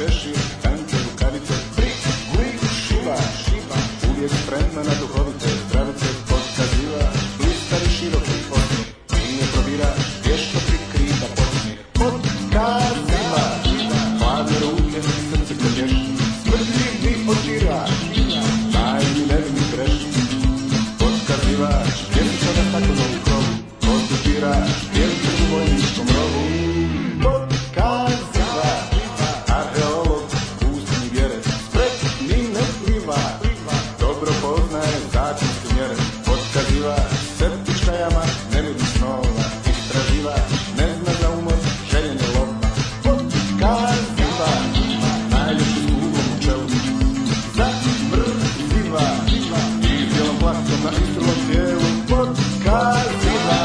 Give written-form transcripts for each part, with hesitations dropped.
šešir, tanke rukavice, prik, glik, šiva, uvijek spremna na duhovite zdravice, podkaziva, blistari široki osmijeh, nije probira, vješto prikriva podsmijeh, podkaziva, hladne ruke, srce krlješni, smrtljiv mi odira, tajni nevini grešni, podkaziva, vjesto na staklenom krovu, podupira, vjesto u vojničkom rovu, podkaziva, arheolog, pustni vjere, spretni ne pliva, dobro poznaje zakonske mjere, podkaziva, septička jama, nemiri snova, istraživa, ne zna za umor, željenje lova, podkaziva, najljepši ugom u čelu, zamrziva, i bijelom plaktom na istrulom tijelu, podkaziva.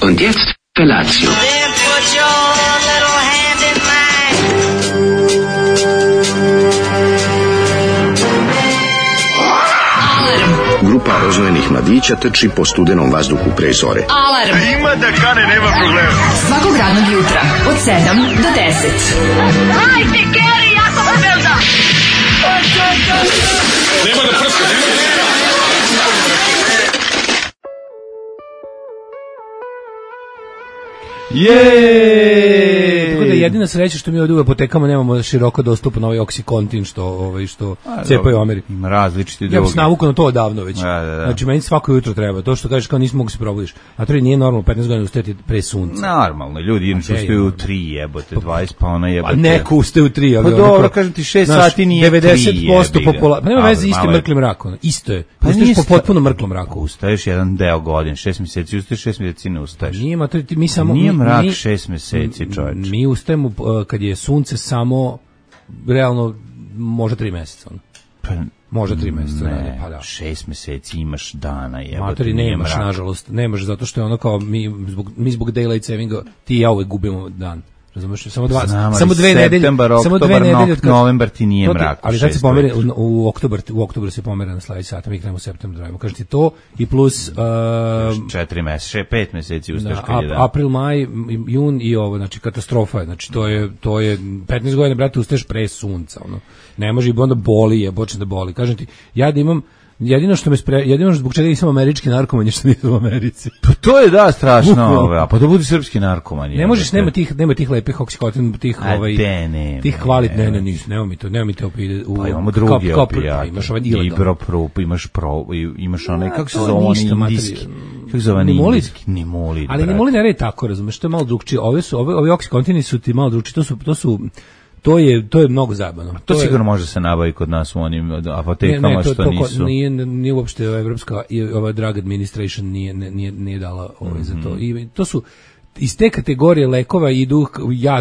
Und jetzt Felatio. Then put your little hand in mine. Grupa rozvojenih mladića trči po studenom vazduhu pre zore. Alarm. Ima da kane, nema problema. Svakog radnog jutra od 7 do 10. Hajde, Geri, jako se velda. Nema da prska, nema da... Tako da jedina sreća što mi ovdje u apotekama nemamo široko dostupno ovaj Oxycontin što cepaju u Americi. Ima različiti drugi. Ja sam navukao na to odavno već. Da. Znači meni svako jutro treba. To što kažeš kao nisi mogu se probudiš. A to nije normalno 15 godina ustajati pre sunca. Normalno, ljudi inače ustaju u 3 jebote, 20 pa ona jebote. A neko ustaje u 3, ali pa dobro, kažem ti 6 sati nije 90% populacije. Pa nema veze, isto je mrklim mrakom. Isto je. Pa ustaješ po potpuno mrklom mraku. Ustaješ jedan deo godine, 6 mjeseci ustaješ, 6 mjeseci ne ustaješ. Mi samo nije mrak 6 mjeseci, čoveče. Mi ustajemo kad je sunce samo realno može 3 mjeseca. Pa može 3 mjeseca, ne, pa da. 6 mjeseci imaš dana, jebote. Materi nemaš, nažalost, nemaš zato što je ono kao mi zbog daylight savinga ti i ja uvek gubimo dan. Razumeš, samo 2 nedelje, samo 2 nedelje od novembar ti nije mrak. Ali sad se pomeri u oktobru se pomera na sledeći sat, mi krenemo u septembru radimo. Kažete to i plus 4 mjeseca, 5 mjeseci ustaješ kad je dan. April, maj, jun i ovo, znači katastrofa je. Znači to je 15 godina, brate, ustaješ pre sunca, ono. Ne može i onda boli, počne da boli. Kažem ti, ja da imam jedino zbog čega nisam američki narkoman je što nisam u Americi. Pa to je da strašno, a pa da budi srpski narkoman. Ne možeš, nema tih lepih Oxycontin, tih kvalitetnih, nema mi to pa imamo drugi opijat. Imaš ovaj ilegalni. Ibuprop, imaš onaj, kako se zove, indijski. Kako se zove, indijski? Nimolid. Ali nimolid ne radi tako, razumeš, to je malo drugčije. Ovi Oxycontini su ti malo drugčiji, to je mnogo zabavno. To sigurno može se nabaviti kod nas u onim apotekama što nisu. Nije uopšte evropska i ova drug administration nije dala za to. I to su iz te kategorije lekova idu,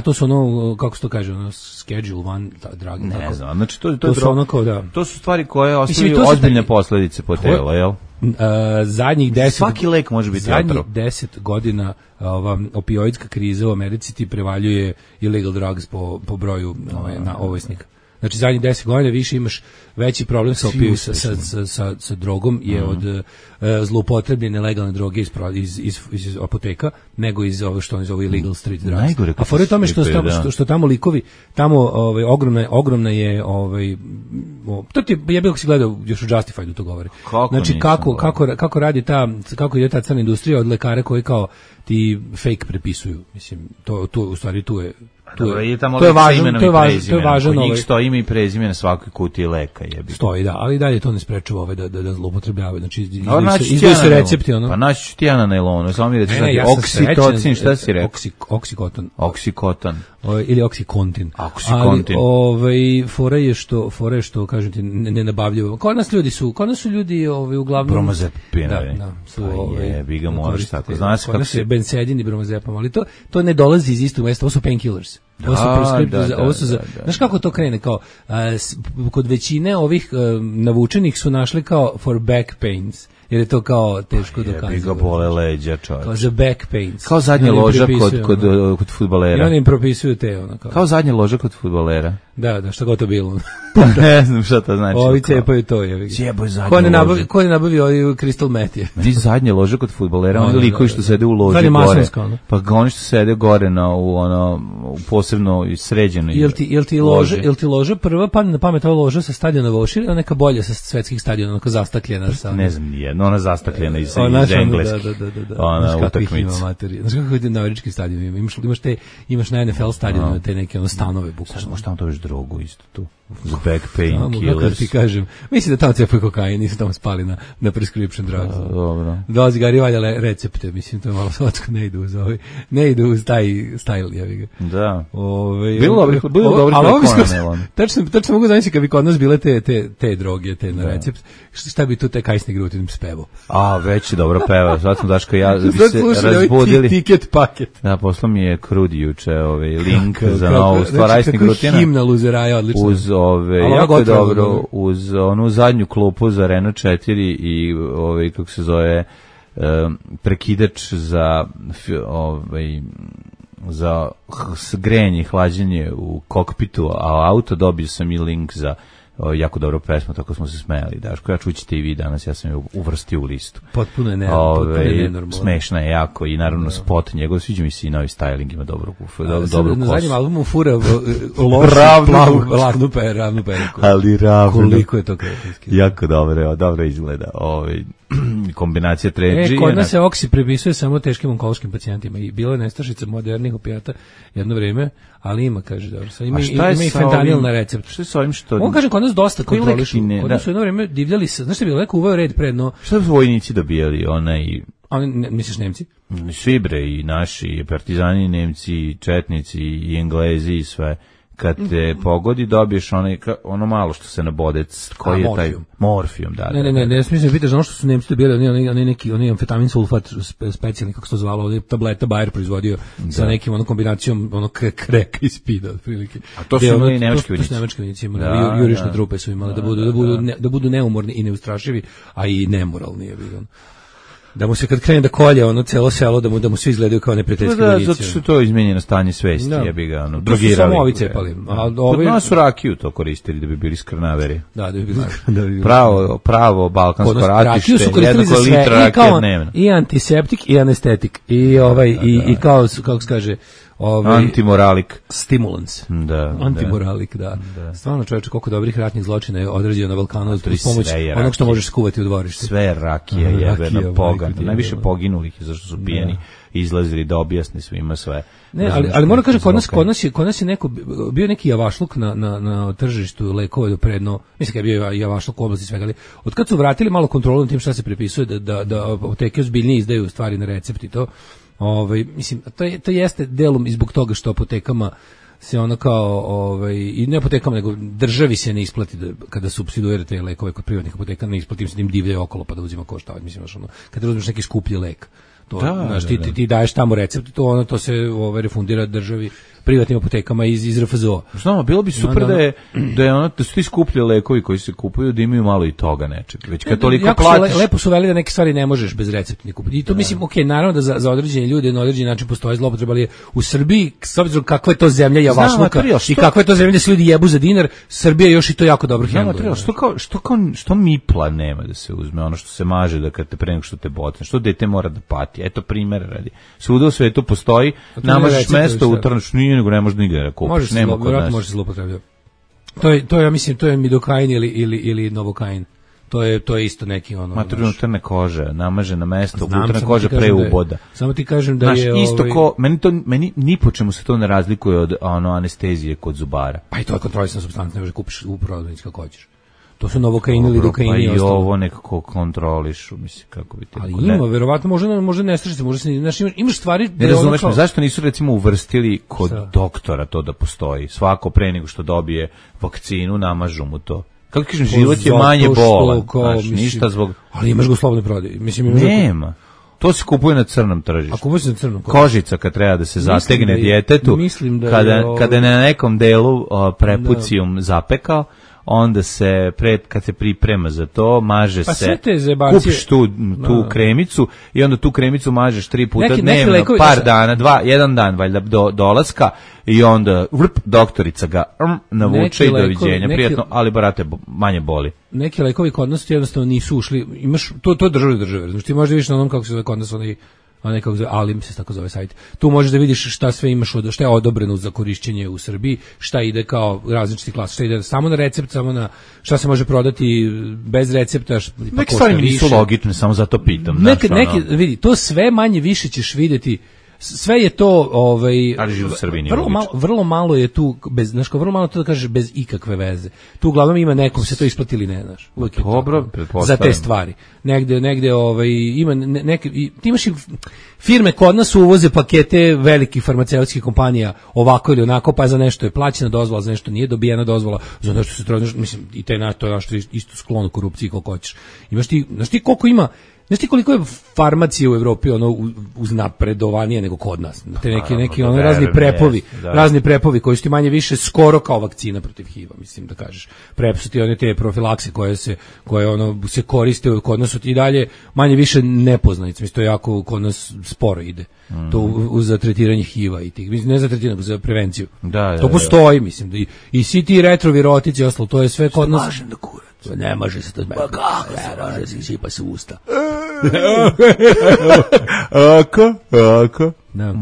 to su ono, kako se to kaže, ono, schedule one drug. Ne znam, znači to su stvari koje ostavljaju ozbiljne posljedice po telo, jel? Svaki lek može biti otrov. Zadnjih 10 godina opioidska kriza u Americi ti prevaljuje illegal drugs po broju ovisnika. Znači zadnjih 10 godina više imaš veći problem sa drogom je od zloupotrebljene legalne droge iz apoteka nego iz ovo što oni zovu illegal street drugs. A fore tome što tamo likovi, tamo ogromna je to ti jebe kako si gledao još u Justified to govori. Znači kako radi kako ide ta crna industrija od lekara koji kao ti fake prepisuju. Mislim to u stvari tu je. To je važan. Kod njih stoji ime i prezime na svakoj kutiji leka, jebi. Stoji, da, ali dalje to ne sprečava da zloupotrebljavaju. Znači izdaju se recepti, ono. Pa naći ću ti ja na nailonu, samo mi reći oksitocin, šta si rekao? Oksikoton. Ili oksikontin. Ali fora je što kažem ti ne nabavljaju. Kod nas su ljudi uglavnom bromazepine. Da, su bi ga možeš tako. Znaš kako se benzedin i bromazepam, ali to ne dolazi iz istog mesta, ovo su painkillers. Ovo su znaš kako to krene, kao kod većine ovih navučenih su našli kao for back pains, jer je to kao teško dokazati. Ga bole leđa, čovječ. Kao za back pains. Kao zadnja loža kod fudbalera. I oni im propisuju te, ono kao. Kao zadnja loža kod fudbalera. Da, šta god to bilo. Ne znam šta to znači. Ovi cepaju to, je. Cijeboj zadnja loža. Ko ne nabavi ovaj crystal meth je? Meni zadnja loža kod fudbalera, oni likovi što sede u loži gore. Pa oni što sede gore u posebno sređenoj loži. Jel ti loža prva padne na pamet ova loža sa stadiona Vošir ili neka bolja sa svetskih stadiona, onako zastakljena? Ne znam, nijedno, ona zastakljena iz engleskih. Ona utakmica. Znaš kako je na američkim stadionima? Imaš na NFL stadionu te neke stanove, bukvalno. Šta to već drogu isto tu? Za back pain killers. Kako ti kažem, mislim da tamo cepaju kokain, nisu tamo spali na prescription drugs. Dobro. Dolazi Gari valja recepte, mislim, to je malo slatko, ne ide uz taj style, jevi ga. Da. Bilo dobro tačno mogu zamisliti kad bi kod nas bile te droge, te na recept, šta bi tu te kajsne grutin spevo? Već je dobro peva, sad smo Daško ja bi se razbudili. Tiket paket. Da, poslao mi je Krudi juče link za novu stvar Ajsne grutina. Himna luzeraja, odlično. Uz jako je dobro, uz onu zadnju klupu za Renault 4 i kako se zove, prekidač za grejanje i hlađenje u kokpitu, a auto dobio sam i link za jako dobro pesma, tako smo se smejali. Daško, ja čućete i vi danas, ja sam je uvrstio u listu. Potpuno je nenormalno. Smešna je jako i naravno spot njegov, sviđa mi se i novi styling, ima dobru kosu. Na zadnjem albumu fura ravnu periku. Ali ravno. Koliko je to kretinski. Jako dobro izgleda. Kombinacija tređi. Kod nas se oksi prepisuje samo teškim onkološkim pacijentima i bila je nestašica modernih opijata jedno vreme, ali ima, kaže, dobro. Ima i fentanil na recept. Što je sa ovim što... On kaže, kod nas dosta kontrolišu. Kod nas su jedno vreme divljali se, znaš što je bilo, neko uveo red predno. Šta su vojnici dobijali? Misliš Nemci? Svi bre, i naši, i partizani, Nemci, i četnici, i Englezi, i sve. Kad te pogodi, dobiješ ono malo što se nabode, koji je taj morfijum, da. Ne, smislim, pitaš ono što su Nemci dobili, oni amfetamin sulfat specijalni, kako se to zvalo, ovdje tableta Bayer proizvodio sa nekim kombinacijom kreka i spida, otprilike. A to su imali nemački vojnici. To su nemački vojnici imali, jurišne trupe su imali, da budu neumorni i neustrašivi, a i nemoralni je bilo. Da mu se kad krene da kolje celo selo, da mu svi izgledaju kao neprijateljski vojnici. Zato što to je izmenjeno stanje svesti, jebi ga, drogirali. Samo ovi cepali. Kod nas su rakiju to koristili da bi bili skrnaveri. Da bi bili Pravo balkansko ratište, rakiju su koristili za sve, dnevno. I antiseptik i anestetik. I kao, kako se kaže, antimoralik. Stimulans. Antimoralik, da. Stvarno, čovječe, koliko dobrih ratnih zločina je odrađeno na Balkanu uz pomoć onog što možeš skuvati u dvorište. Sve rakija jebena pogan. Najviše poginulih je zašto su pijeni izlazili da objasni svima sve. Ne, ali moram kažem, kod nas je bio neki javašluk na tržištu lekova do predno, mislim kad je bio javašluk u oblasti svega, ali od kad su vratili malo kontrolu na tim šta se prepisuje, da apoteke ozbiljnije izdaju stvari na recept i to, mislim, to jeste delom i zbog toga što apotekama se ono kao, i ne apotekama, nego državi se ne isplati kada supsiduira te lekove kod privatnih apoteka, ne isplati im se da im divljaju okolo pa da uzima košta, mislim, kada uzmeš neki skuplji lek. Ti daješ tamo recept, to se refundira državi, privatnim apotekama iz RFZO. Znamo, bilo bi super da su ti skuplji lekovi koji se kupuju, da imaju malo i toga nečeg. Već kad toliko platiš... Lepo su veli da neke stvari ne možeš bez recepta kupiti. I to mislim, naravno da za određene ljude na određeni način postoji zloupotreba, ali u Srbiji, s obzirom kakva je to zemlja javašluka i kakva je to zemlja da se ljudi jebu za dinar, Srbija još i to jako dobro hendluje. Što mipla nema da se uzme, ono što se maže da kad te pre nego što te botne, što dete mora da pati. Eto primjer radi. Svuda u svetu postoji, namažeš mesto, utrneš, nego ne može nigde da kupiš. Može se zloupotrebljati. To je, ja mislim, to je midokain ili novokain. To je isto neki ono. Materijalno unutarnje kože, namaže na mesto, unutarnja koža pre uboda. Samo ti kažem da je isto ko meni ni po čemu se to ne razlikuje od anestezije kod zubara. Pa i to je kontrolisana supstanca, ne možeš kupiš u prodavnici kako hoćeš. To su novokaini ili dokaini. Pa i ovo nekako kontrolišu, mislim, kako bi te... Ali ima, verovatno, može ne strašiti, može se... Znaš, imaš stvari... Ne razumeš me, zašto nisu, recimo, uvrstili kod doktora to da postoji? Svako pre nego što dobije vakcinu, namažu mu to. Kako kažem, život je manje bolan, znaš, ništa zbog... Ali imaš ga u slobodnoj prodaji. Nema. To se kupuje na crnom tržištu. A kupuje se na crnom? Kožica kad treba da se zategne djetetu, kada je na nekom delu prepucijum zapekao, onda se kad se priprema za to, maže se, kupiš tu kremicu i onda tu kremicu mažeš 3 puta dnevno, par dana, jedan dan valjda do dolaska i onda doktorica ga navuče i doviđenja, prijatno, ali brate, manje boli. Neki lekovi kod nas jednostavno nisu ušli, imaš, to države, znači ti možeš da vidiš na onom kako se zove kod nas nekako zove, Alim se tako zove sajt. Tu možeš da vidiš šta sve imaš, šta je odobreno za korišćenje u Srbiji, šta ide kao različiti klasa, šta ide samo na recept, samo na šta se može prodati bez recepta, pa neke stvari mi nisu logične, samo zato pitam. Vidi, to sve manje više ćeš vidjeti. Sve je to vrlo malo je tu vrlo malo to da kažeš bez ikakve veze. Tu uglavnom ima nekom se to isplati ili ne, znaš. Dobro, za te stvari. Negde ima neke ti imaš firme kod nas uvoze pakete velikih farmaceutskih kompanija ovako ili onako, pa za nešto je plaćena dozvola, za nešto nije dobijena dozvola, za nešto se traži, mislim i to je nešto isto sklono korupciji koliko hoćeš. Imaš ti, znaš ti koliko ima. Znaš ti koliko je farmacije u Evropi uznapredovanije nego kod nas? Te neki razni prepovi koji su ti manje više skoro kao vakcina protiv HIV-a, mislim da kažeš. Prep su ti one te profilakse koje se koriste kod nas, su ti dalje manje više nepoznanice. Mislim, to je jako kod nas sporo ide. To za tretiranje HIV-a i tih, mislim, ne za tretiranje, nego za prevenciju. To postoji, mislim, i svi ti retrovirotici i ostalo, to je sve kod nas. Ne može se to zbog. Pa kako ne može se sipa se usta. Ako. Da.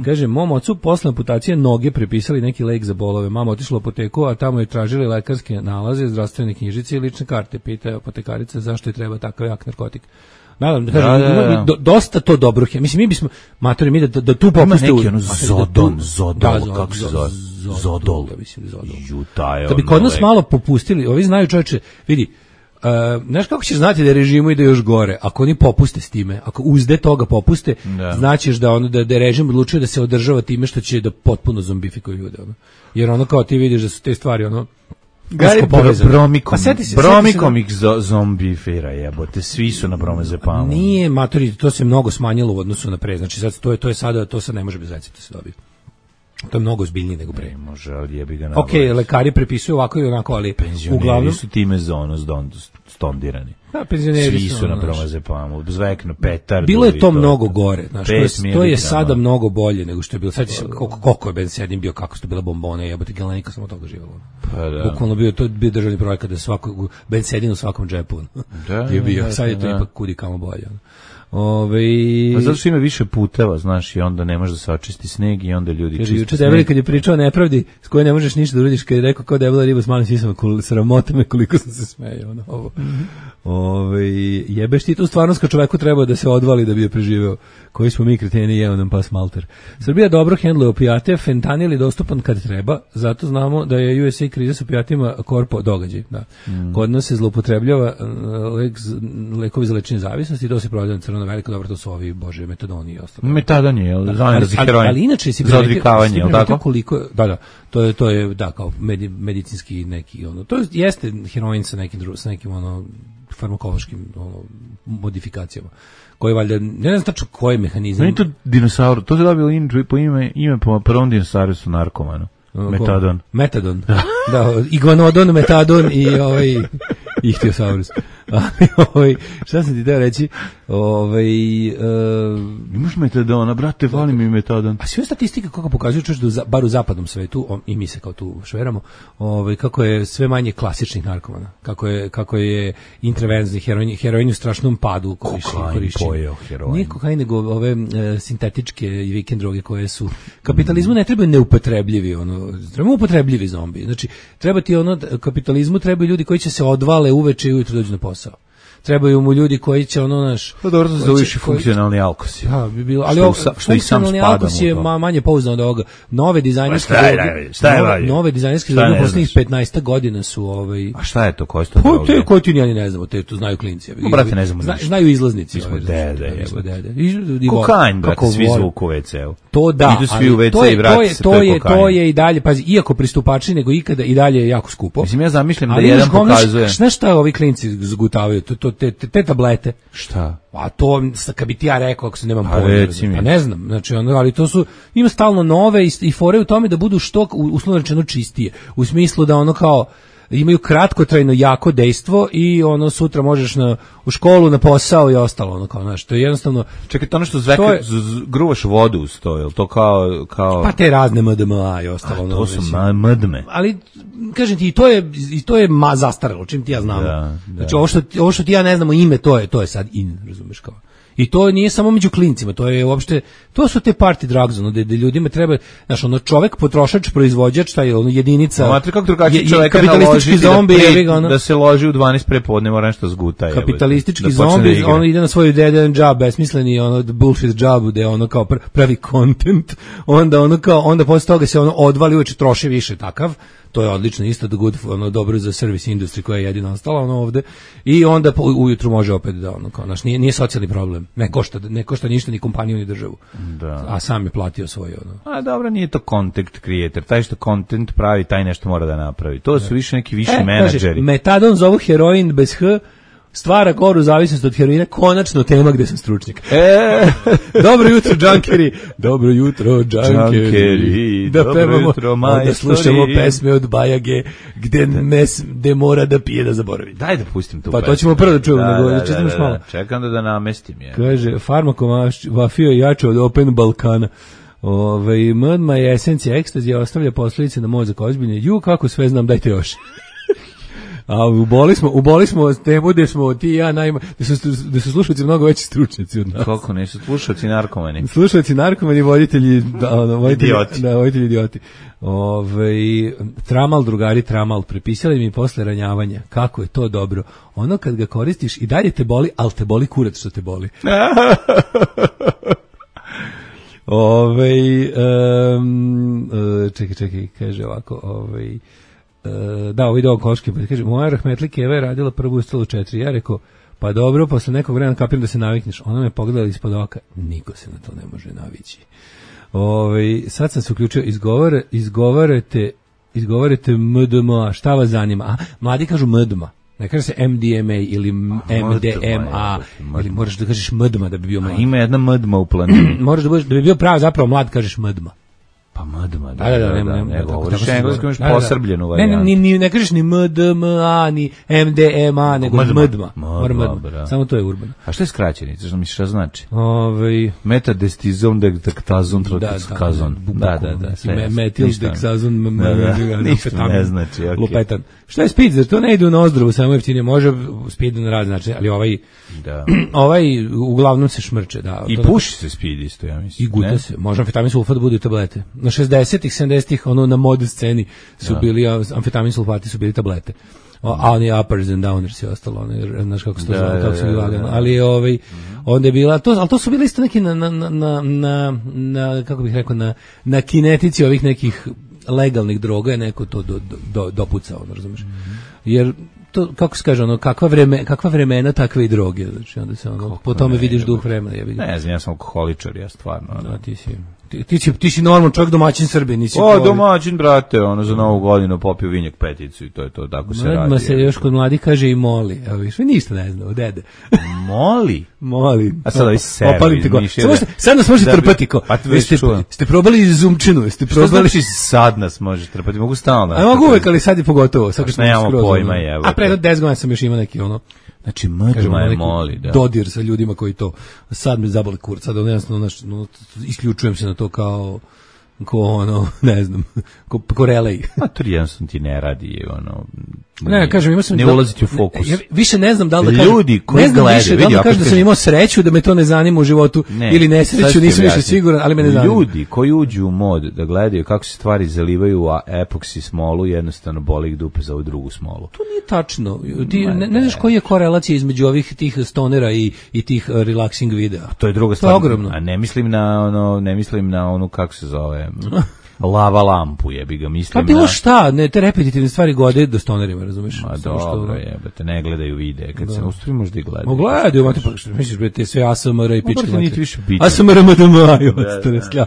Kaže, mom ocu posle amputacije noge prepisali neki lek za bolove. Mama otišla u apoteku, a tamo je tražili lekarske nalaze, zdravstvene knjižice i lične karte. Pita apotekarica zašto je treba takav jak narkotik. Nadam, dosta to dobro. Mislim, mi bismo, matori, da tu popuste... Ima neki Zodol, kako se zove? Zodol. Da bi kod nas malo popustili, ovi znaju, čovječe, vidi, znaš kako ćeš znati da je režimu ide još gore? Ako oni popuste s time, ako uzde toga popuste, značiš da je režim odlučio da se održava time što će da potpuno zombifikuju ljude. Jer kao ti vidiš da su te stvari, Bromikom ih zombifira, jebote, svi su na bromezepamu. Nije, matori, to se mnogo smanjilo u odnosu na pre, znači to sad ne može bez recepta se dobiti. To je mnogo ozbiljnije nego pre. Može, ali jebi ga Ok, lekari prepisuju ovako i onako, ali penzioneri su time stondirani. Da, penzioneri svi su na bromezepamu, zvekno, petardu. Bilo je to mnogo gore, znaš, to je sada mnogo bolje nego što je bilo. Sad koliko je Ben bio, kako su to bile bombone, jebote, Galenika sam od toga živjela. Pa da. Bukvalno to je bio državni projekat da Ben u svakom džepu. Je bio, sad je to ipak kudi kamo bolje. Pa zato što ima više puteva, znaš, i onda ne može da se očisti sneg i onda ljudi čiste juče Debeli kad je pričao o nepravdi s kojoj ne možeš ništa da uradiš, kad je rekao kao Debela riba s malim sisama, sramota me koliko sam se smejao na ovo. Jebeš ti tu stvarnost kad čoveku treba da se odvali da bi je preživeo. Koji smo mi kreteni, jeo nam pas malter. Srbija dobro hendluje opijate, fentanil je dostupan kad treba, zato znamo da je USA kriza s opijatima korpo događaj. Da. Kod nas se zloupotrebljava lekovi za lečenje zavisnosti i to se prodaje na crno veliko, dobro, to su ovi, bože, metadoni i ostalo. Metadon je, ali inače si za odvikavanje, je li tako? Koliko, to je kao medicinski neki, to jeste heroin sa nekim farmakološkim modifikacijama. Koji valjda, ne znam tačno koji je mehanizam. Nije to dinosaur, to se dobilo ime po prvom dinosaurusu narkomanu. Metadon. Da, iguanodon, metadon i ihtiosaurus. Šta sam ti teo reći? Imaš metadona, brate, vali mi metadan. A sve statistike kako pokazuju, čuš da bar u zapadnom svetu, i mi se kao tu šveramo, kako je sve manje klasičnih narkomana, kako je intravenzni heroin u strašnom padu korišćenja. Nije kokain, nego ove sintetičke i vikend droge koje su kapitalizmu ne trebaju neupotrebljivi, trebaju upotrebljivi zombi. Znači, treba ti kapitalizmu trebaju ljudi koji će se odvale uveče i ujutro dođu na posao. Trebaju mu ljudi koji će naš... Pa dobro, da uviši funkcionalni alkos. Ja, bi bilo, ali funkcionalni alkos je manje pouzdan od ovoga. Nove dizajnerske nove dizajnerske droge u poslednjih 15 godina su A šta je to? Koje su to droge? Koje ti ni ne znamo, to znaju klinci. Brate, ne znamo. Znaju izlaznici. Mi smo dede. Kokain, brate, svi zvuku u WC-u. To da, idu svi u WC i vrati se, to je i dalje, pazi, iako pristupačniji nego ikada, i dalje je jako skupo. Mislim, ja zamišljam da jedan pokazuje... Znaš šta ovi klinci zgutavaju? Te tablete. Šta? A to, kad bi ti ja rekao, ako se nemam pojma. Ne znam, znači, ali to su, ima stalno nove i fore u tome da budu što, uslovno rečeno, čistije. U smislu da kao, imaju kratkotrajno jako dejstvo i sutra možeš u školu, na posao i ostalo, kao, znaš, to je jednostavno... Čekaj, to ono što gruvaš vodu uz to, je li to kao... Pa te razne MDMA i ostalo. To su MDMA. Ali, kažem ti, i to je zastaralo, čim ti ja znamo. Da. Znači, ovo što ti ja ne znamo ime, to je sad razumeš kao. I to nije samo među klincima, to je uopšte, to su te party drugs, gde ljudima treba, znaš, čovek, potrošač, proizvođač, taj jedinica. Matri, kako drugačiji čoveka kapitalistički zombi, da se loži u 12 prepodne, mora nešto zguta. Kapitalistički zombi, ide na svoj dead end job, besmisleni, bullshit job, gde kao pravi content, onda posle toga se odvali, uveče troši više takav. To je odlično, isto da good, dobro za service industry koja je jedina ostala ovde, i onda ujutru može opet da kao naš, nije socijalni problem, ne košta ništa ni kompaniju ni državu, da. A sam je platio svoj A dobro, nije to content creator, taj što content pravi, taj nešto mora da napravi, to su više neki viši menadžeri. Metadon zovu heroin bez H, stvara goru zavisnost od heroina, konačno tema gde sam stručnjak. Dobro jutro, džankeri. Dobro jutro, džankeri. Da pevamo, da slušamo pesme od Bajage, gde mora da pije da zaboravi. Daj da pustim tu pesmu. Pa to ćemo prvo da čujemo, da čitamo malo. Čekam da namestim je. Kaže, farmakomafija je jača od Open Balkana. MDMA je esencija ekstazija, ostavlja posljedice na mozak ozbiljne. Kako sve znam, dajte još. A uboli smo temu gde smo ti i ja gde su slušalci mnogo veći stručnjaci od nas. Koliko nisu slušalci narkomani? Slušalci narkomani, voditelji idioti. Tramal, drugari, tramal, prepisali mi posle ranjavanja. Kako je to dobro. Ono kad ga koristiš i dalje te boli, ali te boli kurac što te boli. Čekaj, kaže ovako, da, ovo ide onkološki, pa kaže, moja rahmetli Keva je radila prvu ustalu 4, ja rekao, pa dobro, posle nekog vremena kapiram da se navikneš, ona me pogledala ispod oka, niko se na to ne može navići. Sad sam se uključio, izgovarate MDMA, šta vas zanima? Mladi kažu MDMA, ne kaže se MDMA ili MDMA, ili moraš da kažeš MDMA da bi bio mlad. Ima jedna MDMA u planini. Moraš da bi bio prav zapravo mlad, kažeš MDMA. Pa MDMA, ne govoriš engleskom, imaš posrbljenu varijantu. Ne kažeš ni MDMA, ni MDMA, nego MDMA. Samo to je urbano. A što je skraćenica, što misliš, šta znači? Metadestizon, dektazon, trotikazon. Da. Metil, deksazon, ništa ne znači, lupetan. Šta je speed, jer to ne ide u nozdrovu, samo jeftinije, može speed na rad, znači, ali ovaj uglavnom se šmrče. I puši se speed isto, ja mislim. I guta se, može amfetamin sulfat bude tablete. Na 60-ih, 70-ih, na mod sceni su bili, amfetamin sulfati su bili tablete. A oni uppers and downers i ostalo, znaš kako se to zove, kako su bili lagano. Ali onda je bila, ali to su bili isto neki na kako bih rekao, na kinetici ovih nekih legalnih droga je neko to dopucao, razumiješ? Jer to, kako se kaže, kakva vremena, takve i droge, znači onda se po tome vidiš duh vremena. Ne znam, ja sam alkoholičar, ja stvarno. Da, Ti si normalan čovjek, domaćin Srbije, nisi... domaćin, brate, ono, za Novu godinu popio vinjak peticu i to je to, tako se radi. Se još kod mladi kaže i moli. Evo viš, ništa ne znam, dede. Moli. A sada vi sebi. Opalim te go. Sad nas možete trpati ko. Ste probali izumčinu, ste probali... Što znači sad nas možeš trpati? Mogu stalno. A mogu uvek, ali sad je pogotovo. Sad nemamo pojma, evo. A pre 10 godina sam još imao neki ono... Znači, mrdma je moli, da. Dodir sa ljudima koji to... Sad me zaboli kurac, sad jednostavno isključujem se na to kao ono, ne znam, ko relej. A to jednostavno ti ne radi, ono... Ne, kažem, imao sam... Ne ulaziti u fokus. Ja više ne znam da li da kažem... Ljudi koji gledaju... Ne znam više da li da kažem da sam imao sreću, da me to ne zanima u životu, ili nesreću, nisam više siguran, ali me ne zanima. Ljudi koji uđu u mod da gledaju kako se stvari zalivaju u epoksi smolu, jednostavno boli ih dupe za ovu drugu smolu. To nije tačno. Ti ne znaš koji je korelacija između ovih tih stonera i tih relaxing videa. To je druga stvar. To je ogromno. A ne mislim na onu, kako se zove... Lava lampu, jebi ga, mislim. Pa bilo šta, ne, te repetitivne stvari gode do stonerima, razumeš? Ma dobro, jebate, ne gledaju videe, kad se ustvari možda i gledaju. Gledaju, mate, pa što misliš, bre, te sve ASMR i pičke mate. Nije više bitno. ASMR MDMA,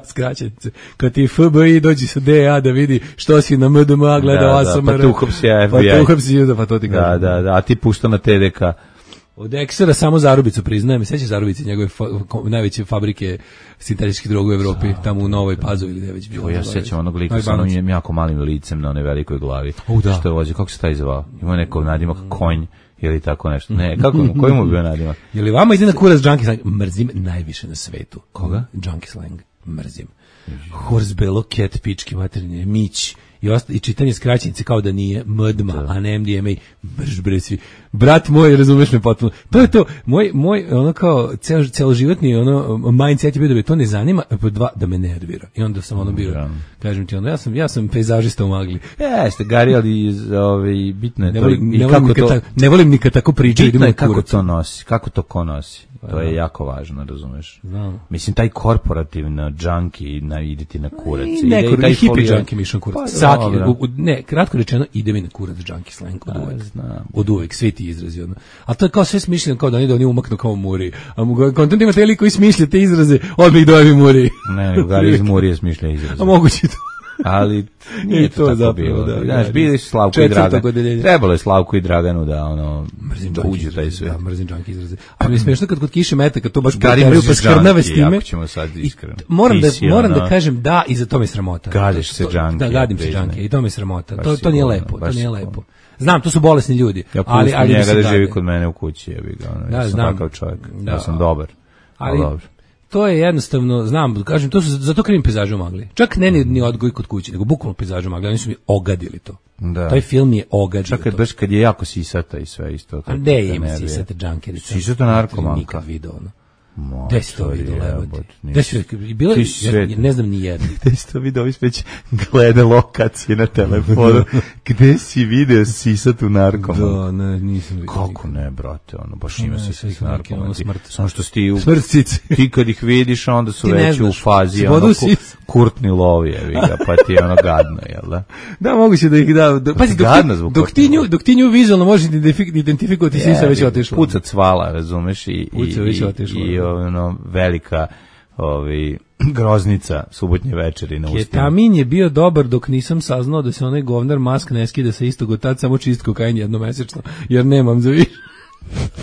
skraćenice. Kad ti FBI dođi sa DA da vidi što si na MDMA gledao ASMR. Pa tu uhapsi FBI. Pa tu uhapsi, pa to ti kažem. Da, a ti pušta na TDK. Od Eksera samo Zarubicu priznajem, seća Zarubice, njegove najveće fabrike sintetičkih droga u Evropi, tamo u Novoj Pazovi ili gde već bilo. Ja sećam onog lika sa onim jako malim licem na onoj velikoj glavi. Što je vozio, kako se taj zvao? Ima neko nadimak konj ili tako nešto. Ne, koji mu bio nadimak? Je li vama ide na kurac junkie slang? Mrzim najviše na svetu. Koga? Junkie slang. Mrzim. Horsbelo, cat, pički, materinje, mić. I čitanje skraćenice kao da nije MDMA, a ne MDMA, brž bre svi. Brat moj, razumeš me potpuno. To je to, moj ono kao celoživotni ono mindset je bio da me to ne zanima, da me nervira. I onda sam ono bio, kažem ti, onda ja sam pejzažista u magli. Jeste, Gari, ali bitno je to. Ne volim nikad tako pričati. Bitno je kako to nosi, kako to ko nosi. To je jako važno, razumeš? Znam. Mislim, taj korporativna junkie ide ti na kurac. I hippie junkie mi išao kurac. Ne, kratko rečeno, ide mi na kurac junkie slang od uvek. Od uvek, svi ti izrazi. Ali to je kao sve smišljeno, kao da oni umaknu kao muri. A kontent ima taj lik koji smišlja te izraze, odmah ih dojevi muri. Ne, Gari iz Murije smišlja izraze. A moguće to. Ali nije to tako bilo. Znaš, bili su Slavko i Dragan. Trebalo je Slavko i Draganu da uđu taj sve. Da, mrzim junkie izraze. Ali mi je smiješno kad kod kiše mete, kad to baš preteraju pa skrnave s time. Ćemo sad iskreno. Moram da kažem da, i za to mi sramota. Gadiš se junkie. Da, gadim se junkie i to mi sramota. To nije lepo, to nije lepo. Znam, to su bolesni ljudi. Ja pustim njega da živi kod mene u kući, jebi ga. Ja sam takav čovjek. Ja sam dobar. Ali dobro. To je jednostavno, znam, kažem, to su zato krivim pejzažu magli. Čak ne ni odgoj kod kuće, nego bukvalno pejzažu magli, oni su mi ogadili to. Da. Taj film je ogadio. Čak baš kad je jako sisata i sve isto. A gde ima sisata junkerica? Sisata narkomanka. Nikad video ono. Gde si to vidio, Levati? Ne znam ni jedno. Gde si to vidio, ovi već glede lokacije na telefonu. Gde si video sisatu narkomanku? Da, ne, nisam vidio. Kako ne, brate, ono, baš ima sisatu narkomanku. Samo što ti kad ih vidiš, onda su već u fazi, ono, kurtni lovi, pa ti je ono gadno, jel da? Da, moguće da ih da. Pazi, dok ti nju vizualno možeš identifikovati, sisa već otišla. Puca cvala, razumeš, i ono velika groznica subotnje večeri na ustima. Ketamin je bio dobar dok nisam saznao da se onaj govnar Mask ne skida sa istog od tad, samo čist kokain jednomesečno, jer nemam za više.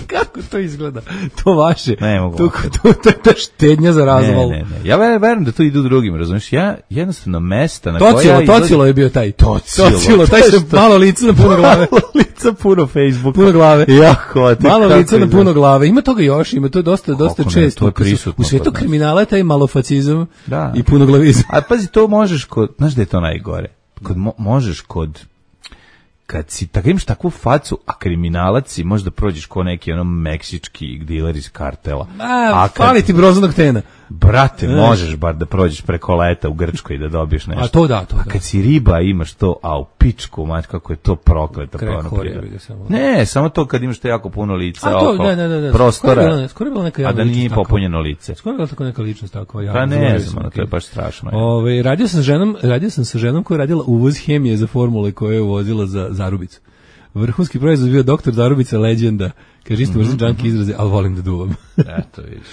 Kako to izgleda? To vaše. Ne mogu. To je ta štednja za razval. Ne. Ja verujem da to idu drugim, razumiješ? Ja jednostavno mesta na koja... Tocilo je bio taj. Tocilo, taj se malo lice na puno glave. Lica puno Facebooka. Puno glave. Jako. Malo lice na puno glave. Ima toga još, ima to je dosta često. U svetu kriminala je taj malofacizam i punoglavizam. A pazi, to možeš znaš da je to najgore? Možeš kad si tako imaš takvu facu, a kriminalac si, možda prođeš ko neki meksički diler iz kartela. Fali ti brozanog tena. Brate, možeš bar da prođeš preko leta u Grčkoj i da dobiješ nešto. A to da. A kad si riba imaš to, a u pičku, mać, kako je to prokleto. Ne, samo to kad imaš to jako puno lica oko prostora, skoro je bila neka javna a da nije popunjeno lice. Skoro je bila tako neka ličnost tako. Pa ne znam, to je baš strašno. Radio sam sa ženom koja je radila uvoz hemije za formule koje je uvozila za Zarubicu. Vrhunski proizvod bio doktor Zarubica legenda. Kaže, isto mrzim junkie izraze, ali volim da duvam. Eto, vidiš.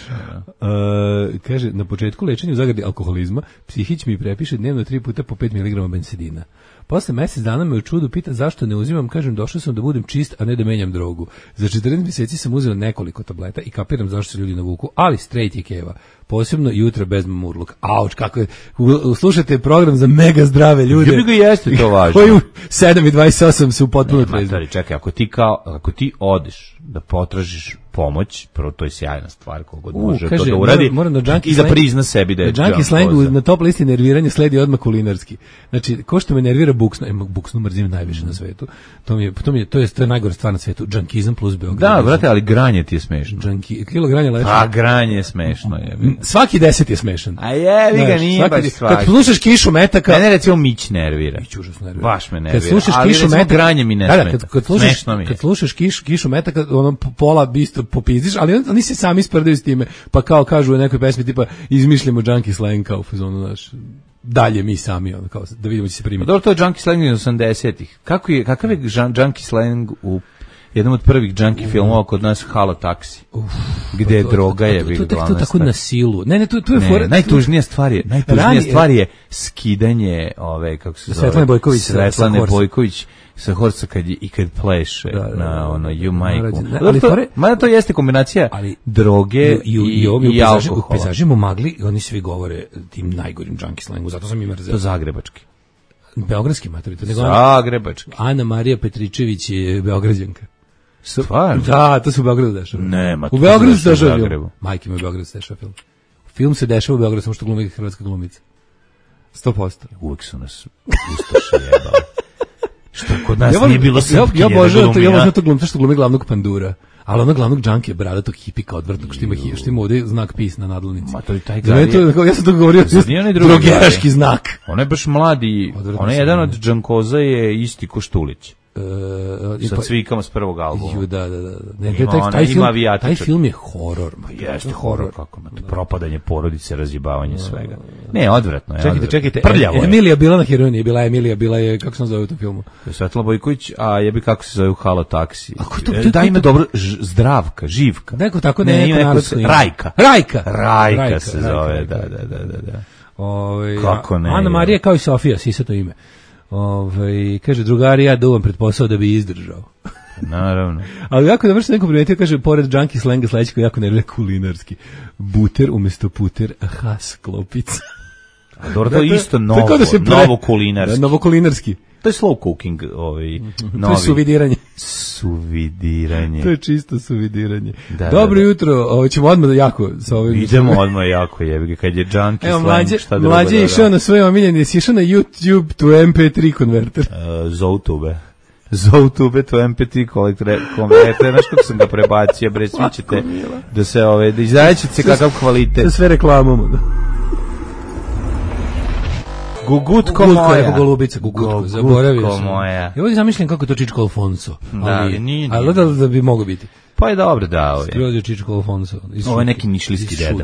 Kaže, na početku lečenja u zagradi alkoholizma, psihić mi prepiše dnevno 3 puta po 5 mg bensedina. Posle mesec dana me u čudu pita zašto ne uzimam, kažem, došao sam da budem čist, a ne da menjam drogu. Za 14 mjeseci sam uzeo nekoliko tableta i kapiram zašto se ljudi navuku, ali straight je keva. Posebno jutra bez mamurluka. Auč, kako je, slušajte program za mega zdrave ljude. Ljubi ga jeste to važno. Koji u 7:28 su potpuno trezni. Čekaj, ako ti odeš da potražiš pomoć, prvo to je sjajna stvar, kogod može kaže, to da uradi i da prizna sebi da je junkie slangu na top listi nerviranja sledi odmah kulinarski. Znači, ko što me nervira buksno, buksnu mrzim najviše na svetu. To je najgore stvar na svetu. Junkizam plus Beograd. Da, brate, ali granje ti je smešno. Kilo granja leče. A granje je smešno je. Svaki 10 je smešan. A jevi ga, nije baš svaki. Kad slušaš Kišu Metaka... Mene recimo Mić nervira. Mić užasno nervira. Baš me nervira. Kad slušaš ali Kišu Metaka... granje mi ne smeta. Kad slušaš Kišu Metaka, ono pola isto popizdiš, ali oni se sami sprdaju s time. Pa kao kažu u nekoj pesmi tipa izmišljamo junkie slang kao fazonu naš... Dalje mi sami, ono, kao, da vidimo će se primiti. Dobro, to je junkie slang iz 80-ih. Kakav je junkie slang u jednom od prvih junkie filmova kod nas Halo taksi, gde je droga je bila glavna stvar. To tako na silu. Ne, tu je fora. Najtužnija stvar je skidanje ove, kako se zove, Svetlane Bojković sa horca kad pleše na ono You Majku. Mada to jeste kombinacija droge i alkohola. U pejzažima Magli oni svi govore tim najgorim junkie slangu, zato sam im mrzeo. To zagrebački. Beogradski maturita. Zagrebački. Ana Marija Petričević je Beograđanka. Stvarno? Da, to se u Beogradu dešava. Nema. U Beogradu se dešava film. Majke mi u Beogradu se dešava film. Film se dešava u Beogradu, samo što glumi hrvatska glumica. 100%. Uvijek su nas ustaše jebali. Što kod nas nije bilo srpke. Ja obožavam to glumca što glumi glavnog pandura. Ali ono glavnog junkie, bradatog hipika odvrtnog, što ima ovdje znak PIS na nadlovnici. Ma to je taj gari. Ja sam to govorio, drogeraški znak. On je baš mladi, on je jedan od džankoza je isti ko Štulić. Sa cvikama s prvog albuma. Taj film je horor. Jeste horor. Propadanje porodice, razjebavanje svega. Ne, odvratno je. Čekajte. Prljavo je. Emilija bila na heroini, bila je, kako se zove u tom filmu? Svetlana Bojković, a jebi kako se zove u Halo taksi. Da ima dobro, Zdravka, Živka. Neko tako neko narodsko ime. Rajka se zove, da. Kako ne? Ana Marija kao i Sofija, sisato ime. Kaže, drugari, ja duvam pred posao da bi izdržao. Naravno. Ali jako dobro što neko primetio, kaže, pored junkie slenga sledeći koji jako nervira kulinarski. Buter umjesto puter, hasklopica. A dobro, to je isto novo kulinarski. Novo kulinarski. To je slow cooking, To je suvidiranje. To je čisto suvidiranje. Dobro jutro, ćemo odmah jako sa ovim. Idemo odmah jako, jebi kad je junkie slang, šta drugo. Mlađe je išao na svoje omiljeni, jesi išao na YouTube to MP3 konverter. Zoutube to MP3 konverter, znaš kako sam ga prebacio, bre, svi ćete da se, da izraćete se kakav kvalitet. Da sve reklamamo, da. Gugutko moja. Gugutko, zaboravio sam. Moja. Ja ovdje zamišljam kako je to Čičko Alfonso. Nije. Ali da bi mogo biti. Pa je dobro, da. Skrodio Čičko Alfonso. Ovo je neki nišlijski deda.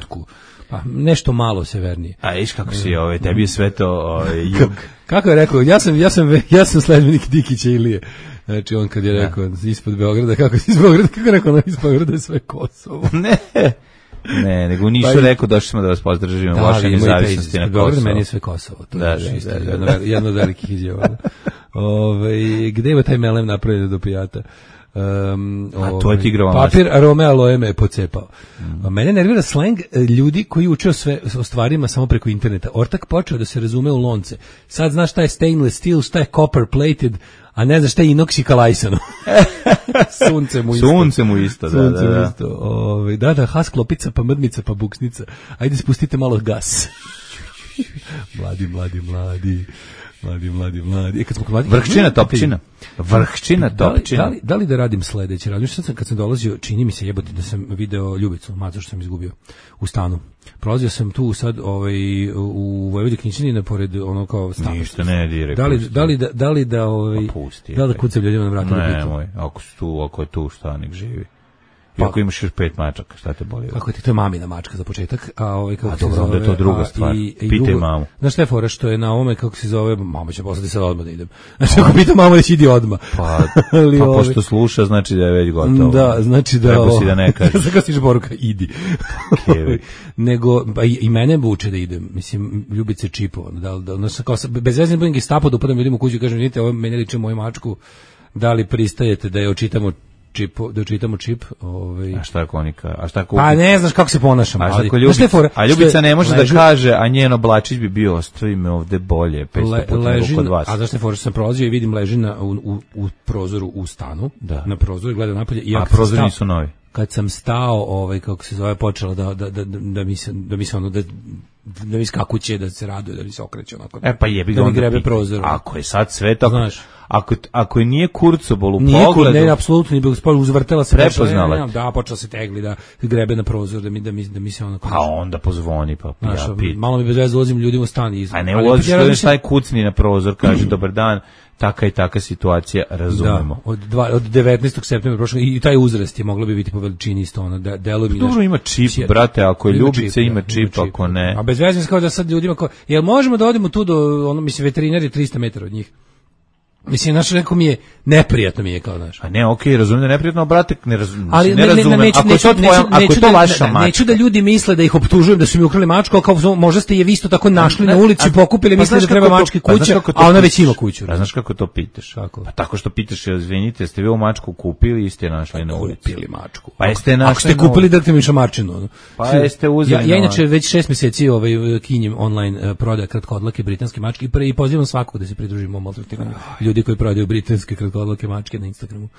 Pa nešto malo severnije. A viš kako si tebi je sve to jug. Kako je rekao, ja sam sledbenik Dikića Ilije. Znači on kad je rekao ispod Beograda, kako je rekao ispod Beograda je sve Kosovo. Ne, nego nisu rekao došli smo da vas pozdržimo vaše nezavisnosti na Kosovo. Meni je sve Kosovo. To je jedno od velikih izjava. Gde je taj melem napravljen do pijata? A to je tigrova papir arome aloe me je pocepao. Mene nervira slang ljudi koji uče o stvarima samo preko interneta. Ortak počeo da se razume u lonce. Sad znaš šta je stainless steel, šta je copper plated, a ne znaš šta je inox i kalajsano. Sunce mu isto. Da, hasklopica, pa mrdnica, pa buksnica. Ajde spustite malo gas. Mladi. Vrhčina topčina. Da li da radim sledeće? Kad sam dolazio, čini mi se jebote da sam video Ljubicu, maco što sam izgubio u stanu. Prolazio sam tu sad u Vojvodi Knjićanina pored ono kao stana. Ništa ne direkt. Da li da kucam ljudima na vratu? Nemoj, ako je tu šta nek živi. Ako imaš još 5 mačaka, šta te boli? Kako ti, to je mamina mačka za početak. A dobro, onda je to druga stvar. Pitaj mamu. Znaš šta je fora, što je na ovome, kako se zove, mama će poslati sad odmah da idem. Znači, ako pita mama, već idi odmah. Pa pošto sluša, znači da je već gotovo. Da, znači da... Treba si da ne kažeš. Sada stiže poruka, idi. Nego, i mene buče da idem. Mislim, Ljubice čipovan. Bez vezne budem Gestapo da upadam ljudima u kuću i kažem, vidite, ovo mene liče moju mačku, da li pristajete da je očitamo čip, A šta ako oni Pa ne znaš kako se ponašam. A Ljubica ne može da kaže, a njen oblačić bi bio, ostavi me ovde bolje, 500 puta nego kod vas. A znaš te fora, sam prolazio i vidim leži u prozoru u stanu, na prozoru i gleda napolje. A prozori nisu novi. Kad sam stao, kako se zove, počelo da mi se ono, da mi skakuće, da se raduje, da mi se okreće onako. Pa jebi ga da mi grebe prozor. Ako je sad sve tako, znaš, ako je nije kurcobol u pogledu... Ne, apsolutno nije bilo, uzvrtela se. Prepoznala. Da, počela se tegli, da grebe na prozor, da mi se onako... Pa onda pozvoni, pa ja pitam. Malo mi bez veze ulazim ljudima u stan. A ne ulaziš, taj kucni na prozor, kaže, dobar dan, taka i taka situacija, razumemo. Da, od 19. septembra prošlog, i taj uzrast je moglo bi biti po veličini isto, ono, deluje mi... Dobro, ima čip, brate, ako je Ljubica, ima čip, ako ne... A bez veze kao da sad ljudima, jel možemo da odemo tu do, ono, mislim, veterinar je 300 metara od njih. Mislim, znaš, neko mi je, neprijatno mi je kao, znaš. A ne, okej, razumijem da je neprijatno, brate, ne razumem. Ako je to vaša mačka. Neću da ljudi misle da ih optužujem da su mi ukrali mačku, kao možda ste je vi isto tako našli na ulici, pokupili, mislili da treba mački kuća, a ona već ima kuću. A znaš kako to pitaš? Pa tako što pitaš, izvinite, ste vi ovu mačku kupili i ste je našli na ulici? Kupili mačku. Pa jeste našli. Ako ste kupili, da te mi šamarčinu. Pa jeste uzeli. Ja inače već 6 mjeseci kinjem online prodaja kratkodlake britanske mačke i pozivam svakog da se pridruži mom maltretiranju. Ljudi koji prodaju britanske kratkodlake mačke na Instagramu.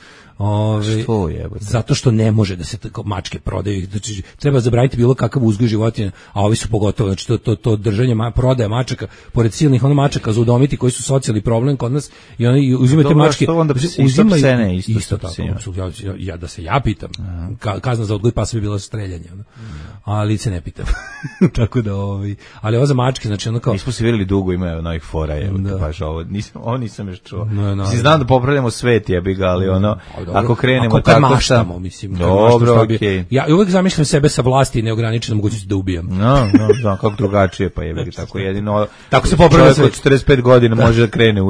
Što je? Zato što ne može da se mačke prodaju. Znači, treba zabraniti bilo kakav uzgoj životinja, a ovi su pogotovo. Znači, to držanje, prodaja mačaka, pored silnih mačaka za udomiti koji su socijalni problem kod nas, i oni uzimaju te mačke. Uzimaju isto tako. Da se ja pitam. Kazna za odgoj pasa bi bila streljanje. Ali se ne pitam. Tako da, ali ovo za mačke, znači ono kao... Nismo se vidjeli dugo, ima novih fora, baš ovo nisam još čuo. Znam da popravljamo svet, jebi ga, ali ako krenemo tako maštamo, mislim. Dobro, okej. Ja uvek zamišljam sebe sa vlasti i neograničenom mogućnosti da ubijam. No, kako drugačije, pa jebi ga, tako jedino... Tako se popravlja svet. Čovjek od 45 godina može da krene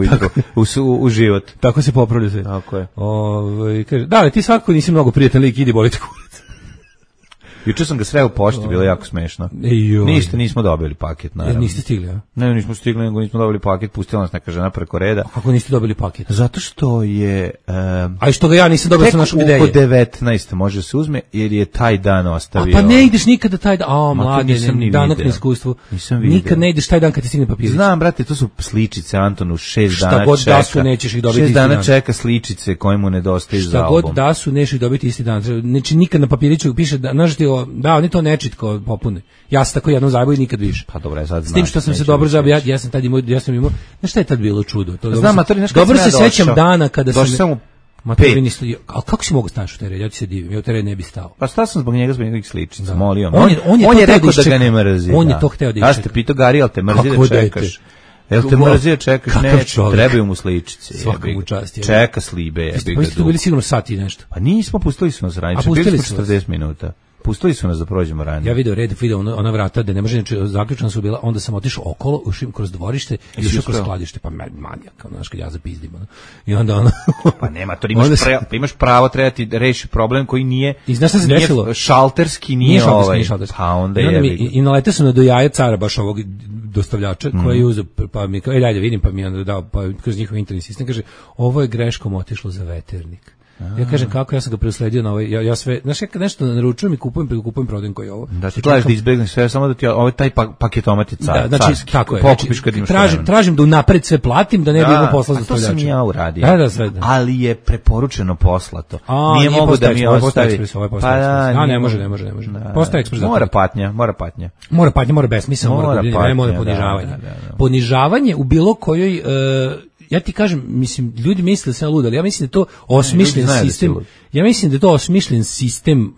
u život. Tako se popravlja svet. Tako je. Da, ali ti svakako nisi mnogo prijatan lik, idi boliti kurac. Juče sam ga sreo u pošti, bilo jako smešno. Ništa, nismo dobili paket, naravno. Niste stigli, a? Ne, nismo stigli, nego nismo dobili paket, pustila nas neka žena preko reda. A kako niste dobili paket? Zato što je... A i što ga ja nisam dobio sa našog ideje? Tek oko 19. može se uzme, jer je taj dan ostavio... A pa ne ideš nikada taj dan, mlade, danak na iskustvu. Nisam vidio. Nikad ne ideš taj dan kad ti stigne papirić. Znam, brate, to su sličice, Antonu, 6 dana čeka. Šta god da su, nećeš ih dobiti isti dan. 6 dana čeka sličice koje mu nedostaju za album. Šta god da su, nećeš ih dobiti isti dan. Znači, nikad na papiriću piše da, znaš ti, oni to nečitko popune. Ja sam tako jednom zajebao i nikad više. Pa dobro, sad s tim što sam se dobro zajebao, ja sam tad imao, znaš šta je tad bilo čudo? Dobro se sećam dana kada sam... Ali kako si mogu staći u teren? Ja ti se divim, ja u teren ne bi stao. Pa stao sam zbog njegovih sličica, molio. On je rekao da ga ne mrzi. On je to hteo da iščeka. Ja ste pitao Gari, ali te mrzi da čekaš. Jel te mrzi da čekaš? Ne, trebaju mu sličice. Svaka mu čast. Čeka slibe. Pa ste tu bili sigurno sat i nešto. Pa nismo, pustili smo nas ranije. Bili smo 40 minuta. Pustili su nas da prođemo ranije. Ja video ona vrata da ne može, znači zaključana su bila, onda sam otišao okolo, ušao kroz dvorište i ušao kroz skladište, pa manijak, znaš, kad ja zapizdim. I onda pa nema, to imaš pravo, treba ti reši problem koji nije... I znaš šta se desilo? Šalterski nije ovaj. Pa onda je... I naletao sam do jaja cara baš ovog dostavljača koji je uzeo, pa mi kao, dajde vidim, pa mi je onda dao, pa kroz njihov interni sistem, kaže, ovo je greškom otišlo za veternik. Ja kažem kako, ja sam ga preusledio na ovaj, ja sve, znaš, ja kad nešto naručujem i kupujem, prodajem koji je ovo. Da ti gledaš da izbegneš sve, samo da ti ovaj taj paketomat je carski. Da, znači, tako je. Pokupiš kad imaš tražim da unapred sve platim, da ne bi imao posla za dostavljača. To sam ja uradio. Da. Ali je preporučeno poslato. Nije mogu da mi ostavi. Pa ne može. Postaje ekspres. Mora patnja. Mora besmisleno, mora ponižavanje. Ponižavanje u bilo kojoj... Ja ti kažem, mislim, ljudi misle da sam lud, ali ja mislim da je to osmišljen sistem. Ja mislim da je to osmišljen sistem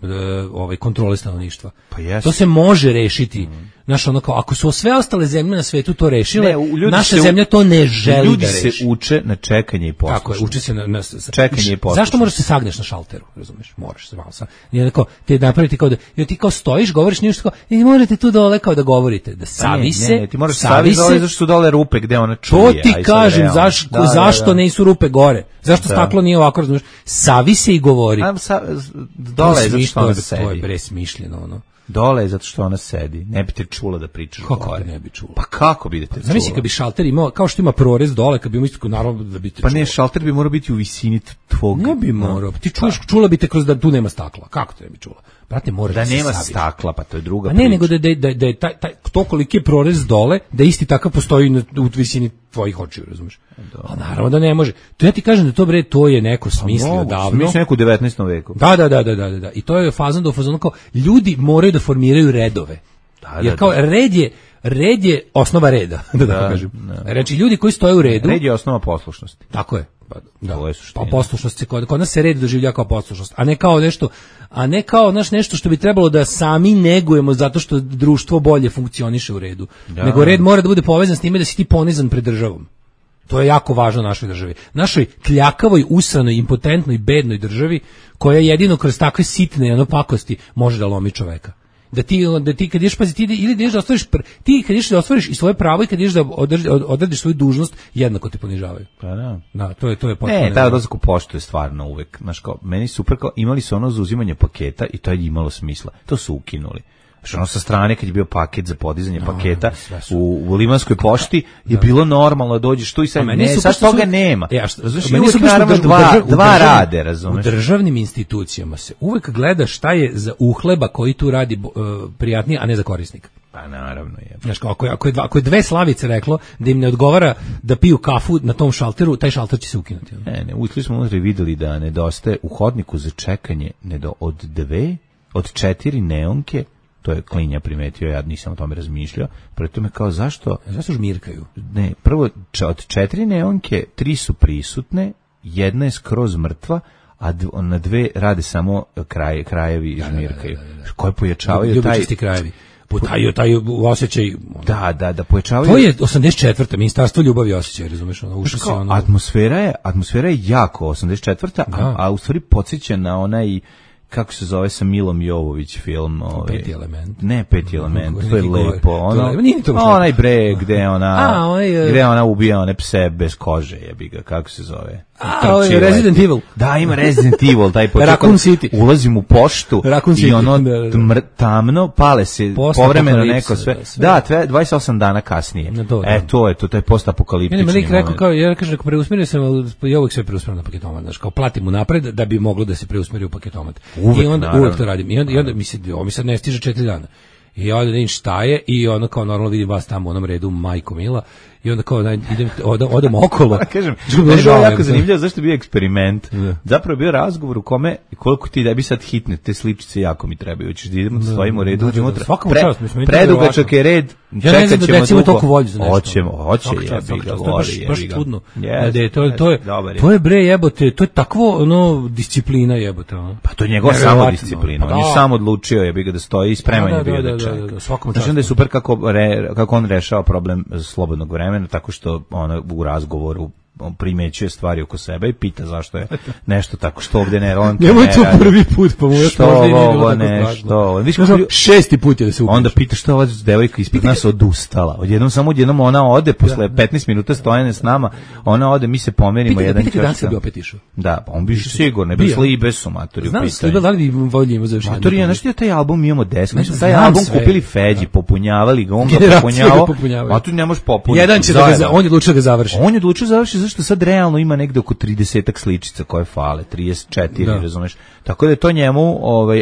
kontrole stanovništva. Pa to se može rešiti. Znaš, ono kao, ako su sve ostale zemlje na svetu to rešile, naša zemlja to ne želi da reši. Ljudi se uče na čekanje i poslušnost. Tako je, uče se na čekanje i poslušnost. Zašto moraš se sagneš na šalteru, razumeš? Moraš se malo sa. Nije tako, te napraviti kao da, jer ti kao stojiš, govoriš nešto kao, ne možete tu dole kao da govorite, da savi se. Ne, ti moraš savi dole, zašto su dole rupe gde ona čuje. To ti kažem, zašto nisu rupe gore? Zašto staklo nije ovako, razumeš? Savi se i govori. Dole je zato što ona sedi. To je bre smišljeno, ono. Dole je zato što ona sedi. Ne bi te čula da pričaš kako gore. Ne bi čula? Pa kako bi te čula? Zamisli kad bi šalter imao, kao što ima prorez dole, kad bi imao isto naravno da bi te čula. Pa ne, šalter bi morao biti u visini tvog. Ne bi morao. Ti čula bi te kroz da tu nema stakla. Kako te ne bi čula? Brate, mora da nema saviš. Stakla, pa to je druga priča. Ne, nego da je taj to koliki je prorez dole, da isti takav postoji u visini tvojih očiju, razumeš? A naravno da ne može. To ja ti kažem da to bre, to je neko smislio davno. Smislio neko u 19. veku. Da. I to je fazon kao ljudi moraju da formiraju redove. Jer kao red je osnova reda, da kažem. Znači ljudi koji stoje u redu. Red je osnova poslušnosti. Tako je. Pa poslušnost se kod nas se red doživlja kao poslušnost, a ne kao nešto što bi trebalo da sami negujemo zato što društvo bolje funkcioniše u redu. Nego red mora da bude povezan s time da si ti ponizan pred državom. To je jako važno našoj državi. Našoj kljakavoj, usranoj, impotentnoj, bednoj državi koja jedino kroz takve sitne pakosti može da lomi čoveka. Da ti kad ideš, pazi, ti ili da ideš da ostvariš, ti kad ideš da ostvariš i svoje pravo i kad ideš da odradiš svoju dužnost, jednako te ponižavaju. Pa da. Da, to je potpuno. Ne, taj odlazak u poštu je stvarno uvek, znaš kao, meni super kao, imali su ono za uzimanje paketa i to je imalo smisla. To su ukinuli. Što ono sa strane kad je bio paket za podizanje paketa u Limanskoj pošti je bilo normalno da dođeš tu i sad sad toga nema. Meni su naravno dva rade, razumeš? U državnim institucijama se uvek gleda šta je za uhleba koji tu radi prijatnije, a ne za korisnika. Pa naravno je. Znaš, ako je dve Slavice reklo da im ne odgovara da piju kafu na tom šalteru, taj šalter će se ukinuti. Ne, ušli smo unutra i videli da nedostaje u hodniku za čekanje od 4 neonke. To je Klinja primetio, ja nisam o tome razmišljao. Preto me kao, zašto žmirkaju? Ne, prvo, od 4 neonke, 3 su prisutne, jedna je skroz mrtva, a na 2 rade samo krajevi žmirkaju. Koje pojačavaju ljubičasti krajevi. Taj osjećaj. Da, pojačavaju. To je 84. Ministarstvo ljubavi i osjećaja, razumeš? Atmosfera je jako 84. A u stvari podsjeća na onaj, kako se zove, sa Milom Jovović film, Peti element. Ne, Peti element, to je lepo. Onaj bre gde ona ubija one pse bez kože, jebi ga, kako se zove? Resident Evil. Da, ima Resident Evil, taj početak. Raccoon City. Ulazim u poštu i ono tamno, pale se povremeno neko sve. Da, 28 dana kasnije. To je taj postapokaliptični moment. Meni rekao, ja kažem, preusmerio sam, ja uvijek sve preusmerim na paketomat, znaš, kao platim mu napred da bi moglo da se preusmeri u paketomat. I uvijek to radim. I onda mi sad ne stiže 4 dana. I onda vidim šta je i onda kao normalno vidim vas tamo u onom redu, majko mila, i onda kao odem okolo. Kažem, meni je jako zanimljivo zašto je bio eksperiment. Zapravo je bio razgovor u kome koliko ti da bi sad hitne, te sličice jako mi trebaju. Hoćeš da idemo, stojimo u redu, uđemo unutra. Predugačak je red, čekat ćemo dugo. Hoće, jebi ga, voli. Baš čudno. To je bre jebote, to je takvo disciplina jebote. Pa to je njegova samodisciplina. On je sam odlučio jebi ga da stoji i spreman je bio da čeka. Znači da je super kako on rešava problem slobodnog vremena, tako što ona u razgovoru primećuje stvari oko sebe i pita zašto je nešto tako, što ovdje ne radi. Nemoj to prvi put, pa mu još možda i nije bilo tako strašno. 6. put je da se upiš. Onda pita što ova devojka ispred nas odustala. Odjednom ona ode, posle 15 minuta stojanja s nama, ona ode, mi se pomerimo jedan čas. Pita dan se bi opet išao. Da, pa on bi sigurno, bez Libe su maturi. Znam s Libe, da li bi voljimo završiti? Maturija, znaš ti taj album imamo 10, taj album kupili Feđi, popunjavali ga, on ga popunjavao, a tu ne možeš popuniti. Jedan će on je odlučio da završi. On je odlučio da završi što sad realno ima negde oko 30-ak sličica koje fale, 34, razumeš. Tako da je to njemu,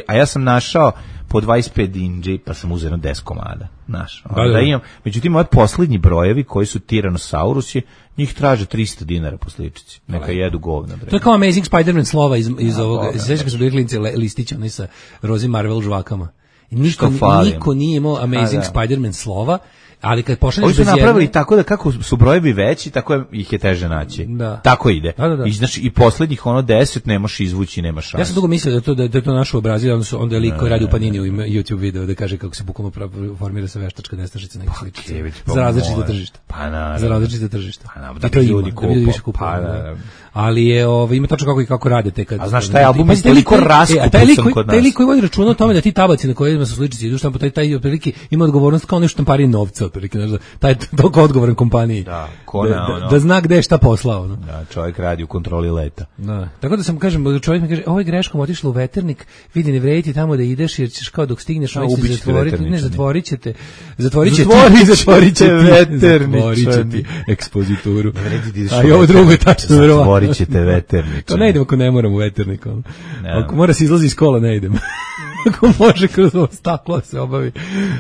a ja sam našao po 25 dinđi, pa sam uzeo 10 komada, znaš. Da imam, međutim, ove posljednji brojevi koji su Tyrannosaurusi, njih traže 300 dinara po sličici. Neka jedu govna. To je kao Amazing Spider-Man slova iz ovoga. Sveća kad su bili klinci listića, oni sa Rozi Marvel žvakama. Niko nije imao Amazing Spider-Man slova Ali kad pošalješ Oni su bez napravili jedne... tako da kako su brojevi veći, tako ih je teže naći. Da. Tako ide. Da. I znači i poslednjih 10 ne možeš izvući, nema šanse. Ja sam dugo mislio da je to naš obrazir, onda je lik koji radi u Panini u YouTube video da kaže kako se bukvalno formira se veštačka nestašica nekih sličica. Za različite tržišta. Za različite tržišta. Da bi ljudi kupili. Ali je ima tačno kako rade te kad. A znaš taj album je toliko raskupan kod nas. Taj lik koji vodi računa o tome da ti tabaci na kojima su sličice idu štampo, taj otprilike ima odgovornost kao nešto štampari novca, otprilike, znaš, taj toliko odgovoran kompaniji. Da zna gde je šta poslao. Da, čovjek radi u kontroli leta. Da. Tako da sam kažem, čovjek mi kaže, ovo je greškom otišlo u Veternik, vidi ne vredi tamo da ideš jer ćeš kao dok stigneš zatvorit ćete Veterničani. Ekspozituru. A i ovo drugo je tačno verovatno. Zatvorit ćete Veterničani. To ne idem ako ne moram u Veternik. Ako mora se izlazi iz kola, ne idem. Ako može kroz ovo staklo se obavi.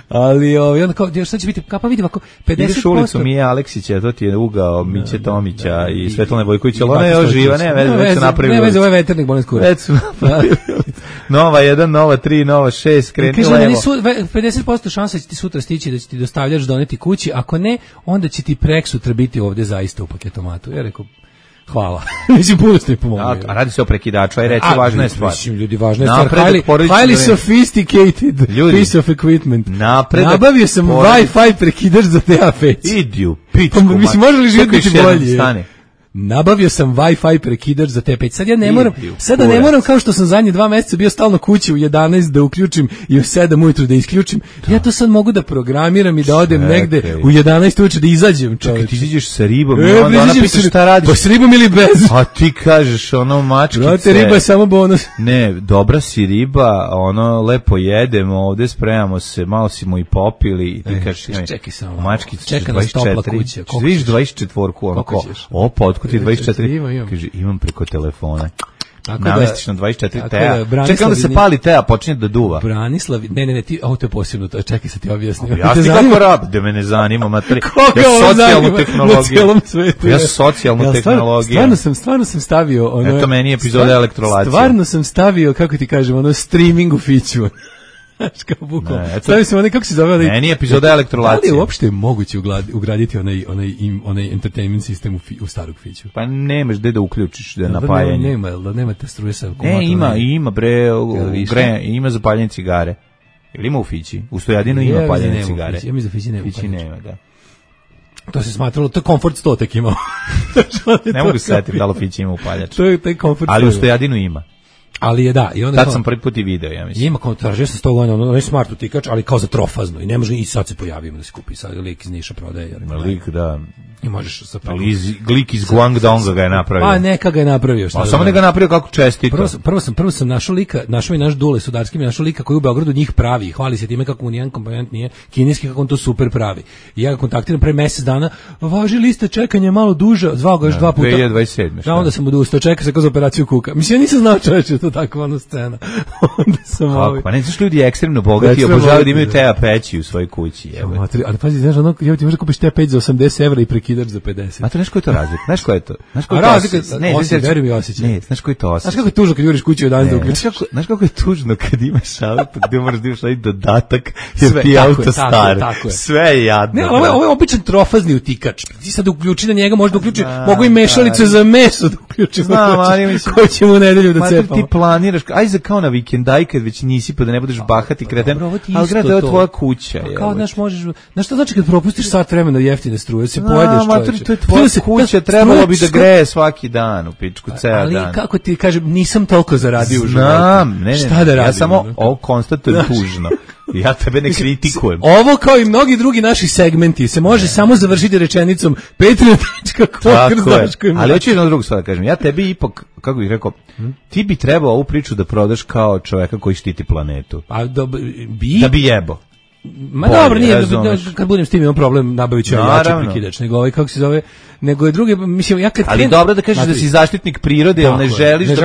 Ali onda kao, šta će biti, pa vidi ovako, 50%... Ideš ulicu Mije Aleksića, to ti je ugao Miće Tomića i Svetlane Vojkovića, ali ona je još živa, ne veze, napravili. Ne veze, ovo je Veternik, bolim skura. Već su napravili. Nova 1, Nova 3, Nova 6, kreni levo. 50% šansa će ti sutra stići da će ti dostavljač doneti kući, ako ne, onda će ti preksutra biti ovde zaista u paketomatu. Ja rekao, hvala. Mislim, puno ste mi pomogli. A radi se o prekidaču, aj reći, važna je stvar. Mislim, ljudi, važna je stvar. Highly sophisticated piece of equipment. Nabavio sam Wi-Fi prekidač za DA5. Idi u pičku. Mislim, može li živjeti biti bolje? Nabavio sam Wi-Fi prekidač za T5. Sad ja ne moram, sada ne moram kao što sam zadnje 2 meseca bio stalno kući u 11 da uključim i u 7 ujutru da isključim. Ja to sad mogu da programiram i da odem negde u 11 ujutru da izađem. Čekaj, ti izađeš sa ribom i onda ona pita šta radiš. Pa s ribom ili bez? A ti kažeš ono mačkice. Brate, riba je samo bonus. Ne, dobra si riba, ono lepo jedemo, ovde spremamo se, malo si mu i popili i ti kažeš, čekaj samo. Mačkice čeka nas topla kuća. Vidiš 24-ku, onako, ti 24, kaže, imam preko telefona. Namestiš na 24 teja. Čekaj, onda se pali teja, počinje da duva. Branislav, ne, ti, ovo to je posebno, čekaj se ti objasnim. Ja ti kako rab, da me ne zanima, materi. Ja socijalnu tehnologiju. Ja socijalnu tehnologiju. Stvarno sam stavio, eto meni epizoda elektrolacije. Stvarno sam stavio, kako ti kažem, streaming u fiću. Znaš kao bukvalno. Stavio sam kako se zove. Meni epizoda elektrolacije. Da li je uopšte moguće ugraditi onaj entertainment sistem u starog fiću? Pa nemaš gde da uključiš, da napajanje. Nema te struje sa akumulatora. Ima ima za paljenje cigare. Ili ima u fići? U stojadinu ima paljenje cigare. Ja mi za fići nema. Fići nema, da. To se smatralo, to je komfort 100 tek imao. Ne mogu se setiti da li fići ima upaljač. To je komfort 100. Ali u stojadinu ima. Ali je da, i onda tad sam prvi put i video, ja mislim. Ima kao tražio sam 100 godina, ono je smart utikač, ali kao za trofazno i ne može i sad se pojavimo da se kupi, sad lik iz Niša prodaje. Lik, da. I možeš sa lik iz Guangdonga ga je napravio. Pa neka ga je napravio, šta. Pa samo ne ga napravio kako čestito. Prvo sam našao lika, našao i naš Dule Sudarski, našao lika koji u Beogradu njih pravi, hvali se time kako mu nijedan komponent nije kineski, kako on to super pravi. I ja ga kontaktiram pre mesec dana, važi lista čekanja malo duže, zvao ga još 2 puta. 2027. Da, onda sam odustao, čeka se kao za operaciju kuka. Mislim, ja nisam znao čoveče, to takva ona scena. Onda sam pa ne znaš, ljudi ekstremno bogati, obožavaju da imaju teja peći u svojoj kući. Ali pazi, znaš, ono, ja ti možda kupiš teja peć za 80 evra i prekidač za 50. A to znaš koji je to razlika? Znaš koji je to? Verujem i osjećaj. Ne, znaš koji je to osjećaj? Znaš kako je tužno kad juriš kuću od danas da uključiš? Znaš kako je tužno kad imaš auto gde moraš da imaš ovaj dodatak jer ti je auto star. Sve je jadno. Ne, ovo je običan trofazni utikač. Ti sad uključi na njega, možda uključi, mogu i mešalicu za meso da uključim. Znam, ali mislim. Ko ćemo u nedelju da cepamo? Ti planiraš, aj za kao na vikendaj kad već nisi pa da ne budeš bahati kreten, ali grad je tvoja kuća. Kao, znaš, možeš, znaš što znači kad propustiš sat vremena jeftine struje, se pojedeš čoveče. To je tvoja kuća, trebalo bi da greje svaki dan u pičku, ceo dan. Ali kako ti kažem, nisam toliko zaradio u životu. Znam, ne, šta da radim? Ja samo konstatujem tužno. Ja tebe ne kritikujem. Ovo kao i mnogi drugi naši segmenti se može samo završiti rečenicom Patreon.com. Ali hoću jednu drugu stvar da kažem. Ja tebi ipak, kako bih rekao, ti bi trebao ovu priču da prodaš kao čoveka koji štiti planetu. Da bi jebo. Ma dobro, nije, kad budem s tim imam problem, nabavit ću jači prekidač, nego ovaj, kako se zove, nego je drugi, mislim, ja kad ali dobro da kažeš da si zaštitnik prirode, ali ne želiš da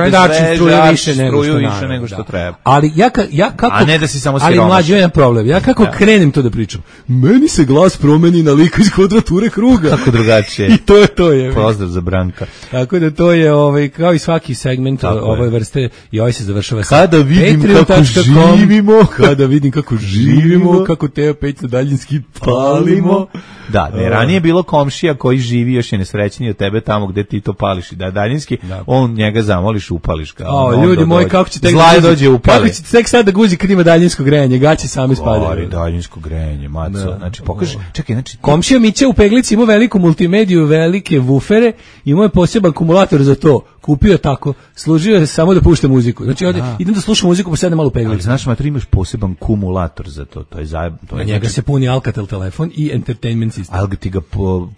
struju više nego što treba. Ali ja kako, a ne da si samo siromašan. Ali mlađi jedan problem, ja kako krenem to da pričam, meni se glas promeni na lika iz kvadrature kruga. Kako drugačije. I to je. Pozdrav za Branka. Tako da to je, kao i svaki segment ove vrste, i ovaj se završava sa kada vidim kako živimo, kada vidim kako živimo, kako Teo Peć na daljinski palimo. Da, ranije je bilo komšija koji živi još je nesrećniji od tebe tamo gde ti to pališ i da daljinski, on njega zamoliš, upališ ga. Ljudi moji, kako će tek dođe upali. Kako će tek sad da guzi kad ima daljinsko grejanje, gaće sami spadaju. Daljinsko grejanje, maco. Znači, pokaži, čekaj, znači... Komšija Mića u Peglici ima veliku multimediju, velike wufere, imao je poseban akumulator za to. Kupio je tako, služio je samo da pušta muziku. Znači, idem da slušam muziku, pa sedem malo u Peglici. Ali znaš, mater, imaš poseban kumulator za to. To je na njega se puni Alcatel telefon i entertainment sistem. Ali ti ga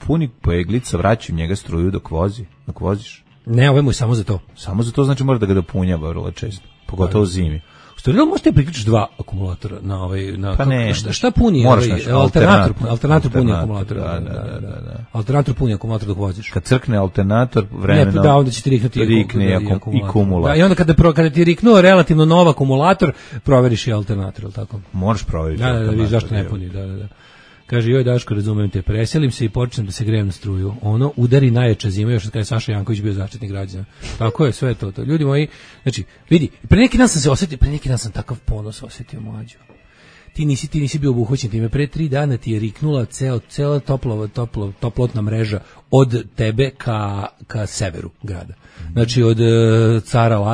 puni Peglica, vraćaju njega struju dok voziš. Ne, ovo je mu samo za to. Samo za to, znači mora da ga dopunjava vrlo često, pogotovo zimi. Da možete priključiti 2 akumulatora na ovaj pa ne, šta puni alternator puni akumulator. Alternator puni akumulator dok voziš. Kad crkne alternator vremeno. Da, onda će ti riknuti i kumulator. I onda kada ti riknuo relativno nov akumulator, proveriš i alternator, al tako. Možeš proveriti. Da, vidiš zašto ne puni, da. Kaže, joj Daško, razumem te, preselim se i počnem da se grejem na struju. Ono udari najjača zima, još kada je Saša Janković bio zaštitnik građana. Tako je, sve to. Ljudi moji, znači, vidi, pre neki dan sam takav ponos osjetio, mlađo. Ti nisi bio obuhvaćen time, pre 3 dana ti je riknula cela toplotna mreža od tebe ka severu grada. Znači od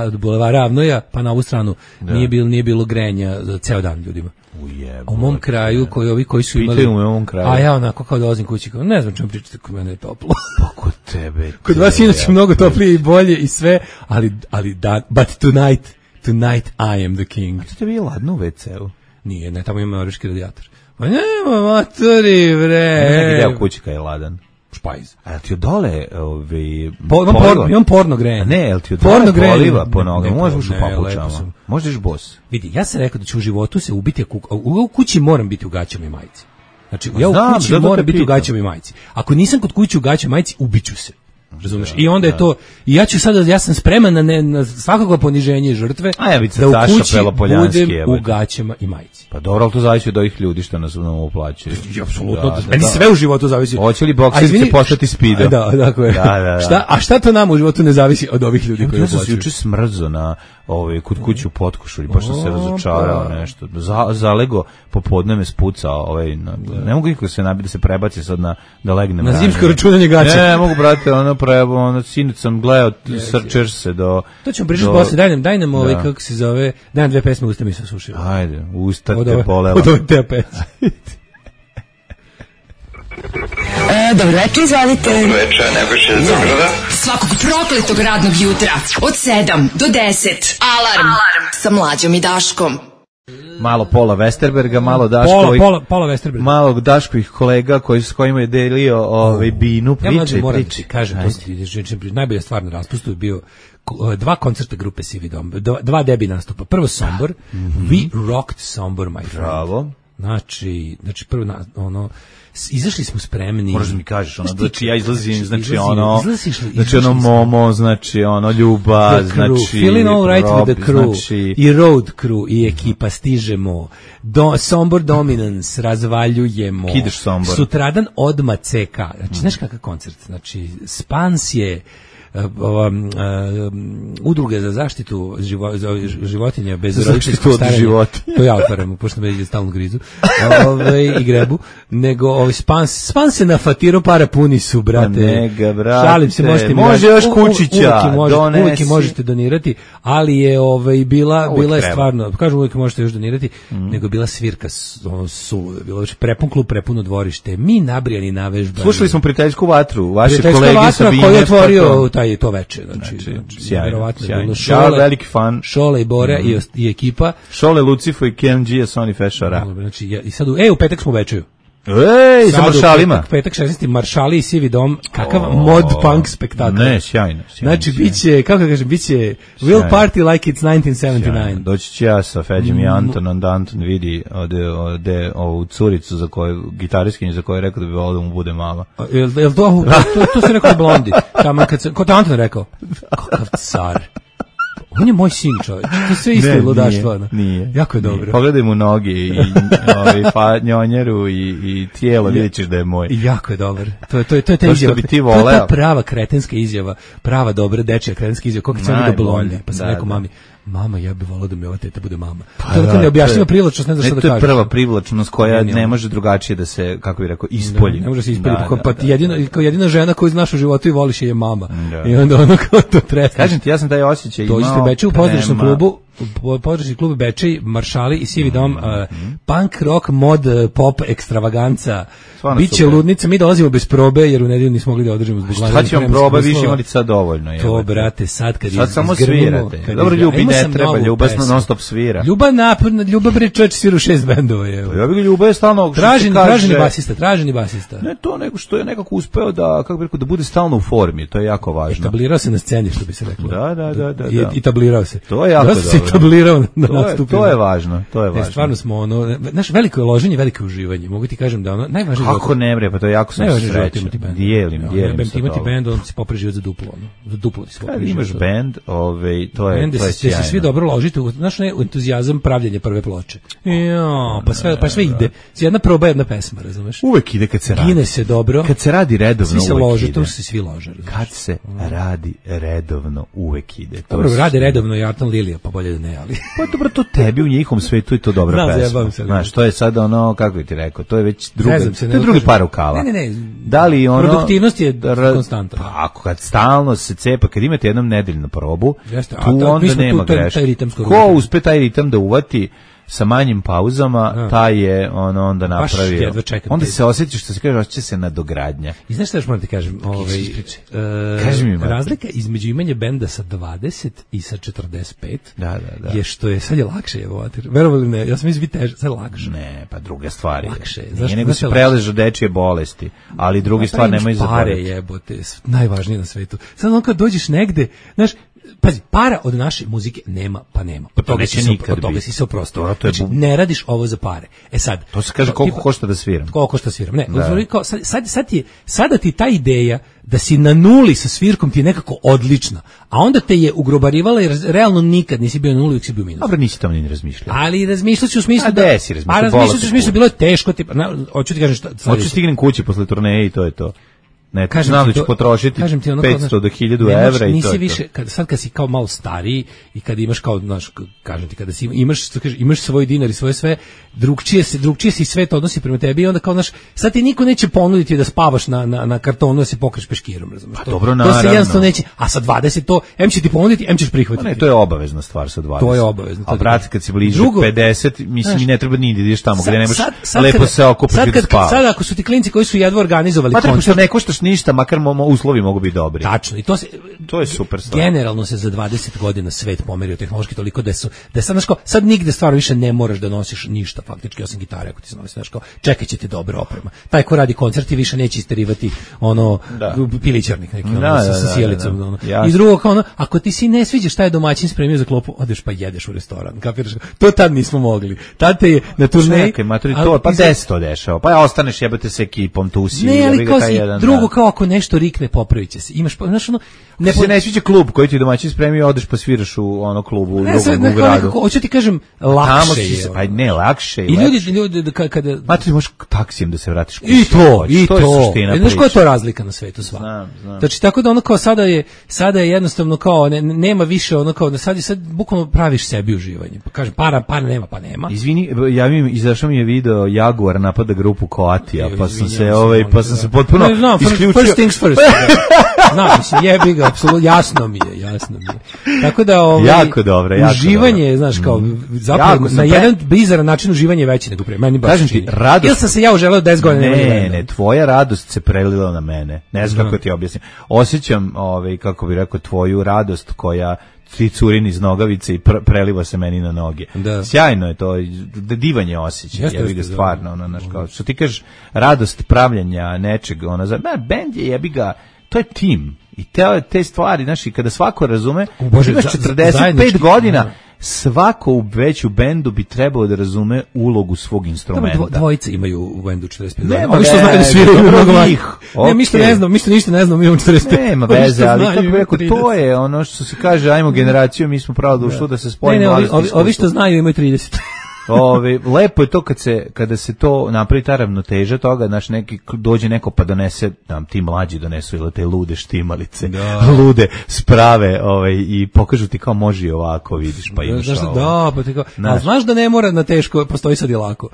od bulevara Avnoja pa na ovu stranu nije bilo grejanja za ceo dan ljudima. U mom kraju koji su imali u mom kraju. A ja onako kao dolazim kući, kao ne znam čemu pričate, kod mene je toplo. Pa kod tebe. Kod vas inače mnogo toplije i bolje i sve, ali da, but tonight I am the king. A tebi je ladno u WC-u? Nije, ne, tamo ima američki radijator. Pa nema matori, bre. Neki deo kući kad je ladan. Špajz. A ti od dole imam porno grejanje. Ne, jel ti od dole poliva po nogama? Možeš u papučama. Možeš boss. Vidi, ja sam rekao da ću u životu se ubiti, u kući moram biti u gaćama i majici. Znači, ja u kući moram biti u gaćama i majici. Ako nisam kod kuće u gaćama i majici, ubiću se. Razumeš? I onda je to, i ja sam spreman na svakako poniženje žrtve, da u kući budem u gaćama i majici. Pa dobro, ali to zavisi od ovih ljudi što nas uplaćaju. Apsolutno, meni sve u životu zavisi. Hoće li bokserice postati speedo? Da, tako je. A šta to nama u životu ne zavisi od ovih ljudi koji uplaćuju? Ja sam juče smrzo na kod kuću u Potkošulji, baš sam se razočarao nešto. Zalego popodne me spucao, ne mogu nikako se nabiti da se prebaci sad da legnem. Na zimsko računanje gaća. Ne mogu, brate, sinoć sam gledao Searcherse do... To ćemo pričati posle, daj nam kako se zove, daj nam 2 pesme, usta mi se sušila. Ajde, usta te bolela. Od ove te pesme. Dobro večer, izvalite. Dobro večer, Nebojša iz Beograda. Svakog prokletog radnog jutra od 7 do 10. Alarm sa Mlađom i Daškom. Malo Pola Westerberga, malo Daškovih, Pola Westerberga. Malo Daškovih kolega s kojima je delio binu, priče. Kažem, najbolja stvar na raspustu je bio 2 koncerta grupe Sivi Dom, 2 debi nastupa. Prvo Sombor, We Rocked Sombor, my friend. Bravo. Znači prvo izašli smo spremni. Možeš mi kažeš, znači ja izlazim, znači Momo, znači Ljubav, znači Feeling all right with the crew, i Road Crew, i ekipa, stižemo, Sombor Dominance, razvaljujemo. Kideš Sombor. Sutradan odma CK, znači znaš kakav koncert, znači Spans je udruge za zaštitu životinja bez roditeljskog starenja. To ja otvaram, pošto me stalno grizu i grebu. Nego Spans se nafatiro, para puni su, brate. Šalim se, može još kućića, uvijek možete donirati, ali je bila je stvarno, kažem uvijek možete još donirati, nego je bila svirka suluda, bilo je prepun klub, prepuno dvorište, mi nabrijani navežbani. Slušali smo prijateljsku vatru, vaše kolege Sabine. Koji je otvorio to veče, znači sjajno. Šole, veliki fan. Šole i Bora i ekipa. Šole, Lucifo i KMG, Sony Fešara. Znači, i sad u petak smo u večeju. Sa maršalima. Petak 16. Maršali i Sivi Dom, kakav mod punk spektakl. Ne, sjajno. Znači, biće, kako kažem, biće Will Party like it's 1979. Doći ću ja sa Feđom i Antonom, da Anton vidi ode ovu curicu za koju, gitariskinju za koju je rekao da bi volio da mu bude mama. Jel to se rekao Blondi? Ko te Anton rekao? Kakav car. On je moj sin, čovječ. To sve isto je ludaštvo. Nije. Jako je dobro. Pogledaj mu noge i njonjeru i tijelo, vidjet ćeš da je moj. Jako je dobar. To je ta izjava. To je ta prava kretenska izjava, prava dobra dečja kretenska izjava. Kako sam vidio Blondi, pa sam rekao mami, mama, ja bih volao da mi ova teta bude mama. To je neobjašnjiva privlačnost, ne znam šta da kažem. To je prva privlačnost koja ne može drugačije da se, kako bih rekao, ispolji. Ne može se ispolji, pa jedina žena koju znaš u životu i voliš je mama. I onda ono kao to tresneš. Kažem ti, ja sam taj osjećaj imao. Dođite u Bečej u pozdravičnom klubu, područni klub Bečej, Maršali i Sivi dom, punk, rock, mod, pop, ekstravaganca. Biće ludnica, mi dolazimo bez probe jer u nedelju nismo mogli da održimo zbog glavnog. Šta ćemo proba, više imali sad dovoljno. To, brate, sad kad sad samo svirate. Dobro, Ljubi ne treba, Ljuba non stop svira. Ljuba bre čovječ svira u 6 bendova. Ja bih Ljuba je stalno traženi basista. Ne to, nego što je nekako uspeo da, kako bih rekao, da bude stalno u formi, to je jako važno. Etablirao se na sceni, što bi se reklo. Da. I tablirao se. To je jako dobro. Etablirao na nastupu. To je važno, to je važno. Stvarno smo ono, znaš, veliko je loženje, veliko je uživanje. Mogu ti kažem da ono najvažnije. Kako ne bre, pa to je jako sam srećan. Dijelim sa imati bend, on se popravi život za duplo, ono. Za duplo ti se popravi. Kad imaš bend, to je sjajno. Se svi dobro ložite, znaš, entuzijazam pravljenja prve ploče. Pa sve ide. Jedna proba, jedna pesma, razumeš? Uvek ide kad se radi. Gine se dobro. Kad se radi redovno, svi se lože, tu se svi lože. Kad se radi redovno, uvek ide. Dobro, radi redovno i Artan Lilija, pa bolje da ne, ali. Pa dobro, to tebi u njihovom svetu je to dobra pesma. Znaš, to je sad ono, kako bi ti rekao, to je već drugi par rukava. Ne. Da li ono produktivnost je konstantna. Pa ako kad stalno se cepa, kad imate jednom nedeljnu probu, tu onda nema greške. Ko uspe taj ritam da uvati sa manjim pauzama, taj je onda napravio. Onda se osjetiš, što se kaže, osjeća se nadogradnja. I znaš šta još moram ti kažem? Razlika između imanja benda sa 20 i sa 45 je što je, sad je lakše, verovali ne, ja sam mislim teže, sad je lakše. Ne, pa druge stvari. Lakše. Nije nego se preležu dečije bolesti, ali druge stvari nemaju zaboraviti. Pare jebote, najvažnije na svetu. Sad on kad dođeš negde, znaš, pazi, para od naše muzike nema, pa nema. Pa to neće nikad biti. Toga si se oprostio. Znači, ne radiš ovo za pare. Sad... To se kaže koliko košta da sviram. Koliko košta da sviram. Ne, sada ti ta ideja da si na nuli sa svirkom ti je nekako odlična, a onda te je ugrobarivala jer realno nikad nisi bio na nuli, uvijek si bio minus. Dobro, nisi tamo ni razmišljao. Ali razmišljati u smislu da... si razmišljao? Razmišljati u smislu, bilo je teško, hoću ti kažem šta... Hoću stignem kući posle turneje i to je to. Ne, znam da ću potrošiti 500 do 1000 evra i to je više, sad kad si kao malo stariji i kad imaš kao, znaš, kažem ti, kada si imaš svoj dinar i svoje sve, drugčije se svet odnosi prema tebi i onda kao, znaš, sad ti niko neće ponuditi da spavaš na kartonu da se pokriš peškirom, razumiješ? Pa dobro, naravno. To se jednostavno neće, a sa 20 to, em će ti ponuditi, em ćeš prihvatiti. Ne, to je obavezna stvar sa 20. To je obavezno. A brate, kad si bliže 50, mislim, ne treba ni da ideš tamo gde nemaš lepo se okupiš i da spavaš. Sad ako su ti klinci koji su jedva organizovali koncert, ne koštaš ništa, makar uslovi mogu biti dobri. Tačno, i to je super stvar. Generalno se za 20 godina svet pomerio tehnološki toliko da sad nigde stvarno više ne moraš da nosiš ništa faktički osim gitare ako ti se nosi, znaš, kao čekat će ti dobra oprema. Taj ko radi koncerti više neće isterivati pilićarnik neki sa sjelicom. I drugo kao ako ti si ne sviđa šta je domaćin spremio za klopu, odeš pa jedeš u restoran. Kapiraš? To tad nismo mogli. Tad te je na turneji. Pa 10 dešava. Pa ostaneš jebate sa ekipom tu si. Ne, ali drugo kao ako nešto rikne, popravit će se. Imaš, znaš, ne sviđa klub koji ti domaćin spremio, odeš pa sviraš u klubu u drugom gradu. Hoću ti kažem, lakše je. Pa ne, lakše je. I ljudi kada... Ma ti možeš taksijem da se vratiš kući. I to. Znaš koja je to razlika na svetu sva? Znam. Znači, tako da ono kao sada je jednostavno kao, nema više ono kao, sad bukvalno praviš sebi uživanje. Pa kažem, para nema, pa nema. Izvini, izašao mi je video Jaguar napada grupu Coatija, pa sam se potpuno isključio. First things first. Znam, mislim, jebi ga, apsolutno, jasno mi je. Tako da, jako dobro, uživanje, znaš, kao, zapravo, na jedan bizaran način uživanje je veće nego prije. Meni baš čini. Ili sam se ja uželeo 10 godina. Ne, tvoja radost se prelila na mene. Ne znam kako ti objasnim. Osjećam, kako bi rekao, tvoju radost koja ti curin iz nogavice i preliva se meni na noge. Sjajno je to, divanje osjećaj, jebi ga stvarno, kao što ti kažeš, radost pravljenja nečeg, bend je jebi ga, to je tim. I te stvari, znaš, i kada svako razume, imaš 45 godina, svako već u bendu bi trebao da razume ulogu svog instrumenta. Dvojice imaju u bendu 45 godina. Ovi što znaju da sviraju mnogo manje. Ne, mi što ništa ne znamo, mi imamo 45. Nema veze, ali kako bi rekao, to je ono što se kaže, ajmo generaciju, mi smo pravo došli da se spojimo. Ne, ovi što znaju imaju 30. Lepo je to kada se to napravi ta ravnoteža toga, znaš, dođe neko pa donese, ti mlađi donesu ili te lude štimalice, lude sprave i pokažu ti kao može i ovako, vidiš, pa imaš ovo. Pa ti kao, a znaš da ne mora na teško, postoji sad i lako.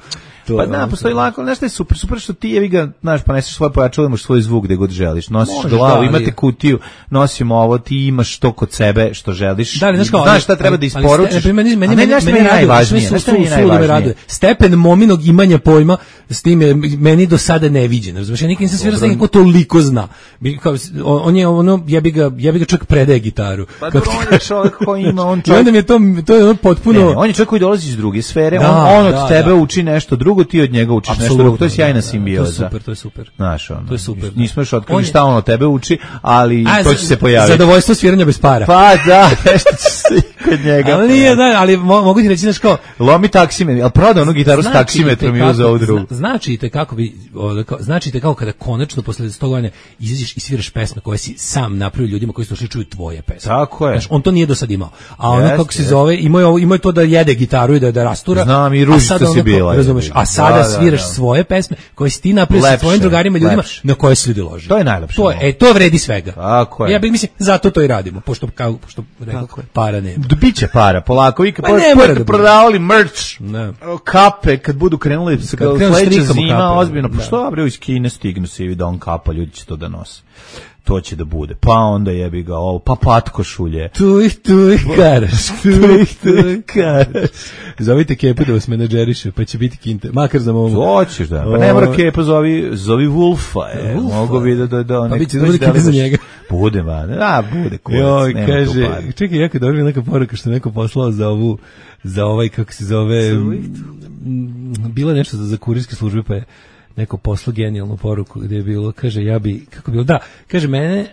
Postoji lako, znaš šta je super što ti jevi ga, znaš, pa neseš svoje pojačalo, imaš svoj zvuk gde god želiš, nosiš glavu, imate kutiju, nosimo ovo, ti imaš to kod sebe što želiš, znaš šta treba da isporučiš, a ne znaš šta je najvažnije, stepen mominog imanja pojma s tim je meni do sada neviđen, razumiješ, ja nikad nisam svirao sa neko toliko zna, on je ono, ja bi ga čak predaje gitaru. Pa dobro, on je čovjek koji ima, on čovjek... I onda mi je to je ono potpuno... on je čovjek koji dolazi iz druge sfere, on od tebe uči nešto drugo, ti od njega učiš nešto drugo, to je sjajna simbioza. To je super. Znaš, ono, to je super. Nismo još otkrili šta on od tebe uči, ali to će se pojaviti. Zadovoljstvo sviranja bez para. Pa da, nešto će se kod njega. Ali nije, ali mogu ti reći, znaš kao... Lomi taksimetar, ali prodao onu gitaru s taksimetrom i uzeo ovu drugu. Značite kako kada konačno posle 100 godina izađeš i sviraš pesme koje si sam napravio ljudima koji slušaju čuju tvoje pesme. Tako je. Znaš, on to nije do sad imao. A ono kako se zove, imao to da jede gitaru i da rastura. Znam, i ružica si bila. Razumeš, a sada sviraš svoje pesme koje si ti napravio sa svojim drugarima i ljudima na koje se ljudi lože. To je najlepše. To vredi svega. Tako je. Ja bih mislim zato to i radimo, pošto rekao para nema. Biće para, polako. Vi kad prodavali merch, kape, kad budu krenuli sledeća zima, ozbiljno, pa što bre iz Kine stignu se i Don kapa, ljudi će to da nose. To će da bude. Pa onda jebi ga ovo, pa patkošulje. Tu ih karaš. Zovite Kepu da vas menadžeriše, pa će biti kinte. Makar za momu. Hoćeš da. Pa ne mora Kepa, zovi Wolfa. Mogu bi da pa biće da bude kinte za njega. Bude, bude kurac. Kaže, čekaj, jako dobro je neka poruka što neko poslao za ovaj, kako se zove, bilo nešto za kurirske službe, pa je neko poslao genijalnu poruku gdje je bilo, kaže, kaže mene,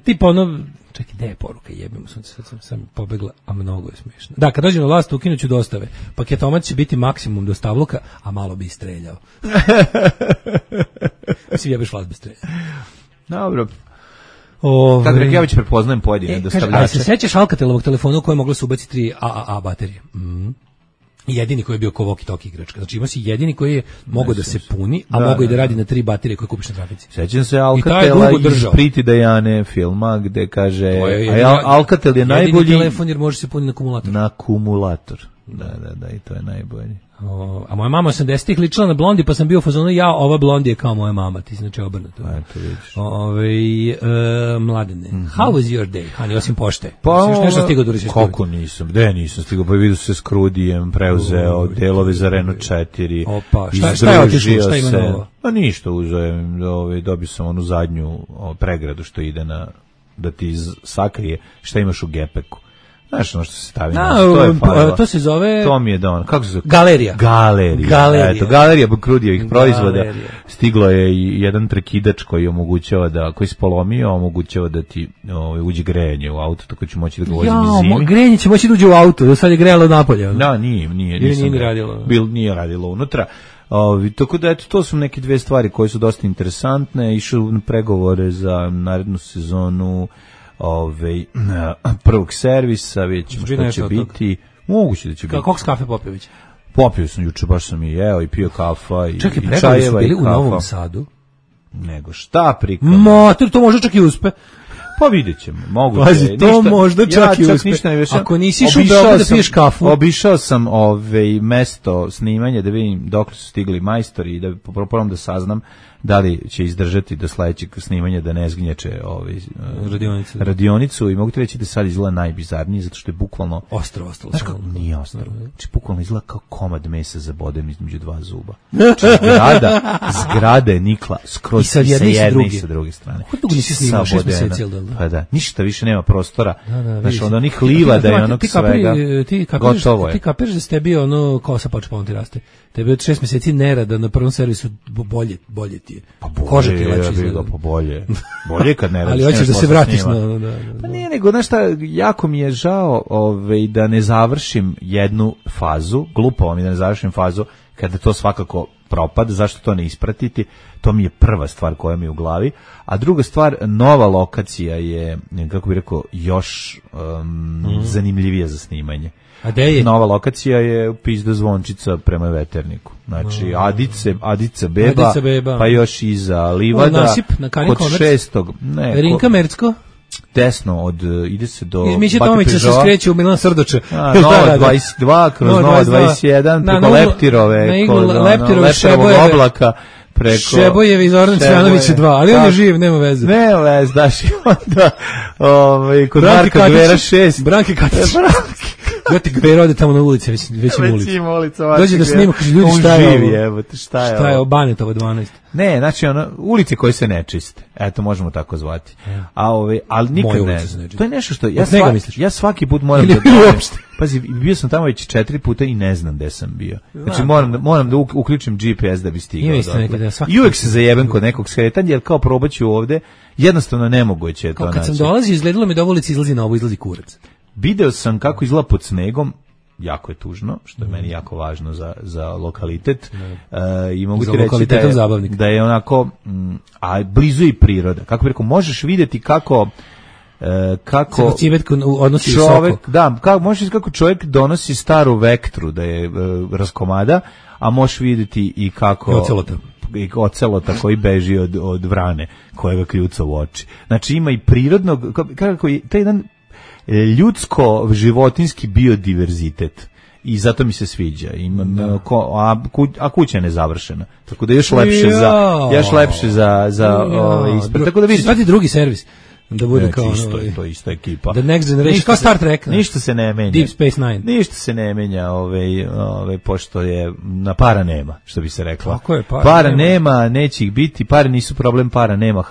tipa ono, čekaj, gdje je poruka, jebimo, sam pobegla, a mnogo je smiješno. Da, kad dođem na vlast, ukinuću dostave, paketomat će biti maksimum dostavluka, a malo bi streljao. Mislim, jebeš vlast bez streljao. Dobro. Kako rekao, ja već prepoznajem pojedine dostavljače. A se sećaš Alcatelovog telefona u kojem moglo se ubaciti 3 AAA baterije? Jedini koji je bio ko walkie-talkie igračka. Znači ima si jedini koji je mogao da se puni, a mogao i da radi na 3 baterije koje kupiš na trafici. Sećam se Alcatela iz Pretty Diane filma gde kaže Alcatel je najbolji jedini telefon jer može se puniti na akumulator. Da, i to je najbolji. A moja mama 80-ih ličila na Blondi, pa sam bio u fazonu, ova Blondi je kao moja mama, ti znači obrnuto. To vidiš. Mladene, how was your day, honey, osim pošte? Pa, još nešto stigao da uriš? Kako nisam, nisam stigao, pa vidio se s Krudijem, preuzeo delove za Renault 4. Opa, šta je otišlo, šta ima novo? Pa ništa, uzeo, dobio sam onu zadnju pregradu što ide da ti sakrije šta imaš u gepeku. Znaš ono što se stavi to se zove... To mi je da ono, kako se zove? Galerija. Eto, galerija Krudijevih proizvoda. Stiglo je i jedan prekidač koji omogućava koji se polomio, omogućava da ti uđe grejanje u auto, tako ću moći da ga vozim i zimi. Grejanje će moći da uđe u auto, do sad je grejalo napolje. Da, nije radilo. Nije radilo unutra. Tako da, eto, to su neke dve stvari koje su dosta interesantne. Išao na pregovore za narednu sezonu prvog servisa, vidjet ćemo što će biti. Moguće da će biti. Koliko kafe Popović? Popio sam juče, baš sam i jeo i pio kafa i čekaj, čajeva i kafa. Čekaj, su bili u Novom Sadu? Nego šta prikam? Mater, to može čak i uspe. Pa vidjet ćemo, moguće. Pazi, to možda čak i uspe. Ako nisi išao da piješ kafu. Obišao sam mesto snimanja da vidim dok su stigli majstori i da probam da saznam da li će izdržati do sledećeg snimanja da ne zgnječe radionicu i mogu ti reći da sad izgleda najbizarnije zato što je bukvalno ostro. Znaš kako nije ostro. Znači bukvalno izgleda kao komad mesa zaboden između dva zuba. Zgrada je nikla skroz sa jedne i sa druge strane. Kako nisi snimao 6 meseci, jel da? Pa da, ništa više nema prostora. Znači onda onih liva da je onog svega gotovo je. Ti kapiraš da ste bio ono kosa počeo pa on ti raste. Tebi od 6 meseci nerada na prvom servisu bolje ti je. Pa koža ti je lepše izgleda. Pa bolje. Bolje kad ne radiš. Ali hoćeš da se vratiš na... Pa nije nego, znaš šta, jako mi je žao da ne završim jednu fazu, glupo mi da ne završim fazu kada to svakako propada, zašto to ne ispratiti, to mi je prva stvar koja mi je u glavi, a druga stvar, nova lokacija je, kako bih rekao, još zanimljivija za snimanje. A gde je? Nova lokacija je Pizda Zvončica prema Veterniku. Znači, Adica Beba, pa još iza Livada, Nasip, na kod 6. Rinka Mercko? Desno, ide se do Miće Tomića se skreće u Milan Srdoče. Nova 22, kroz Nova 21, preko Leptirove, kod Leptirovog oblaka, preko Šebojevi iz Ordan Cvjanovića 2, ali on je živ, nema veze. Nema veze, daš i onda kod Marka Gvera 6. Branke Katić. Gati Gvera ode tamo na ulici, već im ulica. Dođe da snima, kaže, ljudi, šta je ovo? Šta je ovo? Banetovo 12. Ne, znači ulice koje se ne čiste. Eto, možemo tako zvati. Ali nikad ne. To je nešto što ja svaki put moram da pazi, bio sam tamo već 4 puta i ne znam gde sam bio. Znači moram da uključim GPS da bi stigao. I uvek se zajebem kod nekog skretanja, jer kao probaću ovde, jednostavno nemoguće je to naći. Kad sam dolazio, izgledalo mi da ulici izlazi na ovo, izlazi kurac. Video sam kako izgleda pod snegom, jako je tužno, što je meni jako važno za lokalitet. I mogu ti reći da je onako, a blizu i priroda. Kako bih rekao, možeš vidjeti kako čovjek, možeš vidjeti kako čovjek donosi staru vektru, da je raskomada, a možeš vidjeti i kako i ocelota koji beži od vrane koja ga kljuca u oči. Znači ima i prirodnog, kako je taj jedan ljudsko-životinski biodiverzitet. I zato mi se sviđa. A kuća je nezavršena. Tako da još lepše za ispred. Tako da vidiš. Svati drugi servis. Da bude kao to je ista ekipa. The Next Generation, kao Star Trek. Ništa se ne menja. Deep Space Nine. Ništa se ne menja, pošto je na para nema, što bi se rekla. Kako je para nema, neće ih biti, pare nisu problem, para nema,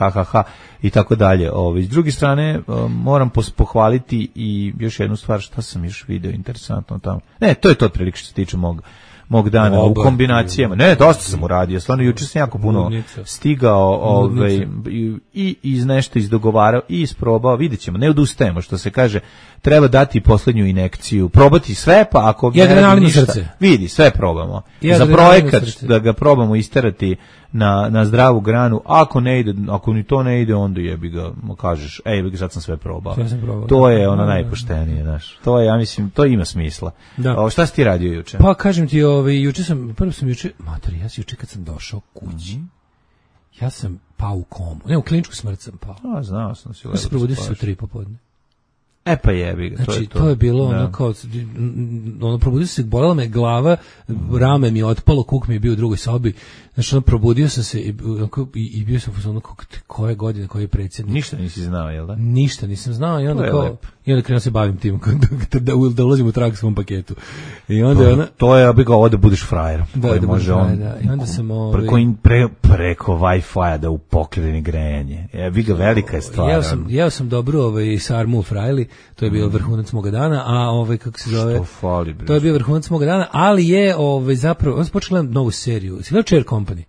i tako dalje. S druge strane, moram pohvaliti i još jednu stvar, šta sam još video interesantno tamo. Ne, to je to otprilike što se tiče mog dana u kombinacijama. Ne, dosta sam uradio. Stvarno, juče sam jako puno stigao i iz nešto izdogovarao i isprobao. Vidjet ćemo, ne odustajemo, što se kaže. Treba dati poslednju inekciju. Probati sve, pa ako ne radi ništa, vidi, sve probamo. Za projekat da ga probamo isterati na zdravu granu. Ako ne ide, ako ni to ne ide, onda jebi ga, kažeš, sad sam sve probao. To je ono najpoštenije, znaš. To je, ja mislim, to ima smisla. Šta si ti radio juče? Pa kažem ti, juče sam juče kad sam došao kući, ja sam pao u komu. Ne, u kliničku smrt sam pao. Znao sam si. Ja se probudio se u 3 popodne. Pa jebi ga, znači, to je bilo ono kao, probudio se, bolela me glava, rame mi je otpalo, kuk mi je bio u drugoj sobi, znači, probudio sam se i bio sam ono, koje godine, koji je predsjednik. Ništa nisi znao, jel da? Ništa nisam znao i onda kao, i onda krenuo se bavim tim, da ulazim u trag svom paketu. I onda to je, ovo da budeš frajer. Da može on, i onda sam preko Wi-Fi-a da upokreni grejanje. Vi ga velika je stvar. Jeo sam dobru sarmu u frajli, to je bio vrhunac moga dana, a kako se zove? To je bio vrhunac moga dana, ali je zapravo, on se počeo gledati novu seriju. Si gledao Chair Company?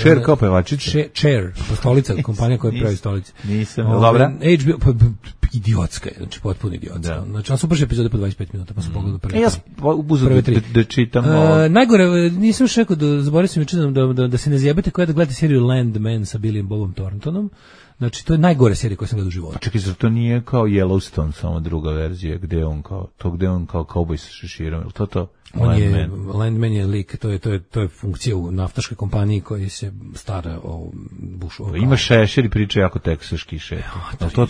Chair kao pevačica? Chair, stolica, kompanija koja pravi stolice. Nisam, dobra? HBO, idiotska je, znači potpuno idiotska. Znači, on su prvi epizode po 25 minuta, pa sam pogledao prve 3. Da čitam. Najgore, nisam još rekao, zaboravio sam juče da se ne zjebate koja da gledate seriju Landman sa Billyem Bobom Thorntonom. Znači, to je najgore serija koju sam gledao u životu. Čekaj, zar to nije kao Yellowstone, samo druga verzija, gde je on kao kauboj sa šeširom, ili to? Landman je lik, to je funkcija u naftaškoj kompaniji koji se stara o bušu. Ima šešir i priča jako teksaški šešir. To?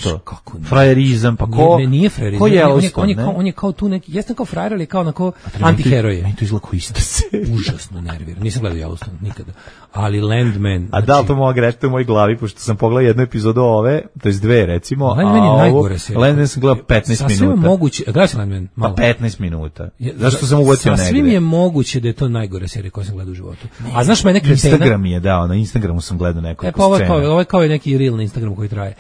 Frajerizam, pa ko? Nije frajerizam. Ko Yellowstone, on je kao tu neki, jesam kao frajer, ali kao onako antiheroj. Meni to izgleda kao ista serija. Užasno nerviran. Nisam gledao Yellowstone, nikada. Ali Landman. A da li to mogu reći u mojoj glavi, pošto sam pogledao jednu epizodu ove, to je 2 recimo, Landman je najgore serija. Landman sam gledao 15 minuta. Sasvim je moguće, gledao sam Landman, malo. Pa 15 minuta. Zašto sam uvocio negde? Sasvim je moguće da je to najgore serija koju sam gledao u životu. A znaš mene kretena? Instagram je dao, na Instagramu sam gledao nekoliko scena. Ovo je kao neki reel na Instagramu koji traje.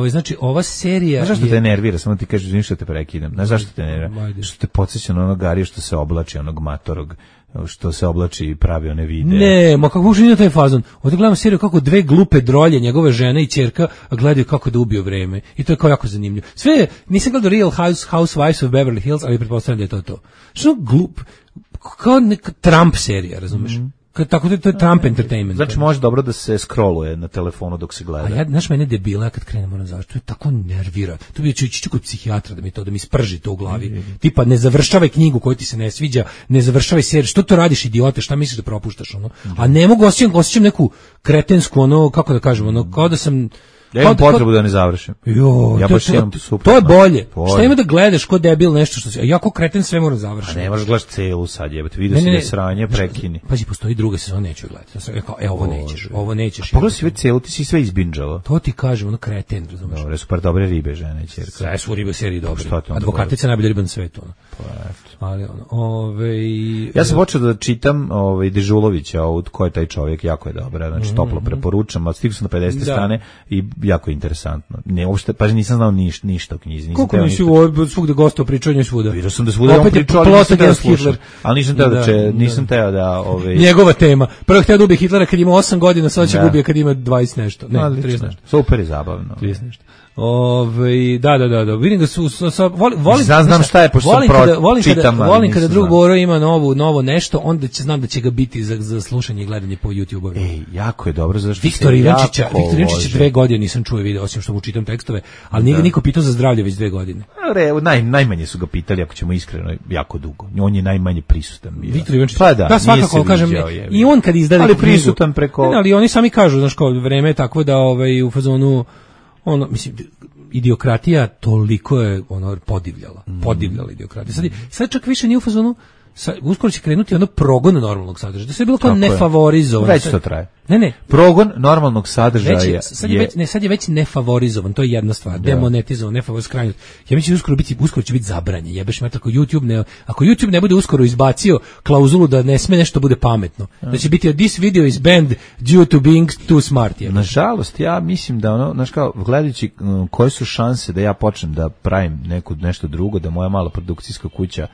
Znači, ova serija... Znaš zašto te nervira? Samo ti kažeš, ništa te prekidam. Znaš zašto te nervira? Što te podsjeća na onog Garija što se oblači, onog matorog, što se oblači i pravi one videe. Ne, ma kako uopšte nije taj fazon. Ovdje gledam seriju kako 2 glupe drolje, njegove žene i ćerka, gledaju kako da ubiju vreme. I to je kao jako zanimljivo. Sve, nisam gledao Real Housewives of Beverly Hills, ali pretpostavljam da je to. Što glup, kao neka Trump serija, razumeš? Tako da to je Trump entertainment. Znači može dobro da se scrolluje na telefonu dok se gleda. A ja, znaš, mene debila, ja kad krenem moram završiti, to je tako nervira. To bi ću kod psihijatra da mi sprži to u glavi. Tipa, ne završavaj knjigu koju ti se ne sviđa, ne završavaj seriju, što to radiš, idiote, šta misliš da propuštaš, ono? A ne mogu, osjećam neku kretensku, ono, kako da kažem, ono, kao da sam... Ja imam potrebu da ne završim. Ja baš imam to je bolje. Šta ima da gledaš ko debil nešto što se... Ja ko kreten sve moram završiti. A ne možeš gledaš celu sad, jebate. Vidio si da sranje, prekini. Pazi, postoji druga sezona, neću gledati. Ja sam rekao, ovo nećeš. Pogledaj si već celu, ti si sve izbinđao. To ti kažem, ono kreten, razumiješ. Dobre, super, dobre ribe, žene, ćerka. Sve su ribe serije dobre. Advokatica najbolja riba na svetu. Ali ja sam počeo da čitam Dežulovića, ko je taj čovjek, jako je dobra, znači toplo preporučam, a stigao sam na 50. strane i jako je interesantno. Ne, uopšte, pa nisam znao ništa o knjizi. Koliko nisi svugde gostao pričanje svuda? Vidio sam da svuda on pričao, ali nisam teo da slušam. Ali nisam teo da... Njegova tema. Prvo hteo da ubije Hitlera kad ima 8 godina, sad će ga ubije kad ima 20 nešto. Ne, 30 nešto. Super je zabavno. 30 nešto. Da. Vidim da su znam šta je, pošto sam volim kada drug Boro ima novo nešto, onda znam da će ga biti za slušanje i gledanje po YouTube-u. Ej, jako je dobro, zašto Viktor Ivančića 2 godine nisam čuo video, osim što mu čitam tekstove, ali nije ga niko pitao za zdravlje već 2 godine. Najmanje su ga pitali, ako ćemo iskreno, jako dugo. On je najmanje prisutan bio. Viktor Ivančić, da, svakako kažem, i on kad izdaje knjigu, ali prisutan preko... Ali oni sami kažu, znaš, kao vreme je takvo da u fazonu ono, mislim, idiokratija toliko je podivljala idiokratija. Sad čak više nije u fazonu, uskoro će krenuti progon normalnog sadržaja. Da se je bilo kao nefavorizovan. Već to traje. Ne. Progon normalnog sadržaja sad je već nefavorizovan, to je jedna stvar. Demonetizovan, nefavorizovan. Ja mislim uskoro će biti zabranjen. Jebeš me ako YouTube ne bude uskoro izbacio klauzulu da ne sme nešto bude pametno. Da će biti this video is banned due to being too smart. Nažalost, ja mislim da znaš kao, gledajući koje su šanse da ja počnem da pravim nešto drugo, da moja mala produkcijska kuća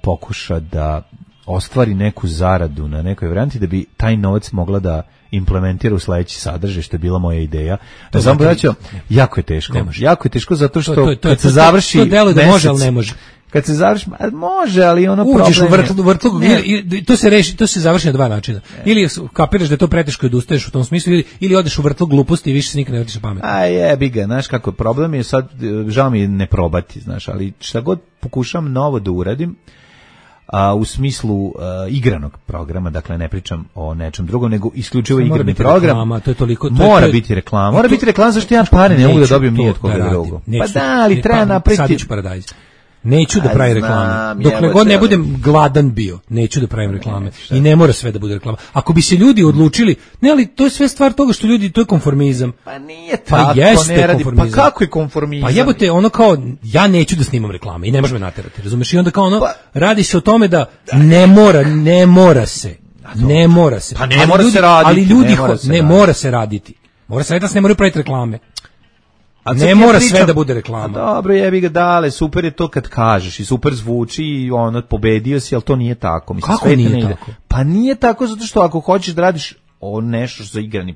pokuša da ostvari neku zaradu na nekoj varijanti, da bi taj novac mogla da implementira u sledeći sadržaj, što je bila moja ideja. Znam, braćo, jako je teško. Jako je teško zato što kad se završi to delo da može, ali ne može. Kad se završi, može, ali uđeš u vrtlog, to se završi na dva načina. Ili kapiraš da je to preteško i odustaješ u tom smislu, ili odeš u vrtlog gluposti i više se nikad ne vrtiš na pamet. Jebi ga, znaš kako, problem je sad, žao mi je ne probati, znaš, ali šta god pokušam novo da uradim, u smislu igranog programa, dakle ne pričam o nečem drugom, nego isključivo igrani program. Reklama, to je toliko, mora biti reklama. Mora biti reklama, zašto ja pare ne mogu da dobijem ni od koga drugog. Pa da, ali treba napraviti... Sadić paradajz. Neću da pravim reklame. Dokle god ne budem gladan bio, neću da pravim reklame. I ne mora sve da bude reklama. Ako bi se ljudi odlučili, ne, ali to je sve stvar toga što ljudi, to je konformizam. Pa nije tako, ne radi. Pa kako je konformizam? Pa jebote, kao, ja neću da snimam reklame i ne može me naterati, razumeš? I onda kao radi se o tome da ne mora se. Ne mora se. Pa ne mora se raditi. Ali ljudi, ne mora se raditi. Mora se raditi da se ne moraju praviti reklame. A ne mora sve da bude reklama. Dobro, jebi ga, dale, super je to kad kažeš i super zvuči i pobedio si, ali to nije tako. Mislim, kako nije tako? Pa nije tako zato što ako hoćeš da radiš nešto za igrani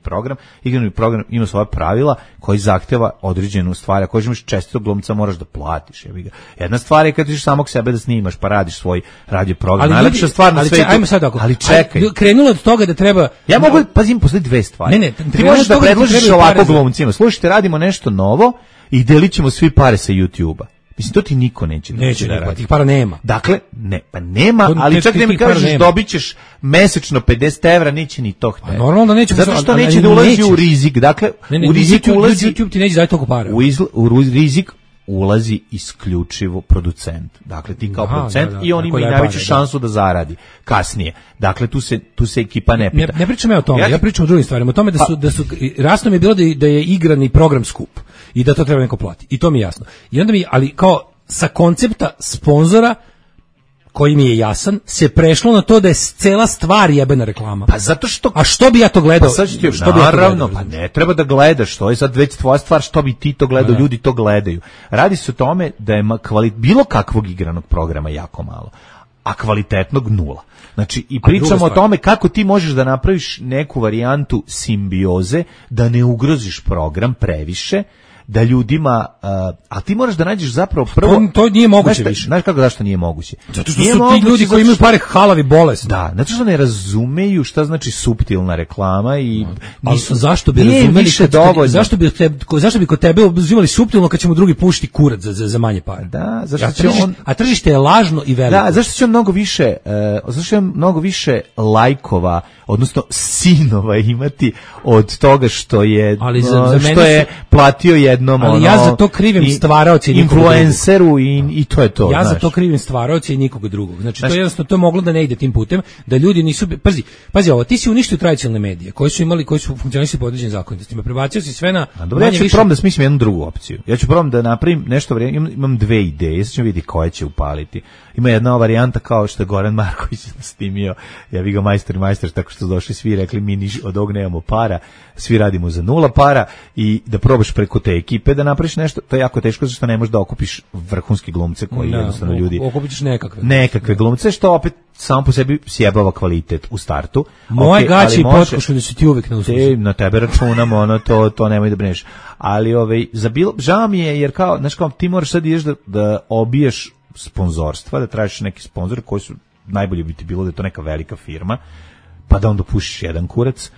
program ima svoja pravila koji zahteva određenu stvar. Ako imaš čestitog glumca, moraš da platiš. Jebi ga. Jedna stvar je kad ćeš samog sebe da snimaš, pa radiš svoj radio program. Najlepša stvar na svetu. Ali čekaj. Krenulo od toga da treba... Ja mogu, pazim, postoji dve stvari. Ti možeš da predložiš ovako glumcima. Slušajte, radimo nešto novo i delit ćemo svi pare sa YouTube-a. Mislim, to ti niko neće da radi. Tih para nema. Dakle, nema, ali čak ne mi kažeš dobit ćeš mesečno 50 evra, neće ni to htjeti. Normalno da neće. Zato što neće da ulazi u rizik. Dakle, u rizik ulazi... YouTube ti neće dati toliko para. U rizik ulazi isključivo producent. Dakle, ti kao producent i on ima i najveću šansu da zaradi kasnije. Dakle, tu se ekipa ne pita. Ne pričam ja o tome, ja pričam o drugim stvarima. O tome da su rasno mi je bilo da je igrani program skup i da to treba neko plati. I to mi je jasno. I onda ali kao sa koncepta sponzora koji mi je jasan, se prešlo na to da je cela stvar jebena reklama. Pa zato što... A što bi ja to gledao? Pa naravno, pa ne treba da gledaš, to je sad već tvoja stvar, što bi ti to gledao, ljudi to gledaju. Radi se o tome da je bilo kakvog igranog programa jako malo, a kvalitetnog nula. Znači, i pričamo o tome kako ti možeš da napraviš neku varijantu simbioze, da ne ugroziš program previše, da ljudima, a ti moraš da nađeš zapravo prvo... To nije moguće više. Znaš kako, zašto nije moguće? Zato što su ti ljudi koji imaju pare halavi bolesni. Da, zato što ne razumeju šta znači suptilna reklama i nisu, zašto bi razumeli zašto bi kod tebe uzimali suptilno kad ćemo drugi pušiti kurac za manje pare? Da, zašto a tržište je lažno i veliko. Da, zašto će on mnogo više lajkova, odnosno sinova imati od toga što je platio jednom ja za to krivim stvaraoce i influenceru i to je to. Ja za to krivim stvaraoce i nikoga drugog. Znači to jednostavno to je moglo da ne ide tim putem, da ljudi nisu pazi ovo, ti si uništio tradicionalne medije koji su funkcionisali po određenim zakonitostima. Prebacio si sve na dobro, ja ću probam da smislim jednu drugu opciju. Ja ću probam da napravim nešto, imam dve ideje, sad ćemo vidjeti koje će upaliti. Ima jedna varijanta kao što je Goran Marković snimio, ja vi ga majstor, tako što su došli svi rekli mi od ovog nemamo para, svi radimo za 0 para i da probaš preko te ekipe da napraviš nešto, to je jako teško zato što ne možeš da okupiš vrhunske glumce koji jednostavno ljudi... Okupiš nekakve glumce, što opet samo po sebi sjebava kvalitet u startu. Moje gaće i potkošulje su ti uvijek na usluzi. Na tebe računamo, to nemoj da brineš. Ali žao mi je jer kao, znaš kao, ti moraš sad ideš da obiješ sponzorstva, da tražiš neki sponzor koji su najbolje bi ti bilo da je to neka velika firma, pa da onda pušiš jedan kurac,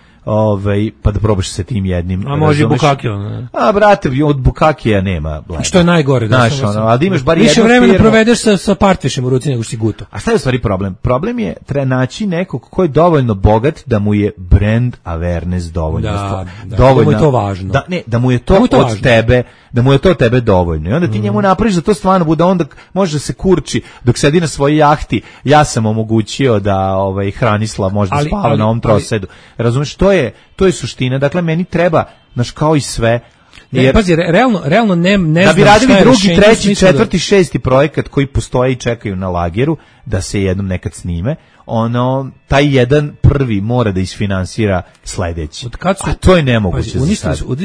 pa da probaš sa tim jednim. A može i Bukakija, ne? A brate, od Bukakija nema. Što je najgore, da. Znaš, ali da imaš bar jednu više vremena provedeš sa partvišem u ruci nego što si guto. A šta je u stvari problem? Problem je treba naći nekog ko je dovoljno bogat da mu je brand awareness dovoljno. Da mu je to važno. Da mu je to od tebe, da mu je to tebe dovoljno. I onda ti njemu napraviš da to stvarno bude, onda može da se kurči dok sedi na svojoj jahti. Ja sam omogućio da Hranislav može da spava na ovom trosedu. Razumeš, to je suština. Dakle, meni treba, znaš, kao i sve. Jer, pazi, realno ne da bi radili drugi, treći, četvrti, šesti projekat koji postoje i čekaju na lageru da se jednom nekad snime, taj jedan prvi mora da isfinansira sledeći. A to je nemoguće.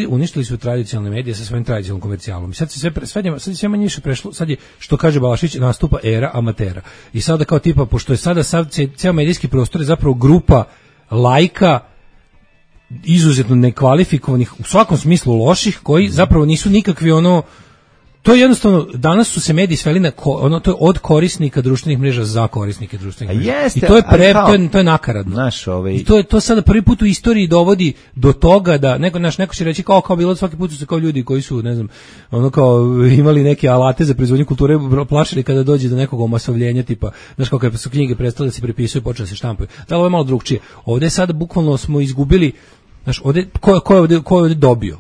Uništili su tradicionalne medije sa svojim tradicionalnim komercijalom. Sad se sve manje više prešlo, sad je, što kaže Balašić, nastupa era amatera. I sada kao tipa, pošto je sada ceo medijski prostor je zapravo grupa lajka izuzetno nekvalifikovanih, u svakom smislu loših, koji zapravo nisu nikakvi to je jednostavno, danas su se mediji sveli na to je od korisnika društvenih mreža za korisnike društvenih mreža. Jeste, i to je nakaradno. I to sada prvi put u istoriji dovodi do toga da neko će reći kao bilo svaki put su se kao ljudi koji su, ne znam, imali neke alate za proizvodnju kulture plašili kada dođe do nekog omasovljenja, tipa, znaš, kao kad su knjige prestale da se prepisuju, počele da se štampaju. Da, ovo je malo drugčije. Ovde sada bukvalno smo izgubili. Znaš, ko je ovdje dobio?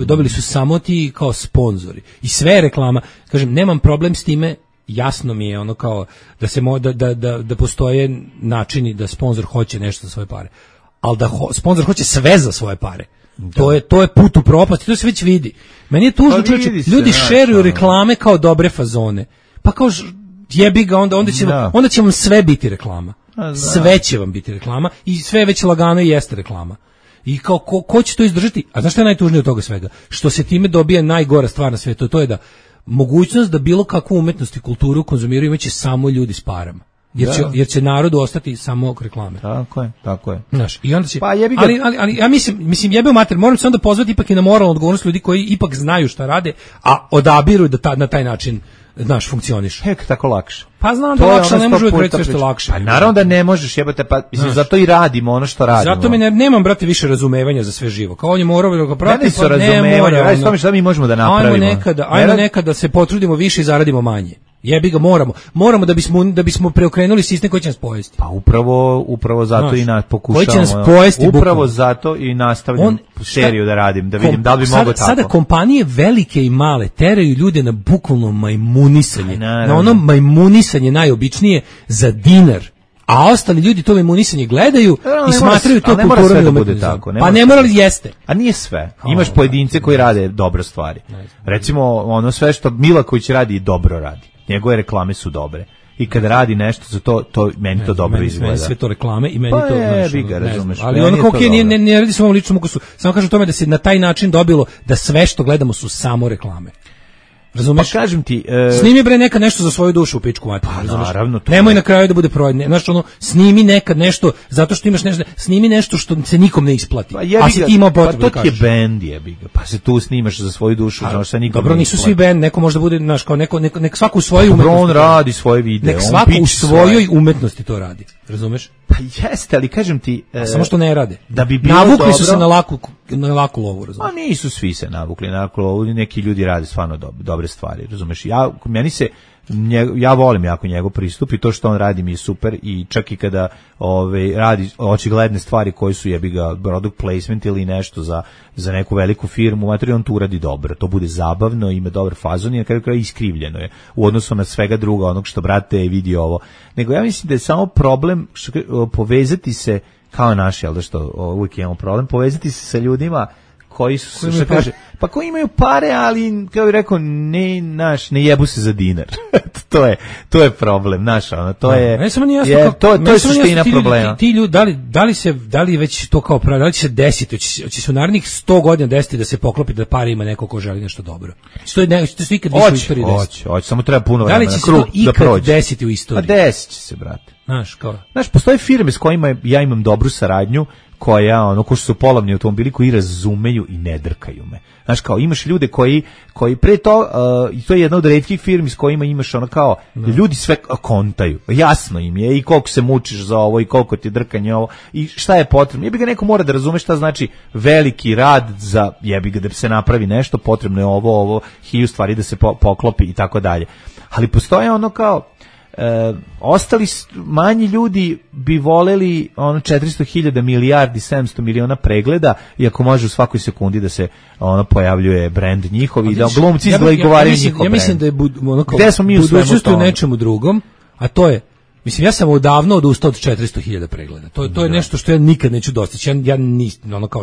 Dobili su samo ti kao sponzori. I sve reklama. Kažem, nemam problem s time, jasno mi je kao da se da postoje načini da sponzor hoće nešto za svoje pare. Ali da sponzor hoće sve za svoje pare. To je put u propast i to se već vidi. Meni je tužno, čovječe, ljudi šeruju reklame kao dobre fazone. Pa kao jebi ga, onda će vam sve biti reklama. Sve će vam biti reklama i sve već lagano i jeste reklama. I kao ko će to izdržati? A znaš što je najtužnije od toga svega? Što se time dobija najgora stvar na svijetu, to je da mogućnost da bilo kakvu umetnost i kulturu konzumiraju imaće samo ljudi s parama. Jer će narodu ostati samo reklame. Tako je. Znaš, i onda će, ali ja mislim jebe u mater, moram se onda pozvati ipak i na moralnu odgovornost ljudi koji ipak znaju šta rade, a odabiru da na taj način funkcioniš. Tako lakše. Pa znam da lakše, ne može uvijek reći lakše. Pa naravno da ne možeš, jebate, pa mislim, zato i radimo ono što radimo. Zato nemam, brate, više razumevanja za sve živo. Kao on je morao da ga prati, pa ne mora. Šta mi možemo da napravimo? Ajmo nekada se potrudimo više i zaradimo manje. Jebi ga, moramo da bismo preokrenuli sistem koji će nas pojesti. Pa upravo zato i pokušavamo. Koji će nas pojesti. Upravo zato i nastavljam seriju da radim, da vidim da li bi moglo tako. Sada kompanije velike i male teraju ljude na bukvalno majmunisanje. Na ono majmunisanje najobičnije za dinar. A ostali ljudi to majmunisanje gledaju i smatraju to kulturom i umetnicom. Pa ne mora li jeste. A nije sve. Imaš pojedince koji rade dobre stvari. Recimo, sve što Milaković radi, dobro radi. Njegove reklame su dobre. I kad radi nešto za to meni to dobro izgleda. Meni sve to reklame i meni pa to razumeš. Ali ono kao ne radi se o ovom ličnom ukusu. Samo kažem tome da se na taj način dobilo da sve što gledamo su samo reklame. Razumeš? Pa kažem ti, snimi bre nekad nešto za svoju dušu u pičku materinu, razumeš? Naravno, nemoj na kraju da bude provedne. Znaš, ono, snimi nekad nešto zato što imaš nešto, snimi nešto što se nikom ne isplati. Pa a si ti imao potrebu da Pa kažeš. to ti je bend, jebi ga. Pa se tu snimaš za svoju dušu, znaš, sa nikom. Dobro, nisu svi bend, neko može da bude, znaš, kao nek svako u svojoj umetnosti. On radi svoje videe. Nek svako u svojoj umetnosti to radi. Razumeš? Pa jeste, ali kažem ti... samo što ne rade. Da bi bilo navukli dobro, su se na laku lovu, razumeš? A nisu svi se navukli na laku lovu, neki ljudi rade stvarno dobre stvari, razumeš? Ja volim jako njegov pristup i to što on radi mi je super i čak i kada radi očigledne stvari koje su jebi ga product placement ili nešto za neku veliku firmu, on tu uradi dobro, to bude zabavno, ima dobar fazon i na kraju kraja iskrivljeno je u odnosu na svega druga onog što brate vidi ovo. Nego ja mislim da je samo problem povezati se kao naši, ali da što uvijek imamo problem, povezati se sa ljudima koji su, što kaže, pa koji imaju pare, ali, kao bih rekao, ne jebu se za dinar. to je problem, naš, ono, to je, to je suština problema. Ti ljudi, da li već to kao pravi, da li će se desiti, će se u narednih 100 godina desiti da se poklopi da pare ima neko ko želi nešto dobro. To se ikad više u istoriji desiti. Hoće, samo treba puno vremena. Da li će se to ikad desiti u istoriji? Pa desit će se, brate. Znaš, postoje firme s kojima ja imam dobru saradnju, ko što su polovni automobili koji razumeju i ne drkaju me. Znaš, kao imaš ljude koji pre to, i to je jedna od retkih firmi s kojima imaš ljudi sve kontaju. Jasno im je i koliko se mučiš za ovo i koliko ti je drkanje ovo i šta je potrebno. Jebi ga neko mora da razume šta znači veliki rad za jebi ga da se napravi nešto, potrebno je ovo, 1000 stvari da se poklopi i tako dalje. Ali postoje ostali manji ljudi bi voleli 400.000 milijardi 700 miliona pregleda, iako može u svakoj sekundi da se pojavljuje brend njihov i da glumci izgovaraju njihov brend. Ja mislim da je budućnost u nečemu drugom, a to je, mislim, ja sam odavno odustao od 400.000 pregleda. To je nešto što ja nikad neću dostići. Ja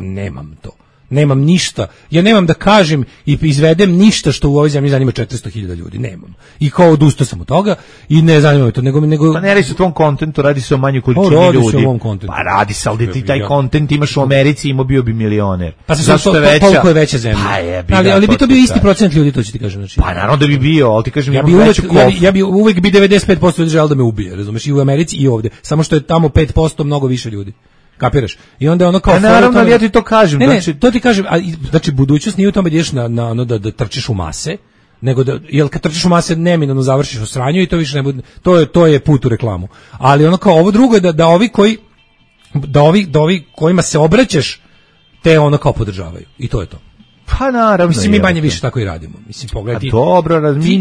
nemam to. Nemam ništa. Ja nemam da kažem i izvedem ništa što u ovoj zemlji zanima 400.000 ljudi. Nemam. I kao odustao sam od toga i ne zanima me to. Nego... Pa ne radi se o tvom kontentu, radi se o manjoj količini ljudi. Radi se o mom kontentu. Pa radi se, ali ti taj kontent imaš u Americi, imao bio bi milioner. Pa koliko je veća zemlja. Ali bi to bio isti procent ljudi, to ću ti kažem. Znači, pa naravno da bi bio, ali ti kažem ja bi uvek bi 95% ljudi želeo da me ubije, razumeš, i u Americi i ovde. Samo što je tamo 5% mnogo više ljudi. Kapiraš? I onda ono kao... naravno, ali ja ti to kažem. To ti kažem, znači budućnost nije u tome da ideš da trčiš u mase, nego jel kad trčiš u mase neminovno završiš u sranju i to više ne bude, to je put u reklamu. Ali ono kao ovo drugo je da ovi kojima se obraćaš, te ono kao podržavaju. I to je to. Pa naravno. Mislim, mi manje više tako i radimo. Mislim, pogledaj. Dobro, mi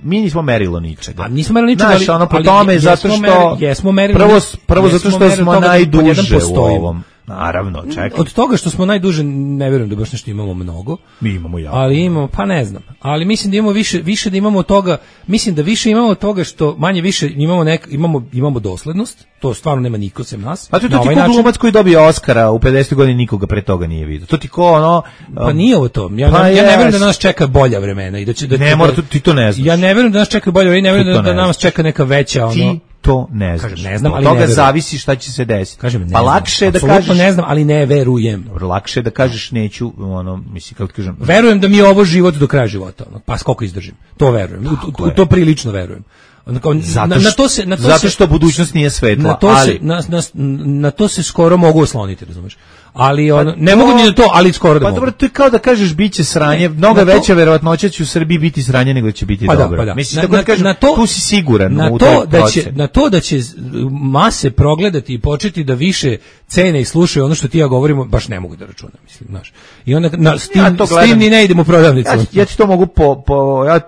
nismo merilo ničega. A nismo merilo ničega, ali ono po tome zato što jesmo merili. Prvo zato što smo najduže u ovom. Naravno, čekaj. Od toga što smo najduže, ne vjerujem da baš nešto imamo mnogo. Mi imamo jako. Ali imamo, pa ne znam. Ali mislim da imamo više da imamo toga, mislim da više imamo toga što manje više imamo doslednost. To stvarno nema niko sem nas. A to ti ko glumac koji dobije Oskara u 50 godina nikoga pre toga nije vidio. To ti ko Pa nije ovo to. Ja ne vjerujem da nas čeka bolja vremena i ne mora, ti to ne znaš. Ja ne vjerujem da nas čeka bolja vremena, ne vjerujem da nas čeka neka veća to ne znaš. Kažem, ne znam, ali od toga zavisi šta će se desiti. Kažem, pa lakše je da kažeš ne znam, ali ne verujem. Dobro, lakše je da kažeš neću, mislim kako kažem. Verujem da mi je ovo život do kraja života, pa koliko izdržim. To verujem. U to prilično verujem. Zato što budućnost nije svetla, na to se skoro mogu osloniti, razumeš? Ali ne mogu ni na to, ali skoro da mogu. Pa dobro, to je kao da kažeš biće sranje, mnogo veća verovatnoća će u Srbiji biti sranje nego će biti dobro. Pa da. Mislim, tako da kažem, tu si siguran na to da će mase progledati i početi da više cene i slušaju ono što ti ja govorimo, baš ne mogu da računam, mislim, znaš. I onda s tim ni ne idem u prodavnicu. Ja ti to mogu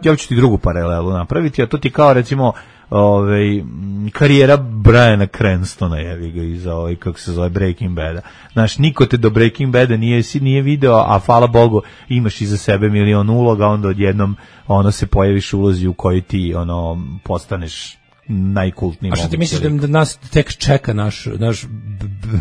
ja ću ti drugu paralelu napraviti, a to ti kao recimo karijera Briana Cranstona iz kako se zove Breaking Bada. Znaš, niko te do Breaking Bada nije video, a hvala Bogu imaš iza sebe milion uloga, onda odjednom se pojaviš u ulozi u kojoj ti postaneš najkultniji. A što ti misliš da nas tek čeka naš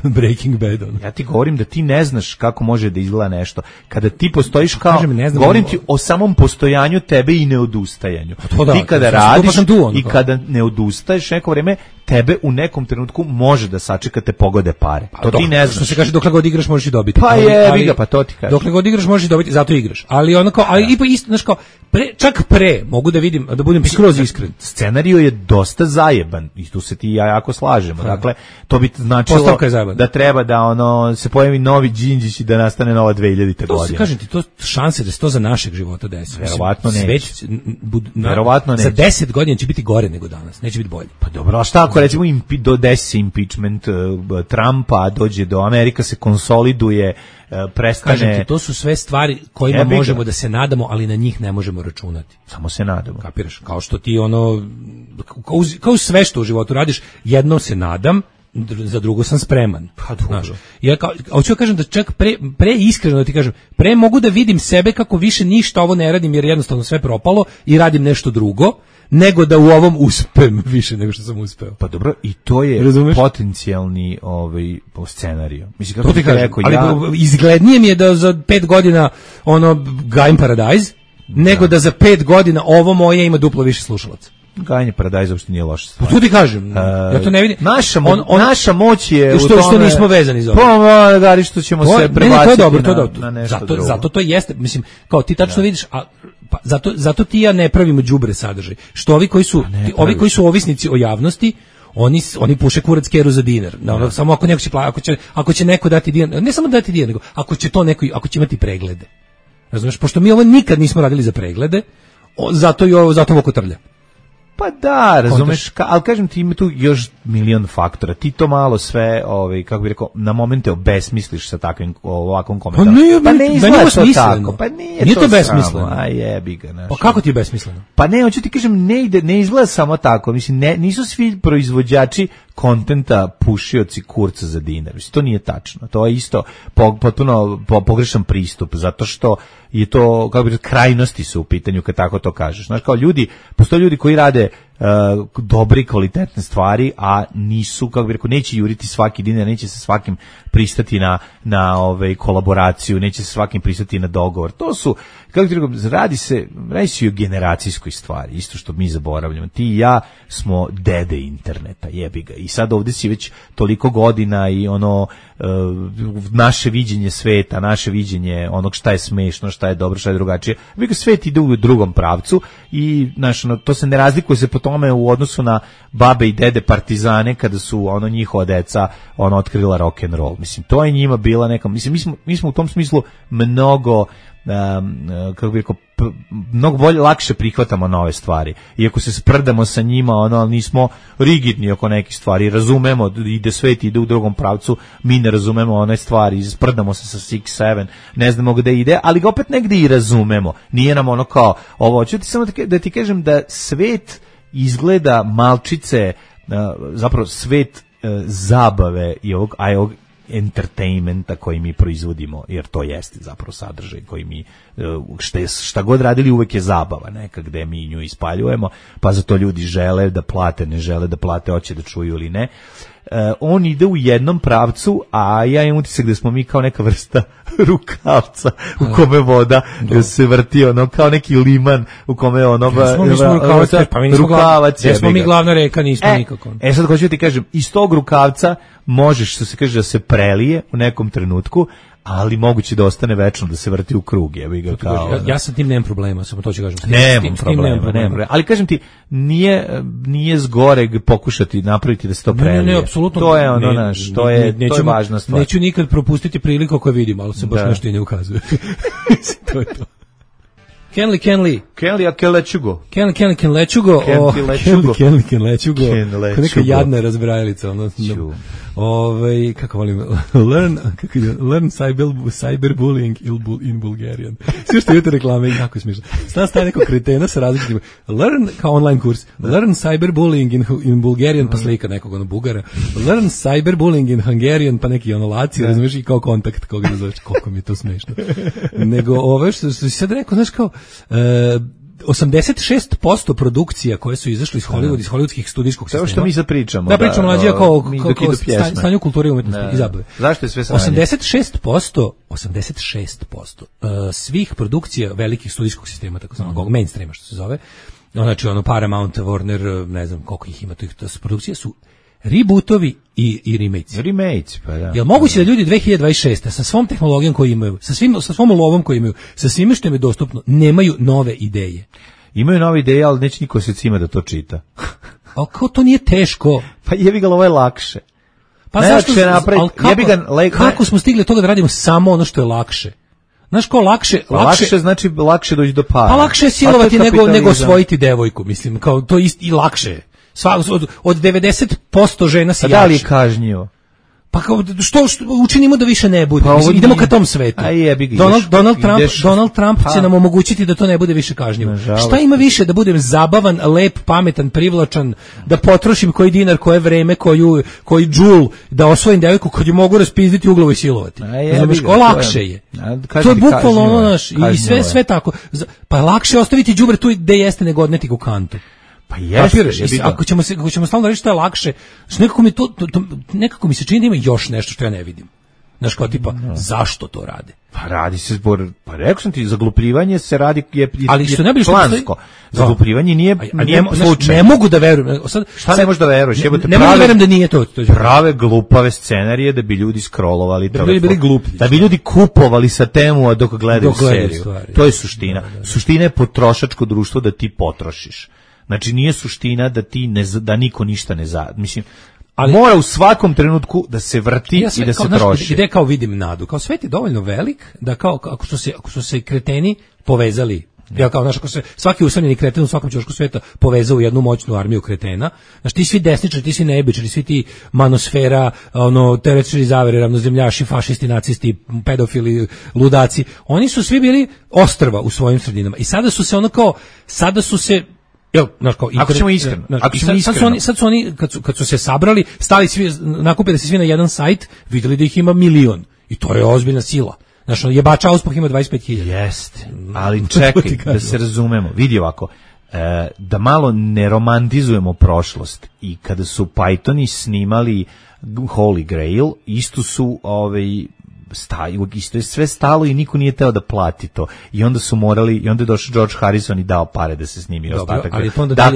Breaking Bad? Ja ti govorim da ti ne znaš kako može da izgleda nešto. Kada ti postojiš kao, govorim ti o samom postojanju tebe i neodustajanju. Ti kada radiš i kada ne odustaješ neko vrijeme, tebe u nekom trenutku može da sačeka te pogode pare. To ti ne znaš. Što se kaže, dokle god igraš možeš i dobiti. Pa jebi ga, pa to ti kažeš. Dokle god igraš možeš i dobiti, zato igraš. Ali ono kao, ali ipak isto, znaš kao, čak pre, mogu da vidim, da budem skroz iskren. Scenario je dosta zajeban i tu se ti i ja jako slažemo. Dakle, to bi značilo da treba da ono se pojavi novi Đinđić i da nastane nova 2000. godina. To se kažem ti, to šanse da se to za našeg života desi. Verovatno neće. Verovatno neće. Za 10 godina će biti gore nego danas, neće biti bolje. Pa dobro, a šta ako recimo desi se impeachment Trumpa, dođe do Amerika se konsoliduje, prestane... Kažem ti, to su sve stvari kojima možemo da se nadamo, ali na njih ne možemo računati. Samo se nadamo. Kapiraš? Kao što ti ono, kao sve što u životu radiš, jedno se nadam, za drugo sam spreman. Pa dobro. Ja hoću da kažem da čak pre iskreno da ti kažem, pre mogu da vidim sebe kako više ništa ovo ne radim jer jednostavno sve propalo i radim nešto drugo, nego da u ovom uspem više nego što sam uspeo. Pa dobro, i to je potencijalni scenarijo. Mislim, kako to ti kažem, rekao, ali izglednije mi je da za 5 godina gajim Paradise, nego da za 5 godina ovo moje ima duplo više slušalaca. Gajanje Paradajza uopšte nije loša stvar. To ti kažem, ja to ne vidim. Naša moć je u tome... Što nismo vezani za ovo. Pa, gari što ćemo se prebaciti na nešto drugo. Zato to jeste, mislim, kao ti tačno vidiš, pa zato ti ja ne pravimo đubre sadržaj. Što ovi koji su ovisnici o javnosti, oni puše kurac keru za dinar. Samo ako neko će ako će neko dati dinar, ne samo dati dinar, nego ako će imati preglede. Razumeš, pošto mi ovo nikad nismo radili za preglede, zato ovo kotrlja. Pa da, razumeš, ali kažem ti ima tu još milion faktora. Ti to malo sve, kako bih rekao, na momente obesmisliš sa takvim ovakvom komentarom. Pa ne izgleda to tako. Pa nije to besmisleno. A jebi ga. Pa kako ti je besmisleno? Pa ne, hoću ti kažem, ne izgleda samo tako. Mislim, nisu svi proizvođači kontenta pušioci kurca za dinar. Mislim, to nije tačno. To je isto potpuno pogrešan pristup, zato što je to, kako bih rekao, krajnosti su u pitanju kad tako to kažeš. Znaš, kao postoje ljudi koji rade dobri, kvalitetne stvari, a nisu, kako bih rekao, neće juriti svaki dinar, neće se svakim pristati na kolaboraciju, neće se svakim pristati na dogovor. To su, kako bih rekao, radi se i o generacijskoj stvari, isto što mi zaboravljamo. Ti i ja smo dede interneta, jebi ga. I sad ovdje si već toliko godina i naše viđenje sveta, naše viđenje onog šta je smešno, šta je dobro, šta je drugačije. Svet ide u drugom pravcu i to se ne razlikuje se po tome u odnosu na babe i dede partizane kada su njihova deca otkrila rock and roll. Mislim, to je njima bila neka, mislim, mi smo u tom smislu mnogo kako bih rekao, mnogo bolje, lakše prihvatamo nove stvari. Iako se sprdamo sa njima, ali nismo rigidni oko nekih stvari. Razumemo, svet ide u drugom pravcu, mi ne razumemo one stvari, sprdamo se sa 6-7, ne znamo gde ide, ali ga opet negde i razumemo. Nije nam kao ovo. Ću ti samo da ti kažem da svet izgleda malčice, zapravo svet zabave i ovog entertainmenta koji mi proizvodimo, jer to jeste zapravo sadržaj koji mi, šta god radili uvek je zabava neka gde mi nju ispaljujemo, pa zato ljudi žele da plate, ne žele da plate, hoće da čuju ili ne. On ide u jednom pravcu, a ja imam utisak da smo mi kao neka vrsta rukavca u kome voda se vrti, kao neki liman u kome rukavac je. Jesmo mi glavna reka, nismo nikako. Sad hoću ti kažem, iz tog rukavca možeš, što se kaže, da se prelije u nekom trenutku, ali moguće da ostane večno, da se vrti u krug. Ja sa tim nemam problema, samo to ću kažem. Nemam problema. Ali kažem ti, nije zgoreg pokušati napraviti da se to prelije. Ne, apsolutno. To je to je važna stvar. Neću nikad propustiti priliku ako vidim, ali se baš nešto i ne ukazuje. To je to. Kenley, I can let you go. Kenley, can let you go. Kenley, can let you go. Neka jadna razbrajalica. Kako volim, learn cyberbullying in Bulgarian. Sve što je te reklame i jako smiješno. Stan staje nekog kretena sa različitim. Learn, kao online kurs. Learn cyberbullying in Bulgarian, pa slika nekog Bugara. Learn cyberbullying in Hungarian, pa neki Laci, razumiješ, i kao kontakt koga ne zoveš. Koliko mi je to smiješno. Nego što si sad rekao, znaš kao, 86% produkcija koje su izašle iz Hollywooda, iz hollywoodskih studijskog sistema. To što mi sad pričamo. Da, pričamo mlađe kao stanju kulture i umetnosti i zabave. Zašto je sve sranje? 86% svih produkcija velikih studijskog sistema, tako zvanog mainstreama što se zove, znači Paramount, Warner, ne znam koliko ih ima, to produkcije su rebootovi i remakes. Remakes, pa da. Jel moguće da ljudi 2026. sa svom tehnologijom koju imaju, sa svom lovom koju imaju, sa svime što im je dostupno, nemaju nove ideje? Imaju nove ideje, ali neće niko se cima da to čita. Ali kao to nije teško? Pa jebi ga, ovo je lakše. Pa zašto? Kako smo stigli do toga da radimo samo ono što je lakše? Znaš ko lakše znači lakše doći do para. Pa lakše je silovati nego osvojiti devojku, mislim, kao to isto i lakše. Od 90% žena se jače. Da li je kažnjivo? Pa kao, što učinimo da više ne bude? Mislim, idemo ka tom svetu. Donald Trump će nam omogućiti da to ne bude više kažnjivo. Šta ima više da budem zabavan, lep, pametan, privlačan, da potrošim koji dinar, koje vreme, koji džul, da osvojim devojku kad ju mogu raspizditi u glavu i silovati. Lakše je. To je bukvalno ono naš, i sve tako. Pa lakše je ostaviti đubre tu gde jeste nego odneti u kantu. Pa jeste, ako ćemo stalno reći što je lakše, nekako mi se čini da ima još nešto što ja ne vidim. Znaš, kao tipa, zašto to rade? Pa radi se pa rekao sam ti, zaglupljivanje se radi je plansko. Zaglupljivanje nije slučaj. Ne mogu da verujem. Šta ne možeš da veruješ? Ne mogu da verujem da nije to. Prave glupave scenarije da bi ljudi scrollovali. Da bi bili gluplji. Da bi ljudi kupovali sa temu dok gledaju seriju. To je suština. Suština je potrošačko društvo da ti potrošiš. Znači nije suština da ti da niko ništa ne mislim, ali mora u svakom trenutku da se vrti i da se troši. Gde kao vidim nadu, kao svet je dovoljno velik da kao ako su se kreteni povezali, ja kao ako se svaki usamljeni kreten u svakom ćošku sveta povezao u jednu moćnu armiju kretena, znači ti svi desničari, ti svi nebičari, svi ti manosfera, teoretičari zavere, ravnozemljaši, fašisti, nacisti, pedofili, ludaci, oni su svi bili ostrva u svojim sredinama i sada su se ako ćemo iskreno, sad su oni kad su se sabrali, stali svi, nakupili se svi na jedan sajt, videli da ih ima 1.000.000 i to je ozbiljna sila. Znači, jebača auspah ima 25.000. Jeste, ali čekaj, da se razumemo, vidi ovako, da malo ne romantizujemo prošlost i kada su Pythoni snimali Holy Grail, isto su isto je sve stalo i niko nije teo da plati to. I onda su morali, i onda je došao George Harrison i dao pare da se snimi ostatak.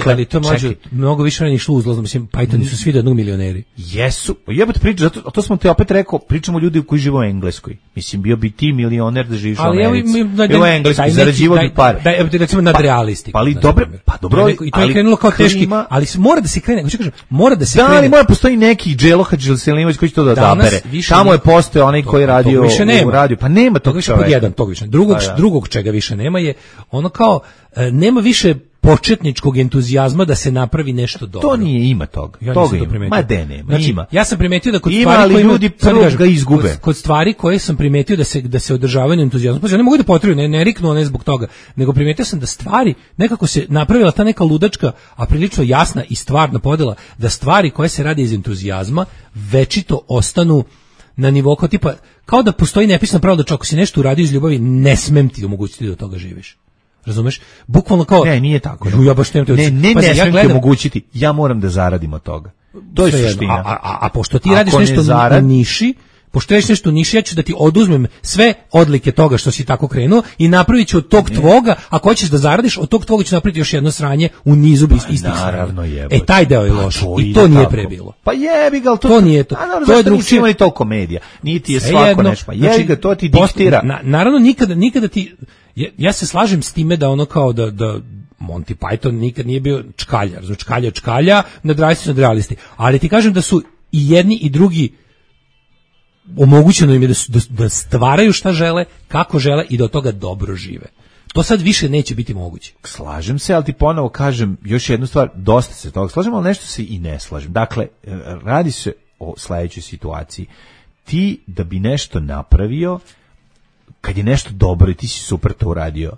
Ali to mlađe, mnogo više vremena išlo uzlazno, mislim, Pythoni su svi do jednog milioneri. Jesu, jebate priča, to smo te opet rekao, pričamo ljudi koji žive u Engleskoj. Mislim, bio bi ti milioner da živiš u Americi. Bio u Engleskoj, zarađivao bi pare. Daj, recimo nadrealisti. Dobro, i to je krenulo kao teški, ali mora da se krene, hoću kažem, mora da se krene. Da, ali mora postoji neki Dželoha Đelselimović koji će to da odabere. Tamo je postojao onaj koji radi u radiju, pa nema tog čoveka. Drugog čega više nema je ono kao, nema više početničkog entuzijazma da se napravi nešto dobro. To nije, ima toga. Toga ima. Ma de nema, znači, ima. Ja sam primetio da kod ima, stvari koje ljudi ga izgube. Kod stvari koje sam primetio da se održavaju entuzijazmom, pa ja ne mogu da potrebuju, ne riknu one zbog toga, nego primetio sam da stvari nekako se napravila ta neka ludačka, a prilično jasna i stvarna podela, da stvari koje se rade iz entuzijazma večito ostanu na nivou kao tipa, kao da postoji nepisano pravilo da ako si nešto uradio iz ljubavi, ne smem ti omogućiti da od toga živiš. Razumeš? Bukvalno kao... Ne, nije tako. Ja baš ne smem ti omogućiti, ja moram da zaradim od toga. To je suština. A pošto ti radiš nešto na niši, pošto radiš nešto u niši, ja ću da ti oduzmem sve odlike toga što si tako krenuo i napravit ću od tog tvoga, ako hoćeš da zaradiš, od tog tvoga ću napraviti još jedno sranje u nizu istih naravno sranja. Taj deo je loš. I to nije prebilo. Pa jebi ga, to nije to. To je drugčije. Imali to komedija. Niti je svako nešto. Jebi ga, to ti diktira. Naravno, nikada ti... Ja se slažem s time da ono kao da Monty Python nikad nije bio čkaljar. Znači čkalja, nadrealisti. Ali ti kažem da su i jedni i drugi omogućeno im je da stvaraju šta žele, kako žele i da od toga dobro žive. To sad više neće biti moguće. Slažem se, ali ti ponovo kažem još jednu stvar, dosta se toga slažem, ali nešto se i ne slažem. Dakle, radi se o sledećoj situaciji. Ti da bi nešto napravio, kad je nešto dobro i ti si super to uradio,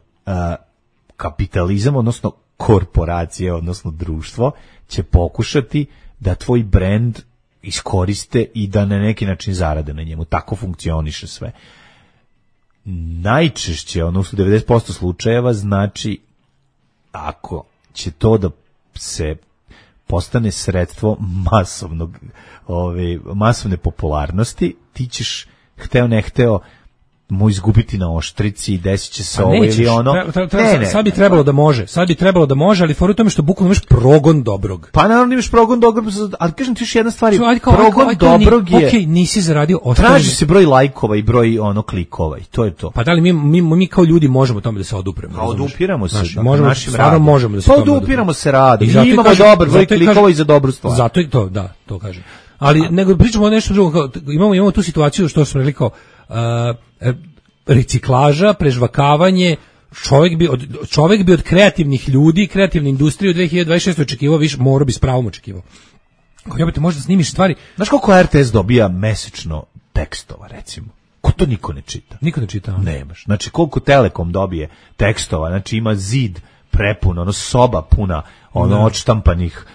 kapitalizam, odnosno korporacija, odnosno društvo, će pokušati da tvoj brend iskoriste i da na neki način zarade na njemu. Tako funkcioniše sve. Najčešće, odnosno 90% slučajeva, znači ako će to da se postane sredstvo masovne popularnosti, ti ćeš, hteo ne hteo, mu izgubiti na oštrici, desit će se ovo ili ono. Sad bi trebalo da može, ali fora u tome što bukvalno imaš progon dobrog. Pa naravno imaš progon dobrog, ali kažem ti još jedna stvar, progon dobrog je... Okej, nisi zaradio... Traži se broj lajkova i broj klikova i to je to. Pa da li mi kao ljudi možemo tome da se odupremo? A odupiramo se. Možemo da se tome odupiramo se radom. I imamo dobar broj klikova i za dobru stvar. Zato i to, da, to kažem. Ali nego pričamo o nešto drugo, imamo tu situaciju što smo rekli kao reciklaža, prežvakavanje, čovjek bi od kreativnih ljudi, kreativne industrije u 2026. očekivao više, morao bi s pravom očekivao. Ako jebate, možda snimiš stvari. Znaš koliko RTS dobija mesečno tekstova, recimo? Ko to niko ne čita? Niko ne čita. Nemaš. Znači, koliko Telekom dobije tekstova, znači ima zid prepun, soba puna, odštampanih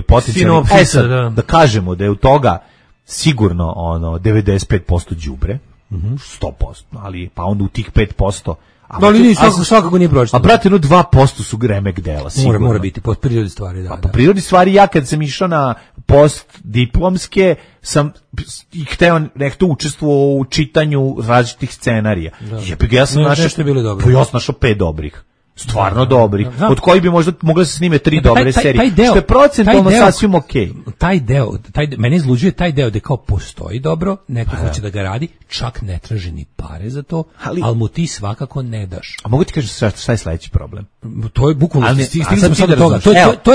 potencijalnih. Sad, da kažemo da je u toga sigurno 95% đubre, 100%, ali pa onda u tih 5%, ali svakako nije pročitano. A brate, 2% su remek dela, sigurno. Mora biti po prirodi stvari, da. Po prirodi stvari, ja kad sam išao na postdiplomske, sam hteo nekto učestvovao u čitanju različitih scenarija. Ja sam našao 5 dobrih. Stvarno dobrih, od kojih bi možda mogle se snime 3 dobre serije, što je procentualno sasvim okej. Taj deo, mene izluđuje taj deo da kao postoji dobro, neko hoće da ga radi, čak ne traži ni pare za to, ali mu ti svakako ne daš. A mogu ti kažem šta je sledeći problem? To je bukvalno, stigli smo sad do toga,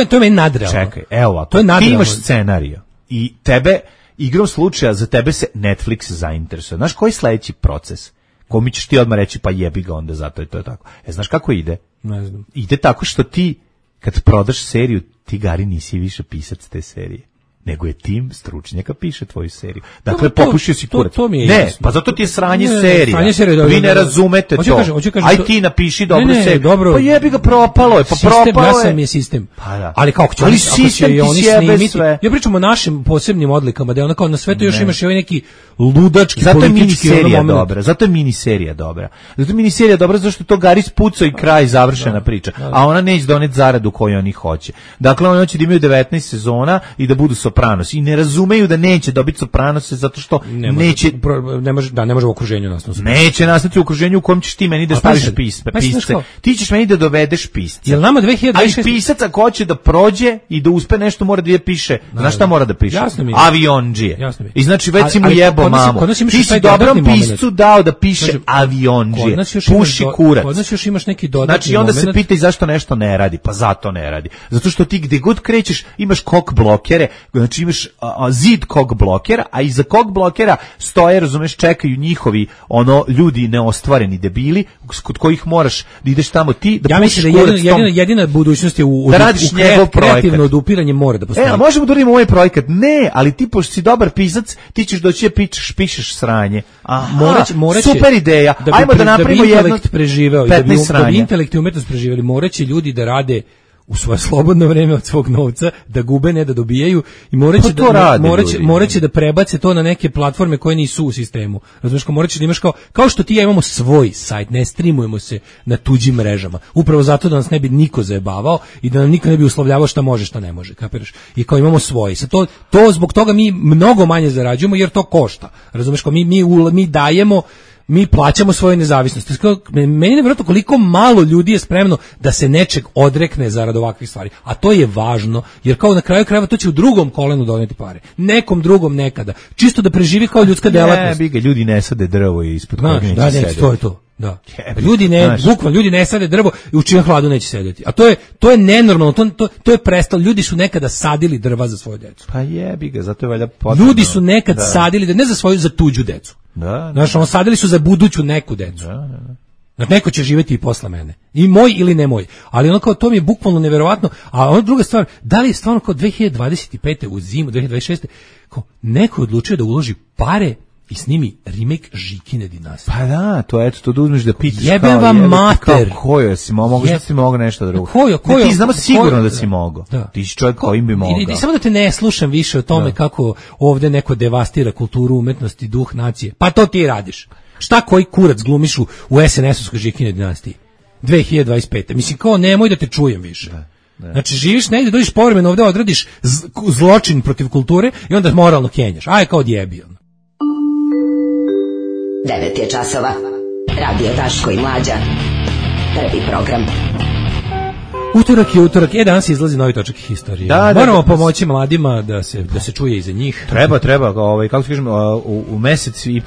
to je meni nadrealno. Čekaj, evo ovako, ti imaš scenariju i tebe, igrom slučaja, za tebe se Netflix zainteresuje. Znaš koji je sledeći proces? Komi ćeš ti odmah reći, pa jebi ga onda, zato je to tako. Znaš kako ide? Ne znam. Ide tako što ti, kad prodaš seriju, ti, Gari, nisi više pisac te serije, nego je tim stručnjaka piše tvoju seriju. Dakle, popušio si kurac. Ne, pa zato ti je sranje serija. Vi ne razumete to. Aj ti napiši dobru seriju. Pa jebi ga, propalo je. Jasan je sistem. Ali kako će oni snimiti? Ja pričam o našim posebnim odlikama, da je onako na svetu još imaš i ovaj neki ludački politički moment. Zato je miniserija dobra. Zato je miniserija dobra zato što to Gari spucao i kraj, završena priča. A ona neće doneti zaradu koju oni hoće. Dakle, oni hoće da imaju 19 sezona i da budu Sopranos i ne razumeju da neće dobiti Sopranose zato što ne može u okruženju nastati. Neće nastati u okruženju u kojem ćeš ti meni da staviš pisce. Ti ćeš meni da dovedeš pisce. Jel nama 2026? Ali pisac ako hoće da prođe i da uspe nešto mora da je piše. Znaš šta mora da piše? Aviondžije. I znači već si mu jebo mamu. Ti si dobrom piscu dao da piše aviondžije. Puši kurac. Kod nas još imaš neki dodatni moment. Znači onda se pitaj zašto nešto ne radi. Pa zato ne radi. Zato što ti gde god krećeš imaš kok blokere. Znači imaš zid kog blokera, a iza kog blokera stoje, razumeš, čekaju njihovi ljudi neostvareni debili kod kojih moraš da ideš tamo ti da pušiš kurac. Ja mislim da jedina budućnost je u kreativno odupiranje mora da postoji. A možemo da uradimo ovaj projekat? Ne, ali ti pošto si dobar pisac, ti ćeš doći da pišeš sranje. Super ideja. Ajmo da napravimo jedno 15 sranja. Da bi intelekt i umetnost preživeli, moraće ljudi da rade u svoje slobodno vreme od svog novca, da gube, ne da dobijaju, i moraće da prebace to na neke platforme koje nisu u sistemu. Razumeš, moraće da imaš kao što ti ja imamo svoj sajt, ne streamujemo se na tuđim mrežama. Upravo zato da nas ne bi niko zajebavao i da nam niko ne bi uslovljavao šta može, šta ne može, kapiraš? I kao imamo svoj. Sad to zbog toga mi mnogo manje zarađujemo jer to košta. Razumeš, kao mi dajemo, mi plaćamo svoju nezavisnost. Meni je nevjerojatno koliko malo ljudi je spremno da se nečeg odrekne zarad ovakvih stvari. A to je važno, jer kao na kraju krajeva to će u drugom kolenu doneti pare. Nekom drugom nekada. Čisto da preživi kao ljudska delatnost. Ljudi ne sade drvo i ispod kojeg neće sedeti. To je to. Da. Ljudi ne sade drvo i u čijem hladu neće sedeti. A to je nenormalno, to je prestalo. Ljudi su nekada sadili drva za svoju decu. Pa jebi ga, zato je valjda potrebno. Ljudi su nekad sadili, ne za svoju, za tuđu decu. Znaš, sadili su za buduću neku decu. Znači, neko će živjeti i posle mene. I moj ili ne moj. Ali ono kao, to mi je bukvalno neverovatno. A ona druga stvar, da li je stvarno kao 2025. u zimu, 2026. kao neko odlučio da uloži pare i snimi remake Žikine dinastije. Pa da, to da uzmeš da pitaš. Jebem vam mater. Kojo si mogao, šta si mogao nešto drugo? Kojo? Ti znamo sigurno da si mogao. Ti si čovjek kojim bi mogao. I samo da te ne slušam više o tome kako ovdje neko devastira kulturu, umetnost i duh nacije. Pa to ti radiš. Šta koji kurac glumiš u SNS-ovskoj Žikine dinastiji? 2025. Mislim, kao nemoj da te čujem više. Znači, živiš negdje, dođeš povremeno ovdje, odradiš zločin protiv kulture i onda moralno kenjaš. Aj, kao odjebi. 9 je časova. Radio Daško i Mlađa. Prvi program. Utorak je utorak. Danas izlazi novi točak historije. Moramo pomoći mladima da se čuje iza njih. Treba, kako se kažemo, u mesec i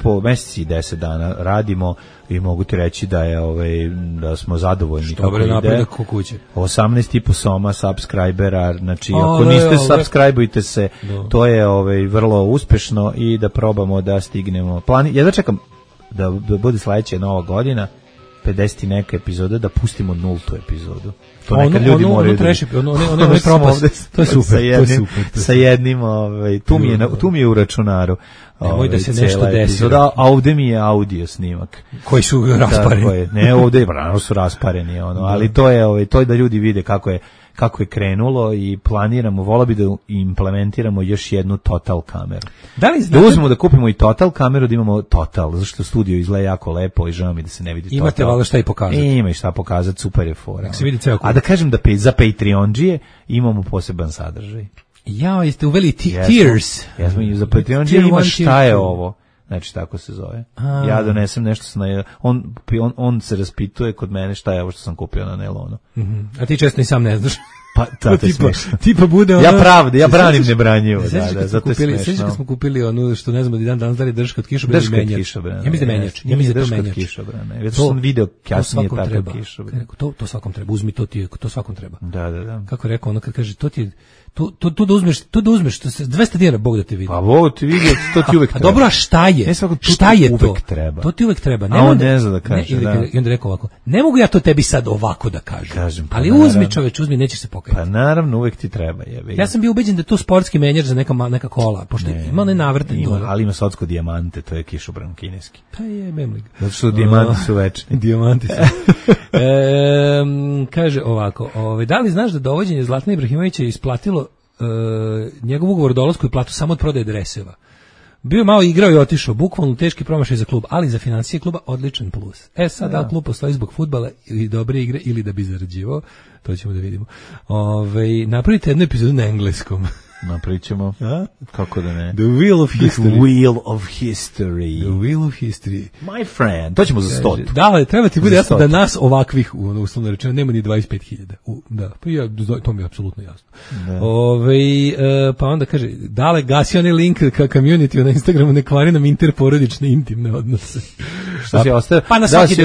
10 dana radimo i mogu ti reći da je da smo zadovoljni kako ide. Napredak u kući. 18,5 soma subscribera, znači ako niste subscribeujte se, to je vrlo uspešno i da probamo da stignemo. Ja da čekam da bude sledeća nova godina, 50 neka epizoda, da pustimo 0. epizodu. To nekad ljudi moraju da... Ono je propast. To je super. Sa jednim, tu mi je u računaru. Nemoj da se nešto desi. A ovde mi je audio snimak. Koji su raspareni. Ne, ovde su raspareni, ali to je da ljudi vide kako je krenulo i planiramo, vola bi da implementiramo još jednu total kameru. Da uzmemo da kupimo i total kameru, da imamo total, zašto studio izgleda jako lepo i žao mi da se ne vidi total. Imate valjda šta i pokazati. Ima i šta pokazati, super je fora. A da kažem da za Patreon-džije imamo poseban sadržaj. Ja, jeste uveli tiers. Za Patreon-džije ima šta je ovo. Znači, tako se zove. Ja donesem nešto, on se raspituje kod mene šta je ovo što sam kupio na nailonu. A ti često i sam ne znaš. Pa, to je smešno. Tipa bude ono... Ja branim nebranjivo. Zato je smešno. Sjećaš kad smo kupili ono što ne znamo da danas da li drška od kišobrana ili menjač. Ja mislim da menjač. Ja mislim da to menjač. To sam video kasnije tako kišobrana. To svakom treba. Uzmi to svakom treba. Da. Kako je rekao ono kad kaže, to da uzmeš, to se 200 dinara Bog da te vidi. Pa Bog ti vidi, to ti uvek treba. A dobro, a šta je? Šta je to? To ti uvek treba. A on ne zna da kaže. I onda rekao ovako, ne mogu ja to tebi sad ovako da kažem. Ali uzmi čoveč, nećeš se pokajati. Pa naravno, uvek ti treba. Ja sam bio ubeđen da je to sportski menjač za neka kola, pošto ima onaj navrtan. Ali ima socko dijamante, to je kišobran kineski. Pa je memlig. Zato što dijamanti su večni. Dijamanti su. Kaže ovako, da li znaš da dovođenje Zlatana Ibrahimovića je isplatilo njegov ugovor o dolasku i platu samo od prodaje dreseva. Bio malo igrao i otišao, bukvalno teški promašaj za klub, ali za financije kluba odličan plus. Sad da li klub postoji zbog fudbala ili dobre igre ili da bi zarađivao, to ćemo da vidimo. Napravite jednu epizodu na engleskom. Napričamo. Kako da ne? The Wheel of History. The Wheel of History. The Wheel of History. My friend. To ćemo za 100. Da, treba ti bude jasno da nas ovakvih, uslovno rečeno, nema ni 25.000. Da, pa to mi je apsolutno jasno. Pa onda kaže, dale gasi onaj link ka community na Instagramu, ne kvari nam interporodične intimne odnose. Što si ostao? Pa na svaki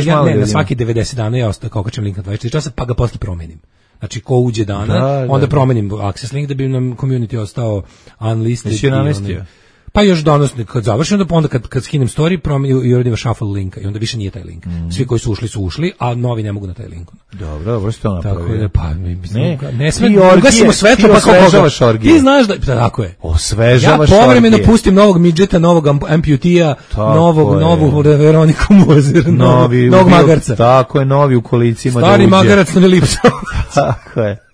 90 dana ja ostao kao kačem link na 24 časa, pa ga posle promenim. Znači, ko uđe dana, onda promenim access link da bi nam community ostao unlisted. Jesi je namestio? Pa još danas, kad završim, onda kad skinem story, i uradim shuffle linka i onda više nije taj link. Svi koji su ušli, a novi ne mogu na taj link. Dobro, što napravio? Tako je, pa ne sme, ugasimo svetlo, pa osvežavaš orgije. Ti znaš da, tako je. Osvežavaš orgije. Ja povremeno pustim novog midžeta, novog amputija, novu Veroniku Mozer, novog magarca. Tako je, novi u kolicima. Stari magarac na lipsao. Tako je.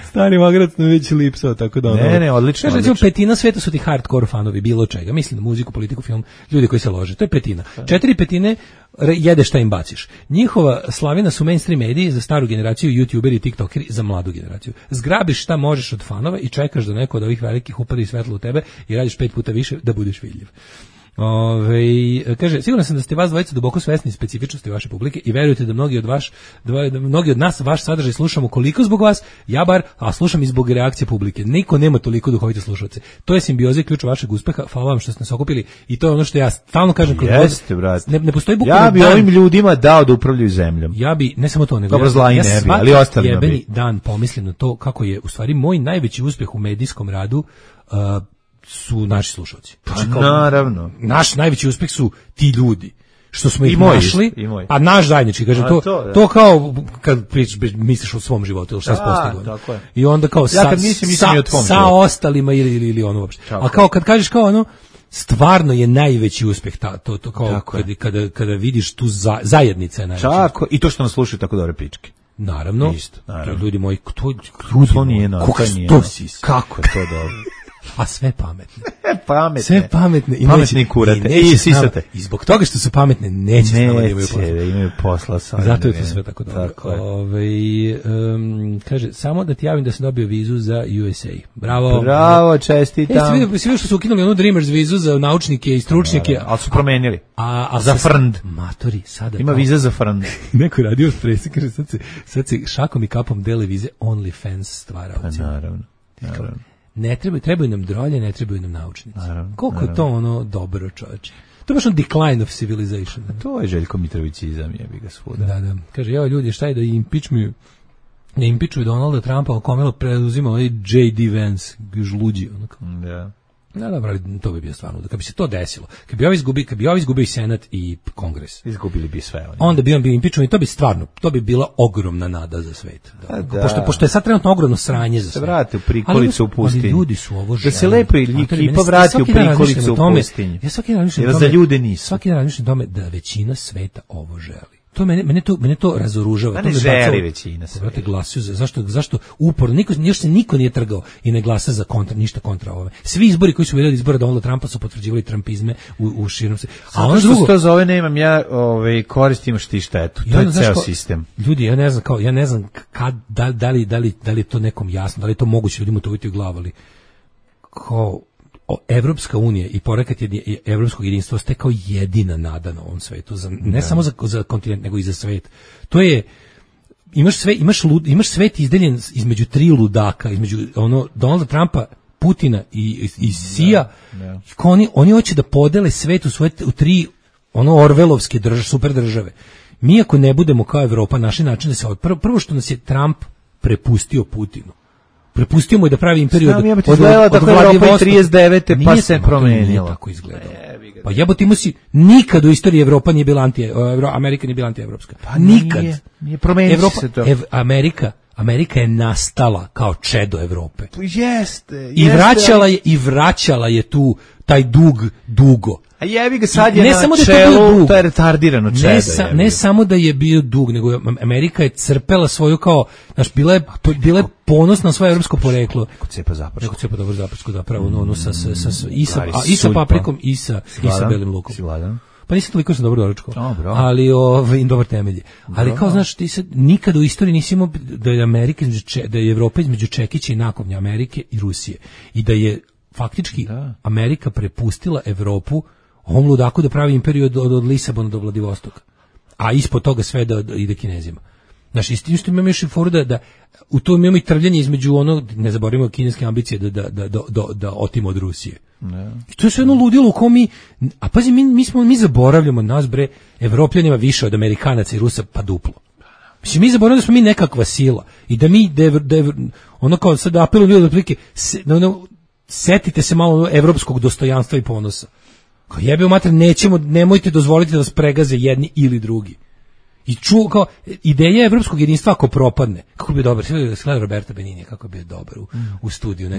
Stari magarac na već lipsao, tako da ono... Ne, odlično. Kaže, petina sveta su ti hardcore fanovi, bilo čega. Mislim na muziku, politiku, film, ljudi koji se lože. To je petina. 4/5 jede šta im baciš. Njihova slavina su mainstream mediji za staru generaciju, youtuberi i tiktokeri za mladu generaciju. Zgrabiš šta možeš od fanova i čekaš da neko od ovih velikih upadi svetlo u tebe i radiš 5 puta više da budeš vidljiv. Kaže, sigurno sam da ste vas dvojica duboko svesni specifičnosti vaše publike i verujete da mnogi od nas vaš sadržaj slušamo koliko zbog vas, ja bar, a slušam i zbog reakcije publike. Niko nema toliko duhovite slušalce. To je simbioza i ključ vašeg uspeha. Hvala vam što ste nas okupili i to je ono što ja stalno kažem. Jeste, brate. Ne postoji bukvalno ja bi ovim ljudima dao da upravljaju zemljom. Ja bi, ne samo to, nego dobro, zla i ne bi, ali ostali jebeni dan pomislim na to kako je u stvari moj najveći uspeh u medijskom radu su naši slušalci. Naravno. Naš najveći uspeh su ti ljudi što smo ih našli, a naš zajednički, kažem, to kao kad misliš o svom životu ili šta se postiglo. I onda kao sa ostalima ili ono uopšte. A kao kad kažeš kao ono, stvarno je najveći uspeh to kao kada vidiš tu zajednica je najveći. Tako, i to što nas slušaju tako dobre pičke. Naravno. Isto, ljudi moji, to nije kako je to dobro. A sve pametne. Pametne. Sve pametne. I pametne kurate. I sisate. I zbog toga što su pametne, neće s nama da imaju posla. Da imaju posla sa. Zato je to sve tako dobro. Kaže, samo da ti javim da sam dobio vizu za USA. Bravo. Bravo, čestitam. Svi što su ukinuli onu Dreamers vizu za naučnike i stručnjake. Ali su promenili. A za frnd. Matori, sada. Ima viza za frnd. Neko radio presi, kaže, sad se šakom i kapom dele vize OnlyFans stvaraoci. Pa naravno. Ne trebaju nam drolje, ne trebaju nam naučnici. Koliko je to ono dobro, čoveče. To je baš on decline of civilization. To je Željko Mitrovićizam, jebi ga svuda. Da. Kaže, evo ljudi, šta je da ne impičuju Donalda Trumpa, komelo preuzima ovaj J.D. Vance, žluđi. Da. Da, dobro, to bi bio stvarno. Kad bi se to desilo, kad bi ovi izgubio i Senat i Kongres, izgubili bi sve. Onda bi on bio impičovan i to bi bila ogromna nada za svet. Pošto je sad trenutno ogromno sranje za svet. Se vrate u prikolicu u pustinju. Ali ljudi su ovo želi. Da se lepo ekipa vrati u prikolicu u pustinju. Ja svaki dan razmišljam o tome. Za ljude nisu. Svaki dan razmišljam o tome da većina sveta ovo želi. To mene to razoružava. Ne želi većina sve. Brate, glasuju zašto uporno niko nije trgao i ne glasa za ništa kontra ove. Svi izbori koji su bili izbora Donalda Trumpa su potvrđivali trumpizme u širom se. A ono što to zove nemam ja, koristim što ti štetu. To je ceo sistem. Ljudi, ja ne znam da li je to nekom jasno, da li je to moguće ljudima to uviti u glavu, ali kao Evropska unija i porekat je evropskog jedinstva ste kao jedina nada na ovom svetu, ne samo za kontinent, nego i za svet. To je, imaš svet izdeljen između tri ludaka, između Donalda Trumpa, Putina i Sija. Oni hoće da podele svet u tri orvelovske super države. Mi ako ne budemo kao Evropa, naši način da se prvo što nas je Trump prepustio Putinu. Prepustio mu je da pravi imperiju od Evropa 39. pa se promenilo. Nije tako izgledalo. Pa jebote, imao si, nikad u istoriji Evropa nije bila Amerika nije bila antievropska. Pa nikad. Nije promenilo se to. Amerika je nastala kao čedo Evrope. Jeste. I vraćala je tu taj dug dugo. A jebi ga sad je ne na samo čelu, to je retardirano čedo. Ne samo da je bio dug, nego Amerika je crpela svoju kao, znaš, bila je ponosna na svoje evropsko poreklo. Neko cepa zapravo. Neko cepa dobro zapravo, zapravo, i sa paprikom i sa belim lukom. Pa nisam toliko sam dobro doručkao, ali dobar temelji. Ali kao, znaš, ti sad nikad u istoriji nisi imao da je Evropa između Čekića i nakovnja Amerike i Rusije. I da je faktički Amerika prepustila Evropu ovom ludaku da pravi imperiju od Lisabona do Vladivostoka. A ispod toga sve da ide Kinezima. Znaš, isto imamo još i foru da u tom imamo i trvljanje između ne zaboravimo kineske ambicije da otimo od Rusije. I to je sve jedno ludilo u kom a pazi, mi zaboravljamo nas, bre, Evropljanima više od Amerikanaca i Rusa, pa duplo. Mislim, mi zaboravljamo da smo mi nekakva sila i da mi, kao sad apelujem ljudi otprilike, setite se malo evropskog dostojanstva i ponosa. Kao jebe mater, nemojte dozvoliti da vas pregaze jedni ili drugi. I kao ideja evropskog jedinstva ako propadne, kako bi bio dobar, sve Roberta Benini, kako je bio dobar u studiju,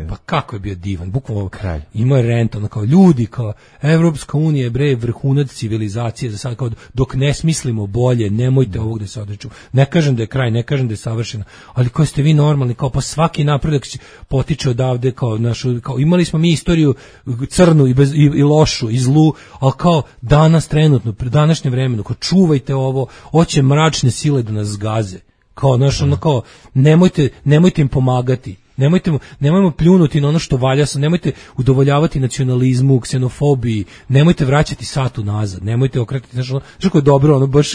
pa kako je bio divan, bukvalno kralj. Imao je rent, kao ljudi, kao Evropska unija, bre, vrhunac civilizacije, za sad, kao dok ne smislimo bolje, nemojte ovog da se odriču. Ne kažem da je kraj, ne kažem da je savršeno, ali kao ste vi normalni, kao pa svaki napredak potiče odavde, kao imali smo mi istoriju crnu i lošu i zlu, ali kao danas trenutno, pri današnjem vremenu, kao čuvajte ovo, hoće mračne sile da nas zgaze. Kao, znaš, kao, nemojte im pomagati. Nemojmo pljunuti na ono što valja, nemojte udovoljavati nacionalizmu, ksenofobiji, nemojte vraćati sat unazad, nemojte okretati, znaš, kako je dobro, baš,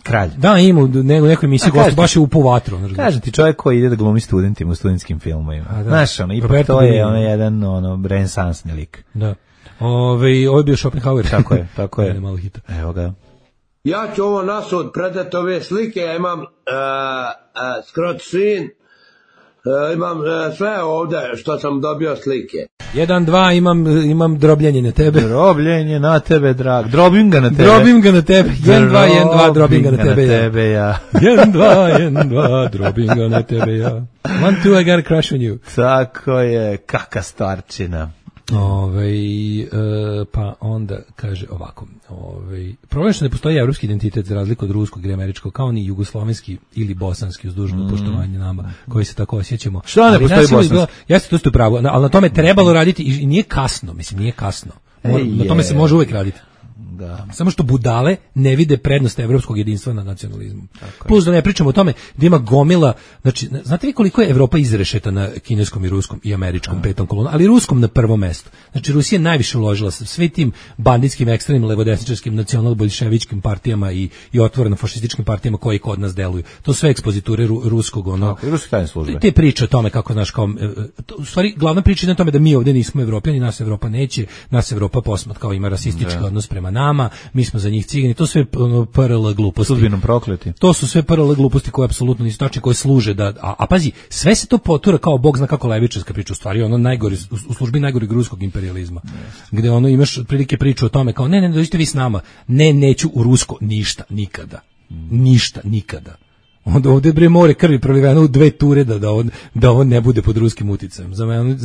kralj. Da, ima u nekoj emisiji gostu, baš je upao vatru. Kažem ti, čovjek koji ide da glumi studentima u studentskim filmovima. Znaš, ipak to je jedan renesansni lik. Da. Ovo je bio Schopenhauer. Tako je. Malo hita. Evo ga. Ja ću ovo nasud predati ove slike, ja imam scrotsin, imam sve ovdje što sam dobio slike. 1, 2, imam drobljenje na tebe. Drobljenje na tebe, drag. Drobim ga na tebe. 1, 2, drobim ga na tebe, ja. 1, 2, drobim ga na tebe, ja. 1, 2, I got a crush on you. Tako je, kaka starčina. Pa onda kaže ovako, problem što ne postoji evropski identitet za razliku od ruskog ili američkog, kao ni jugoslovenski ili bosanski, uz dužno poštovanje nama koji se tako osjećamo. Što ne postoji bosanski? Jeste, to ste u pravu, ali na tome trebalo raditi i nije kasno, mislim, nije kasno. Na tome se može uvek raditi. Da. Samo što budale ne vide prednost evropskog jedinstva nad nacionalizmom. Plus da ne pričamo o tome da ima gomila, znači, znate vi koliko je Evropa izrešeta na kineskom i ruskom i američkom petom kolonu, ali ruskom na prvom mestu. Znači Rusija je najviše uložila sa sve tim banditskim, ekstremnim, levodesničarskim, nacional-bolševičkim partijama i otvoreno fašističkim partijama koji kod nas deluju. To su sve ekspoziture ruskog, ruske tajne službe. Te priče o tome kako, znaš, kao, u stvari, glavna priča je na tome da mi ovdje nismo Evropljani, nas Evropa neće, nas Evropa posmatra kao ima rasistički odnos prema nama, mi smo za njih cigani, to sve PRL gluposti. Sudbinom prokleti. To su sve PRL gluposti koje apsolutno nisu tačne, koje služe da, a pazi, sve se to potura kao bog zna kako levičarska priča, u stvari ono najgori, u službi najgoreg ruskog imperializma, gde ono imaš otprilike priču o tome kao ne, dođite vi s nama, neću u rusko, ništa, nikada. Onda ovdje bre more krvi proliveno u 2 ture da on ne bude pod ruskim uticajem. Za mene,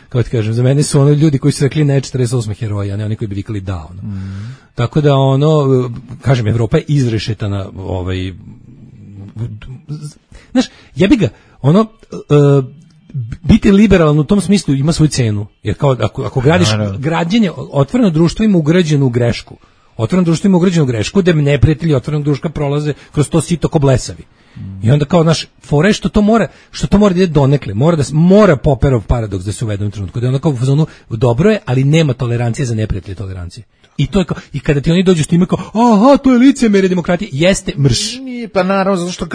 kako ti kažem, za mene su ono ljudi koji su rekli ne 48 heroja, a ne oni koji bi vikali da. Tako da kažem, Evropa je izrešetana, znaš, jebi ga, biti liberalan u tom smislu ima svoju cenu, jer kao ako gradiš građenje, otvoreno društvo ima ugrađenu grešku. Otvoreno društvo ima ugrađenu grešku da neprijatelji otvorenog društva prolaze kroz to sito ko blesavi. I onda kao naš fore što to mora da ide donekle, mora Popperov paradoks da se uvede u trenutku, da je onda kao u fazonu dobro je, ali nema tolerancije za neprijatelje tolerancije. I to je kao, i kada ti oni dođu s time kao, aha, to je licemerje demokratije, jeste mrš. Nije, pa naravno, zato što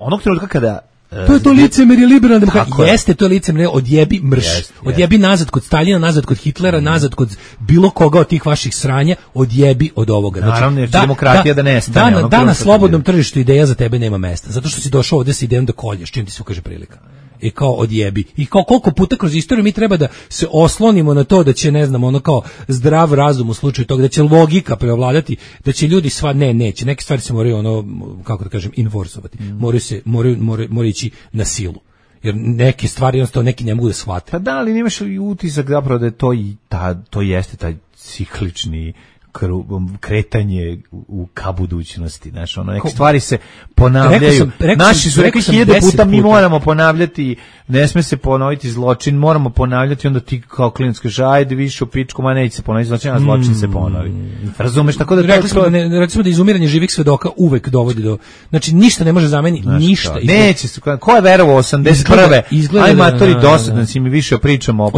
onog trenutka kada to je to licemerje liberalna demokratija. Jeste, to je licemerje, odjebi mrš. Odjebi nazad kod Staljina, nazad kod Hitlera, nazad kod bilo koga od tih vaših sranja, odjebi od ovoga. Znači, naravno, jer demokratija da nestane. Da na slobodnom tržištu ideja za tebe nema mesta, zato što si došao ovdje sa idejom da kolješ, čim ti se ukaže prilika. I kao odjebi. I kao koliko puta kroz istoriju mi treba da se oslonimo na to da će, ne znam, kao zdrav razum u slučaju toga, da će logika preovladati, da će ljudi neće. Neke stvari se moraju, kako da kažem, enforcovati. Moraju ići na silu. Jer neke stvari, jednostavno, neki ne mogu da shvate. Pa da, ali nemaš i utisak zapravo da je to jeste taj ciklični kretanje ka budućnosti, znaš, neke stvari se ponavljaju. Naši su rekli 1000 puta, mi moramo ponavljati, ne sme se ponoviti zločin, moramo ponavljati, onda ti kao klinac kaže, ajde više u pičku, ma neće se ponoviti zločin, a zločin se ponovi. Razumeš, tako da rekli smo da izumiranje živih svedoka uvek dovodi do, znači ništa ne može zameniti, ništa. Neće se, ko je verovao 81. Aj matori, dosadno si mi više pričamo o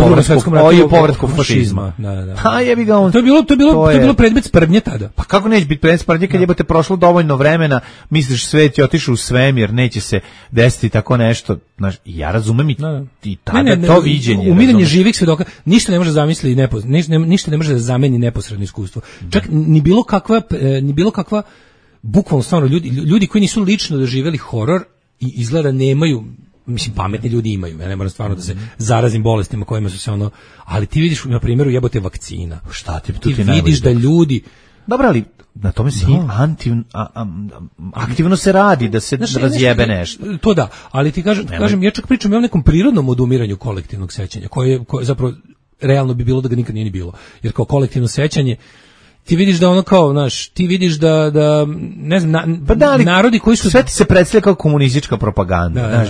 povratku fašizma. Ha, jebi ga on. To je bilo predmet sprdnje tada. Pa kako neće biti predmet sprdnje kad jebote prošlo dovoljno vremena, misliš svet je otišao u svemir, neće se desiti tako nešto, znaš, ja razumem i tada to viđenje. Umiranje živih svedoka, ništa ne može zamisliti, ništa ne može da zameni neposredno iskustvo. Čak ni bilo kakva bukvalno stvarno ljudi koji nisu lično doživjeli horor i izgleda nemaju, mislim, pametni ljudi imaju, ja ne moram stvarno da se zarazim bolestima kojima su se ali ti vidiš na primjeru jebote vakcina. Šta ti vidiš da ljudi... Dobro, ali na tome se aktivno se radi da se razjebe nešto. To da, ali ti kažem, ja čak pričam o nekom prirodnom odumiranju kolektivnog sećanja, koje zapravo realno bi bilo da ga nikad nije ni bilo. Jer kao kolektivno sećanje, ti vidiš da ti vidiš da ne znam, narodi koji su... Sve ti se predstavlja kao komunistička propaganda.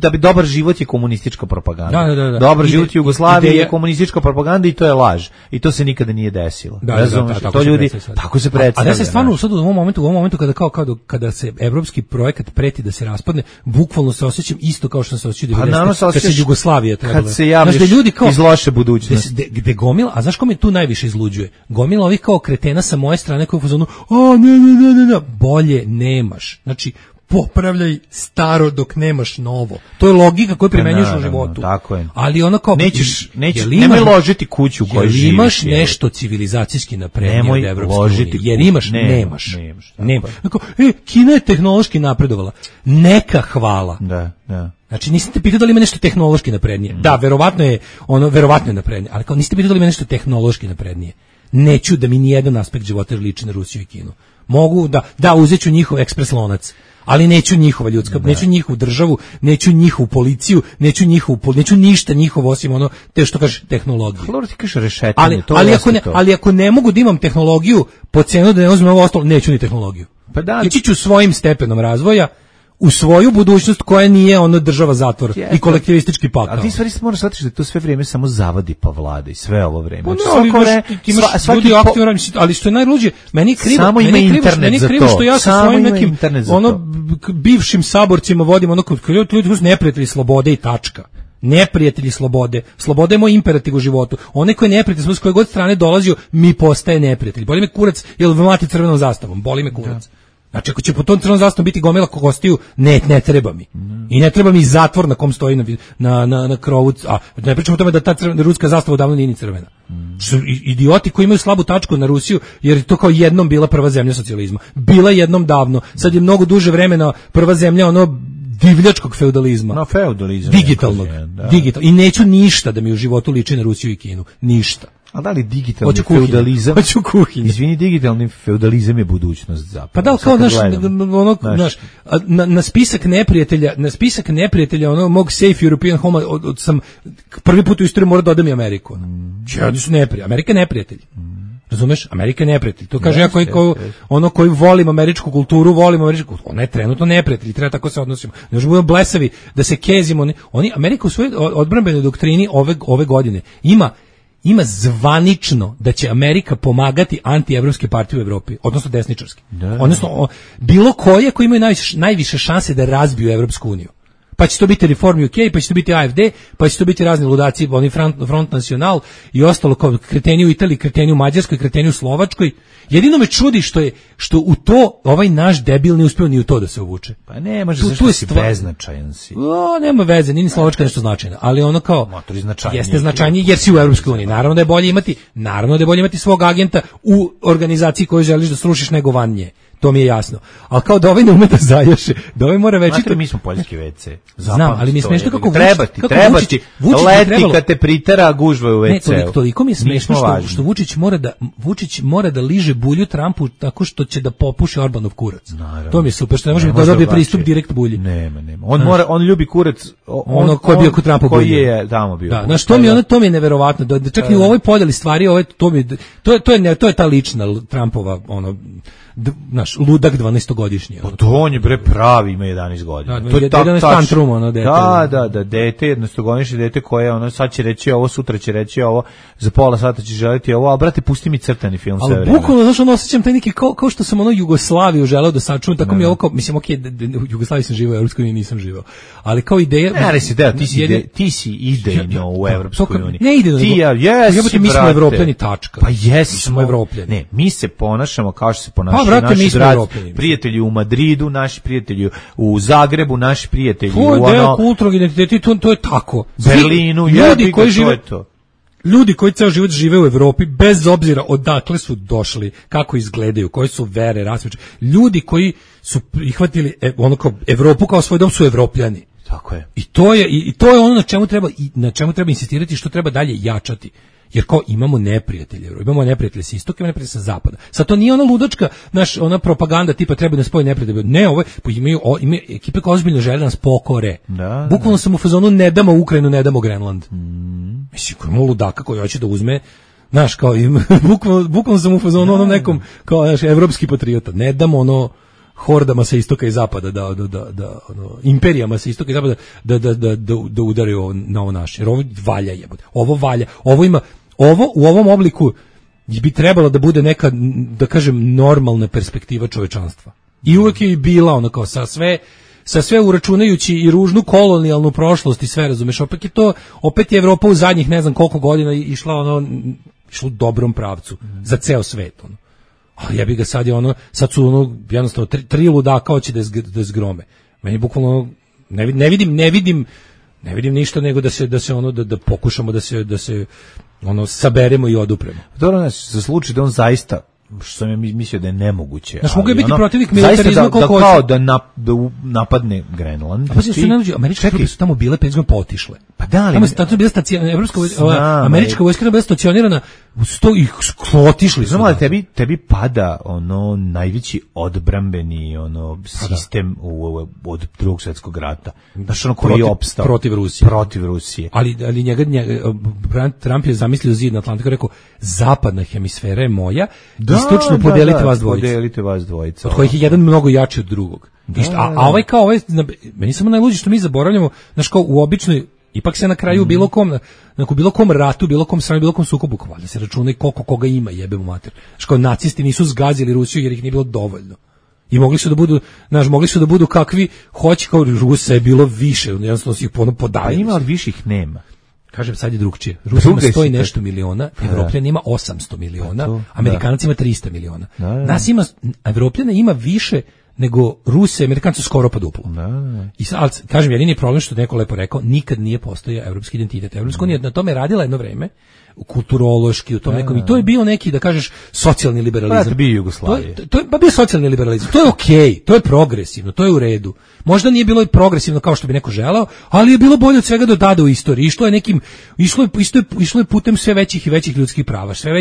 Da bi dobar život je komunistička propaganda. Da. Dobar život u Jugoslaviji je komunistička propaganda i to je laž. I to se nikada nije desilo. To ljudi tako se predstavlja. A da se stvarno sad u ovom momentu kada se evropski projekat preti da se raspadne, bukvalno se osjećam isto kao što se osjećao 90. Kad se Jugoslavija trebala. Kad se javljaš iz loše budućnosti. Gde gomila, a znaš ko me tu najviše izluđuje? Gomila ovih kao kretena sa moje strane koji u fazonu, ne, bolje nemaš. Znači, popravljaj staro dok nemaš novo. To je logika koju primenjuješ u životu. Tako je. Ali ono kao... Nemoj ložiti kuću u kojoj živiš. Imaš nešto civilizacijski naprednije od Evropske unije. Jer imaš, nemaš. Kina je tehnološki napredovala. Neka hvala. Da. Znači, niste te pitali da li ima nešto tehnološki naprednije. Da, verovatno je naprednije, ali kao niste pitali da li ima nešto tehnološki naprednije. Neću da mi nijedan aspekt života liči na Rusiju i Kinu. Mogu da uzeću njihov ekspres lonac, ali neću njihova ljudska, neću njihovu državu, neću njihovu policiju, neću ništa njihovo osim ono te što kaže tehnologiju. Ti kažeš rešetanje, ali ako ne mogu da imam tehnologiju po cenu da ne uzmem ovo ostalo, neću ni tehnologiju. Pa da, ići ću svojim stepenom razvoja u svoju budućnost koja nije ono država zatvor i kolektivistički pakao. Ali ti stvari moraš shvatiti da to sve vrijeme samo zavadi pa vlada i sve ovo vrijeme. Pa ti imaš ljudi aktivno, ali što je najluđe, meni je krivo, samo ima internet za to. Što ja sa svojim nekim bivšim saborcima vodim ono ljudi su neprijatelji slobode i tačka. Neprijatelji slobode. Sloboda je moj imperativ u životu. Onaj koji je neprijatelj, s koje god strane dolazio, mi postaje neprijatelj. Boli me kurac, jel mlati crvenom zastavom, boli me kurac. Znači, ako će po tom crvenom zastavom biti gomila gostiju, ne treba mi. I ne treba mi zatvor na kom stoji na krovu, a ne pričamo o tome da ta ruska zastava odavno nije ni crvena. Idioti koji imaju slabu tačku na Rusiju, jer je to kao jednom bila prva zemlja socijalizma. Bila jednom davno, sad je mnogo duže vremena prva zemlja divljačkog feudalizma. No, feudalizam. Digitalnog. I neću ništa da mi u životu liči na Rusiju i Kinu. Ništa. A da li digitalni feudalizam? Hoću kuhinju. Izvini, digitalni feudalizam je budućnost zapravo. Pa da, kao na spisak neprijatelja mog safe European home sam prvi put u istoriji morao da odam i Ameriku. Oni su neprijatelji. Amerika je neprijatelj. Razumeš? Amerika je neprijatelj. To kaže ja koji volim američku kulturu, ona je trenutno neprijatelj, treba tako se odnosimo. Ne možemo budemo blesavi da se kezimo. Amerika u svojoj odbrambenoj doktrini ove godine ima zvanično da će Amerika pomagati antievropske partije u Evropi, odnosno desničarske. Odnosno bilo koje koji imaju najviše šanse da razbiju Evropsku uniju. Pa će to biti Reform UK, pa će to biti AFD, pa će to biti razni ludaci, oni Front National i ostalo kao kreteni u Italiji, kreteni u Mađarskoj, kreteni u Slovačkoj. Jedino me čudi što u to ovaj naš debil ne uspeo ni u to da se uvuče. Pa ne, može zašto si beznačajan si. Nema veze, nije ni Slovačka nešto značajno, ali ono kao jeste značajnije jer si u Evropskoj uniji. Naravno da je bolje imati svog agenta u organizaciji koju želiš da srušiš nego van nje. To mi je jasno. Ali kao da ovaj ne ume da zajaše, da ovaj mora veći... Znate, mi smo poljski WC. Znam, ali mi je smešno kako treba ti, leti kad te pritera, gužva u WC. Ne, toliko mi je smešno što Vučić mora da liže bulju Trumpu tako što će da popuši Orbanov kurac. Naravno. To mi je super, što ne može da dobije pristup direkt bulji. Nema. On ljubi kurac... Ono koji je bio kod Trumpa bulju. Koji je tamo bio. Da, znaš, to mi je neverovatno. Da čak i u ovoj podjeli stvari, to je ta lična Trumpova, naš ludak 12-godišnji. To on je pravi, ima 11 godina. To je 11 tantrum, dete. Da, dete, 11-godišnje dete koje sad će reći ovo, sutra će reći ovo, za pola sata će želiti ovo, a brate, pusti mi crtani film sve vreme. Ali bukvalno, znaš, osjećam taj neki, kao što sam Jugoslaviju želeo da sačuvam, tako mi je ovo kao, mislim, u Jugoslaviji sam živao, u Evropskoj uniji nisam živao. Ali kao ideja... Ti si idejno u Evropskoj uniji. Ne idejno, mi smo Evropljani, tačka. Pa jesmo Evropljani. Ne, mi se ponašamo kao što se ponašaju naši prijatelji u Madridu, naši prijatelji u Zagrebu, naši prijatelji u ono... To je deo kulturnog identiteta, to je tako. Berlinu, ljudi koji ceo život žive u Evropi, bez obzira odakle su došli, kako izgledaju, koje su vere, rasveće, ljudi koji su prihvatili Evropu kao svoj dom su Evropljani. Tako je. I to je ono na čemu treba insistirati, što treba dalje jačati. Jer kao imamo neprijatelje sa istoka, imamo neprijatelje sa zapada. Sad to nije ona ludačka, ona propaganda tipa treba da spoji neprijatelje. Ne, imaju ekipe koje ozbiljno žele da nas pokore. Bukvalno sam u fazonu ne damo Ukrajinu, ne damo Grenland. Mislim, ko ima ludaka koji hoće da uzme, znaš, kao bukvalno sam u fazonu onom nekom, kao evropski patriota. Ne damo hordama sa istoka i zapada, imperijama sa istoka i zapada da udaraju na ovo naše. Jer ovo valja jebote. Ovo valja. Ovo u ovom obliku bi trebalo da bude neka, da kažem, normalna perspektiva čovečanstva. I uvek je bila kao sa sve uračunajući i ružnu kolonijalnu prošlost i sve, razumeš, opet je Evropa u zadnjih ne znam koliko godina išla u dobrom pravcu za ceo svet, Ali ja bih ga sad su jednostavno tri ludaka hoće da zgrome. Meni bukvalno ne vidim ništa nego da pokušamo da se saberemo i odupremo. Dobro, nas za slučaj da on zaista, što sam ja mislio da je nemoguće. Znaš, mogu je biti protivnik militarizma koliko hoće. Kao da napadne Grenland. Pa se američke trupe su tamo bile 5 godina potišle. Pa da li? Tamo je bila američka vojska bila stacionirana sto ih otišli su. Znamo da tebi pada ono najveći odbrambeni sistem od Drugog svjetskog rata. Znaš, ono koji je opstao protiv Rusije. Ali njega Trump je zamislio zid na Atlantiku, rekao zapadna hemisfera je moja, istočno podelite vas dvojica. Od kojih je jedan mnogo jači od drugog. A ovaj meni samo najluđe što mi zaboravljamo, znaš, kao u običnoj, ipak se na kraju bilo kom ratu, bilo kom stranu, bilo kom sukobu, valjda se računa i koliko koga ima, jebemo mater. Znaš, kao nacisti nisu zgazili Rusiju jer ih nije bilo dovoljno. I mogli su da budu kakvi hoće, kao Rusa je bilo više, jednostavno su ih podavili. A ima, ali više ih nema. Kažem, sad je drugčije. Rusija ima 100 i nešto miliona, Evropljana ima 800 miliona, Amerikanac ima 300 miliona. Nas ima, Evropljana ima više nego Ruse, Amerikanci su skoro pa duplo. I sad, kažem, jedini problem što neko lepo rekao, nikad nije postojao evropski identitet. Evropska unija na tome radila jedno vreme, kulturološki, u tom nekom, i to je bio neki, da kažeš, socijalni liberalizam. Pa bio Jugoslavije. To je bio socijalni liberalizam. To je okej, to je progresivno, to je u redu. Možda nije bilo progresivno kao što bi neko želeo, ali je bilo bolje od svega do tada u istoriji. Išlo je putem sve većih i većih ljudskih prava, sve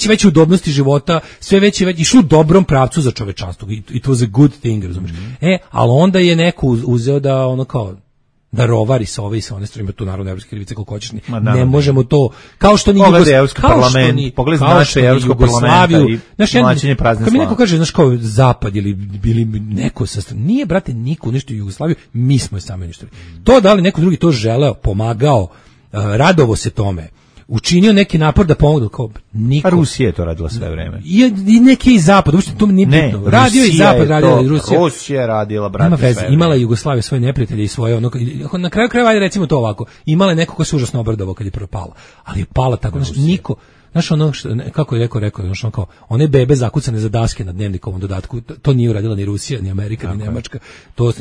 veće udobnosti života, išlo u dobrom pravcu za čovečanstvo. It was a good thing, razumiješ. Ali onda je neko uzeo da ono kao da rovari sa ove i sa one strane, tu naravno evropske krivice koliko hoćeš, ne možemo to, kao što ni Evropsko parlamenta i mlačenje prazne slave. Kad mi neko kaže, znaš, kao zapad ili neko sa strane, nije, brate, niko uništio Jugoslaviju, mi smo je sami uništili. To da li neko drugi to želeo, pomagao, radovo se tome, učinio neki napor da pomogu, kao niko. A Rusija je to radila sve vreme. I neki i zapad, uopšte to nije bitno. Radio i zapad, radila i Rusija. Rusija je radila, brate, sve vreme. Imala je Jugoslavija svoje neprijatelje i svoje, na kraju krajeva, ajde recimo to ovako, imala je neko ko se užasno obradovao kad je propala, ali je pala tako, niko, znaš, ono, kako je rekao, znaš, ono kao, one bebe zakucane za daske na dnevnikovom dodatku, to nije uradila ni Rusija, ni Amerika, ni Nemačka, to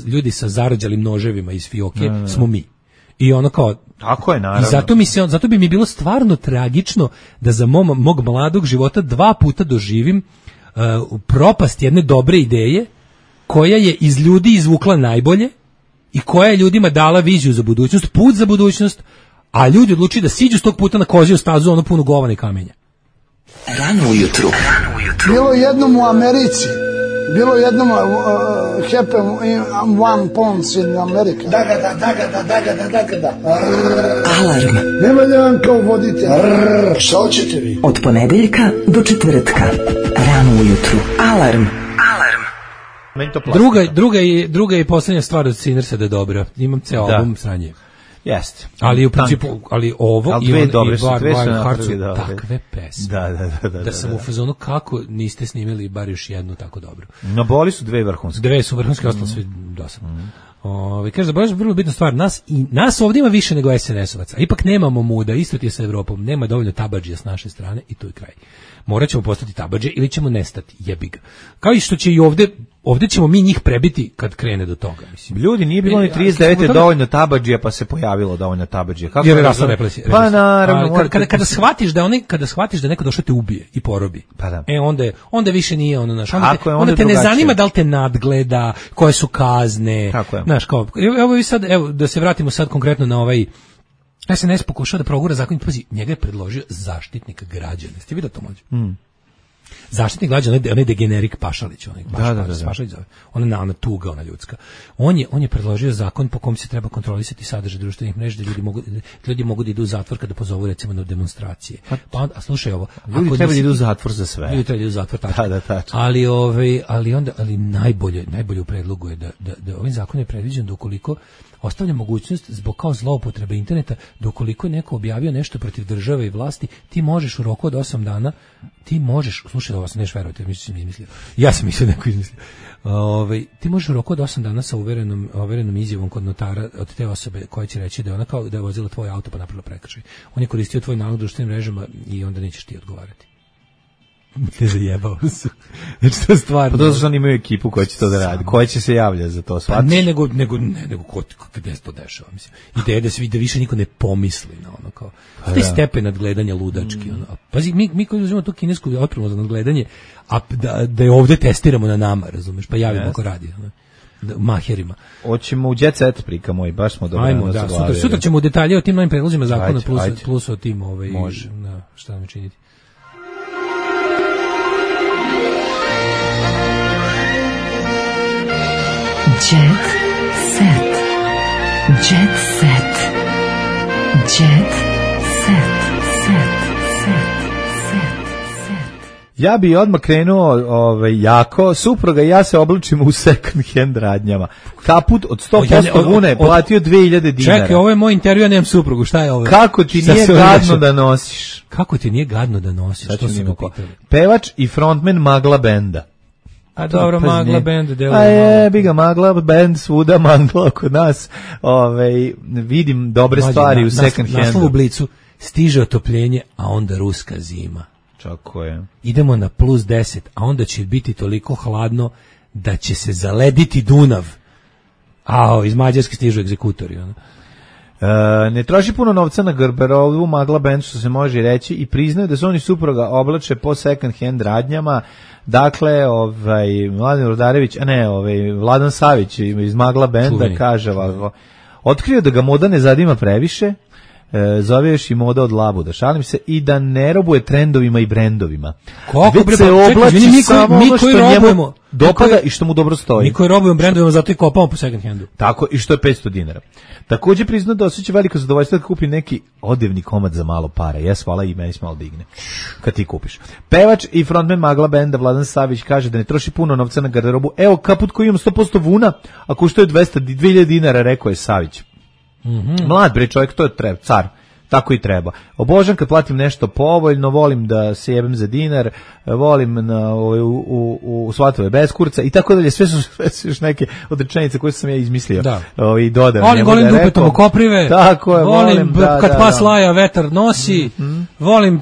ljudi sa zarađalim noževima iz fioke smo mi. I ono kao, tako je, naravno. I zato bi mi bilo stvarno tragično da za mog mladog života 2 puta doživim propast jedne dobre ideje koja je iz ljudi izvukla najbolje i koja je ljudima dala viziju za budućnost, put za budućnost, a ljudi odlučili da siđu s tog puta na koziju stazu, ono punu govana i kamenja. Rano ujutru. Bilo jednom u Americi, bilo jednom happen one pounds in America. Da. Alarm. Nema da vam kao vodite. Šta hoćete vi? Od ponedeljka do četvrtka. Rano ujutru. Alarm. Druga i posljednja stvar od Sinersa da je dobra. Imam ceo album sranje. Jeste. Ali u principu, ovo i Wild Hearts su takve pesme. Da sam u fazonu kako niste snimili bar još jednu tako dobro. No, boli su 2 vrhunske. 2 su vrhunske, ostalo sve dosadno. Kaže, zaboravim vrlo bitna stvar, nas ovdje ima više nego SNS-ovaca, ipak nemamo muda, isto ti je sa Evropom, nema dovoljno tabadžija s naše strane i tu je kraj. Morat ćemo postati tabadže ili ćemo nestati, jebi ga. Kao i što će i ovdje ćemo mi njih prebiti kad krene do toga. Mislim. Ljudi, nije bilo ni 39 dovoljno tabadžija, pa se pojavilo dovoljno tabadžija. Jer je rasla represija. Pa naravno. Kada shvatiš da neko došao te ubije i porobi, pa da. Onda više nije ono naš. Onda te ne zanima da li te nadgleda, koje su kazne. Znaš, kao, evo da se vratimo sad konkretno na ovaj SNS pokušao da progura zakon, pazi, njega je predložio Zaštitnik građana. Ste vidio to mlađe? Zaštitnik građana, onaj degenerik Pašalić, Pašalić zove. Ona tuga, ona ljudska. On je predložio zakon po kom se treba kontrolisati sadržaj društvenih mreža, da ljudi mogu da idu u zatvor kada pozovu recimo na demonstracije. Pa a slušaj ovo, ljudi treba da idu u zatvor za sve. Ljudi treba da idu u zatvor, tačno. Ali najbolje u predlogu je da ovim zakonom je predviđeno da ukoliko ostavlja mogućnost zbog kao zloupotrebe interneta, da ukoliko je neko objavio nešto protiv države i vlasti, ti možeš u roku od 8 dana, slušaj, ovo sam neš verovati, ja sam mislio neko izmislio, ti možeš u roku od 8 dana sa uverenom izjavom kod notara od te osobe koja će reći da je ona kao da je vozila tvoj auto pa napravila prekršaj. On je koristio tvoj nalog društvenim mrežama i onda nećeš ti odgovarati. Ne zajebao se. Znači to je stvarno. Pa to što oni imaju ekipu koja će to da radi, koja će se javljati za to, shvatiš? Ne, nego gde se to dešava, mislim. Ideja da više niko ne pomisli na ono kao. Taj stepen nadgledanja ludački. Pazi, mi koji uzimamo tu kinesku opremu za nadgledanje, a da je ovde testiramo na nama, razumeš, pa javimo ko radi. maherima. Hoćemo u Jet Set prika moj, baš smo dobro. Ajmo, da, sutra ćemo u detalje o tim novim predlozima zakona plus o tim može. Šta nam činiti. Jet Set. Jet Set. Jet Set. Ja bi odmah krenuo jako, supruga i ja se oblačimo u second hand radnjama. Kaput od 100% vune platio 2000 dinara. Čekaj, ovo je moj intervju, ja nemam suprugu, šta je ovo? Kako ti nije gadno da nosiš? Kako ti nije gadno da nosiš? Što se ga pitali? Pevač i frontman Magla benda. A dobro, Magla band deluje. A je, bi ga Magla band svuda, Magla kod nas. Vidim dobre stvari u second handu. Naslov u Blicu, stiže otopljenje, a onda ruska zima. Čako je. Idemo na plus 10, a onda će biti toliko hladno da će se zalediti Dunav. Iz Mađarske stižu egzekutori. Ne troši puno novca na garderobu Magla band, što se može reći, i priznaju da su oni supruga oblače po second hand radnjama. Dakle, Mladen Rudarević, Vladan Savić iz Magla benda kaže ovako: otkrio da ga moda ne zadima previše, zove još i moda od labuda, šalim se, i da ne robuje trendovima i brendovima. Već se oblači samo ono što njemu dopada i što mu dobro stoji. Mi koji robujemo brendovima, zato i kopamo po second handu. Tako, i što je 500 dinara. Također priznao da osjeća veliko zadovoljstvo da kupi neki odevni komad za malo para. Hvala, i meni se malo digne kad ti kupiš. Pevač i frontman Magla benda Vladan Savić kaže da ne troši puno novca na garderobu. Evo kaput koji imam 100% vuna, a koštuje 2000 dinara, rekao je Savić. Mlad bre čovjek, to je car. Tako i treba. Obožam kad platim nešto povoljno, volim da se jebem za dinar, volim u svatove bez kurca i tako dalje. Sve su još neke od rečenice koje sam ja izmislio i dodao. Volim dupetom u koprive, tako je, volim kad pas laja vetar nosi, volim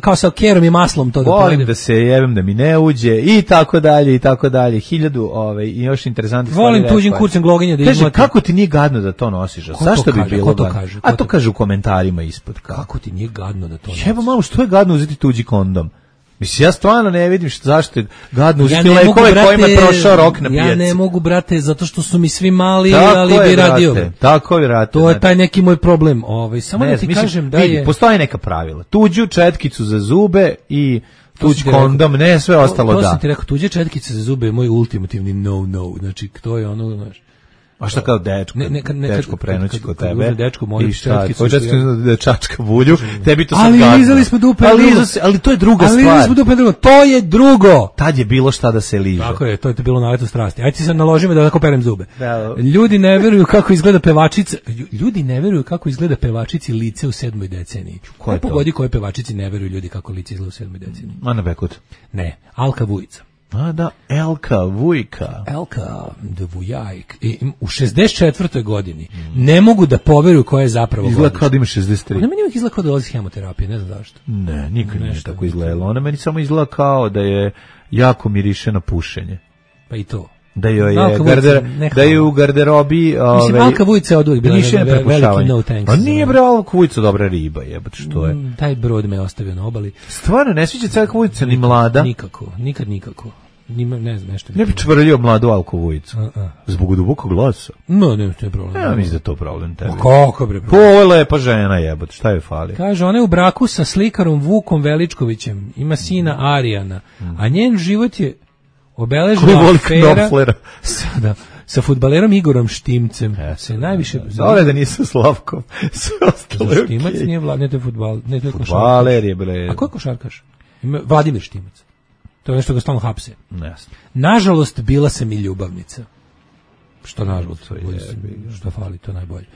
kao sa kerom i maslom to da volim pojedem. Da se jebem da mi ne uđe i tako dalje i tako dalje. 1000 i još interesantnih stvari. Volim tuđim kurcem gloginja da izmlatim. Kaže, kako ti nije gadno da to nosiš? Zašto bi bilo gadno? A to kaže u komentarima ispod. Kako ti nije gadno da to nosiš? Jebo malo, što je gadno uzeti tuđi kondom? Mislim, ja stvarno ne vidim zašto je gadno uzeti lekove kojima je prošao rok na pijaci. Ja ne mogu, brate, zato što su mi svi mali, ali bi radio. Tako je, brate. To je taj neki moj problem. Samo da ti kažem da je... Postoji neka pravila. Tuđu četkicu za zube i tuđ kondom, ne sve ostalo da. To sam ti rekao, tuđe četkice za zube je moj ultimativni no. Znači, to je ono, znaš. A šta kao dečko prenoći kod tebe? Dečko moju četkicu. Da čačka bulju, tebi to sad gadno. Ali lizali smo dupe. Ali to je druga stvar. Ali lizali smo dupe, to je drugo. Tad je bilo šta da se liže. Tako je, to je bilo naleto strasti. Ajde ti sad naloži me da tako perem zube. Ljudi ne veruju kako izgleda pevačica. Ljudi ne veruju kako izgleda pevačici lice u 7. deceniji. Ko pogodi koje pevačici ne veruju ljudi kako lice izgleda u 7. deceniji? Ana Bekut. Ne, Alka Vujica. A da, Elka Vujka. Elka Vujajk. U 64. godini ne mogu da poveruju koja je zapravo izgleda kao da ima 63. Ona meni izgleda kao da dolazi hemoterapije, ne znam zašto. Ne, nikad nije tako izgledalo. Ona meni samo izgleda kao da je jako miriše na pušenje. Pa i to. Da je u garderobi mislim, Alka Vujica je od uvijek bila veliki no thanks. A nije bre, Alka Vujica dobra riba, jebote, što je. Taj brod me ostavio na obali. Stvarno, ne sviđa se Alka Vujica ni mlada? Nikako. Ne znam, nešto. Ne bi čvrljio mladu Alku Vujicu. Zbog dubokog glasa. No, ne, to je problem. Ja mislim da to problem tebi. Kako bre? Ovo je lepa žena, jebote, šta joj fali? Kaže, ona je u braku sa slikarom Vukom Veličkovićem, ima sina Arijana, a njen život je obeležila afera sa fudbalerom Igorom Štimcem. Se najviše... Zove da nije sa Slavkom. Sve ostalo je Štimac nije ne to je fudbal. Fudbaler je bre. A ko je košarkaš? Vladimir Štimac. To je nešto ga stalno hapse. Jasno. Nažalost, bila sam i ljubavnica. Što nažalost? Što fali, to najbolje.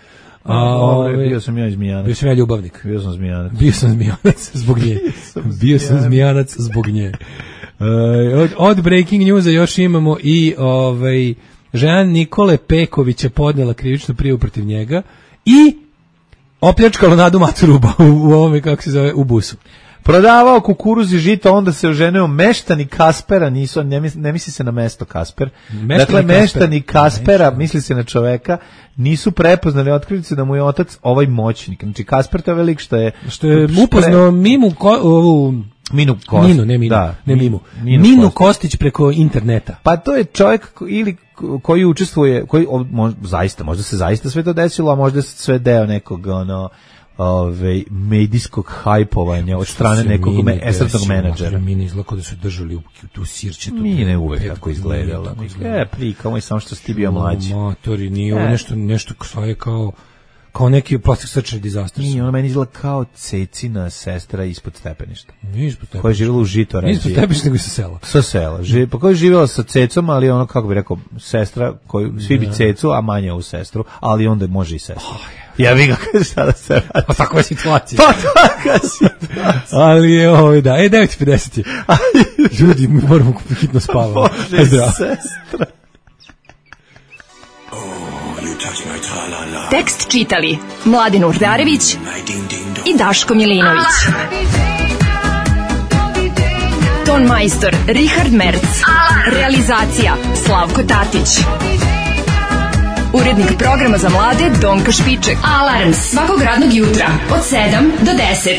Bio sam ja i Zmijanac. Bio sam ja ljubavnik. Bio sam Zmijanac. Bio sam Zmijanac zbog nje. Bio sam Zmijanac zbog nje. Od breaking newsa još imamo i žena Nikole Pekovića podnela krivičnu prijavu protiv njega i opljačkalo Nadu Maturuba u ovome, kako se zove, u busu. Prodavao kukuruz i žito, onda se oženio meštani Kaspera, ne misli se na mesto Kasper. Dakle, meštani Kaspera, misli se na čoveka, nisu prepoznali, otkrili su da mu je otac ovaj moćnik. Znači, Kasper to je velik što je upoznao Mimu ovu Minu Kostić. Minu, ne Minu. Da, ne Mimu. Minu Kostić preko interneta. Pa to je čovjek ili koji učestvuje, koji možda se zaista sve to desilo, a možda se sve deo nekog medijskog hajpovanja od strane nekog estradnog menadžera. Mini izlako da su držali u tu sirćetu. Mine uvek tako izgledala. Prika, moj samo što si ti bio mlađi. Motori, nije ovo nešto svoje kao neki plastik srčani dizaster. Nije, ona meni izgleda kao Cecina sestra ispod stepeništa. Nije ispod stepeništa. Koja je živjela u Žitorađi. Nije ispod stepeništa, nego sa sela. Sa sela. Pa koja je živjela sa Cecom, ali ono, kako bi rekao, sestra, koju svi bi Cecu, a manje u sestru, ali onda može i sestra. Ja bih ga kaže šta da se radi. Pa takva je situacija. Pa takva situacija. Ali je da. 9:50 je. Ljudi, mi moramo hitno spavati. Može i sestra. Tekst čitali Mladin Urdarević i Daško Milinović. Ton majstor Richard Merc. Realizacija Slavko Tatić. Urednik programa za mlade Donka Špiček. Alarms svakog radnog jutra od 7 do 10.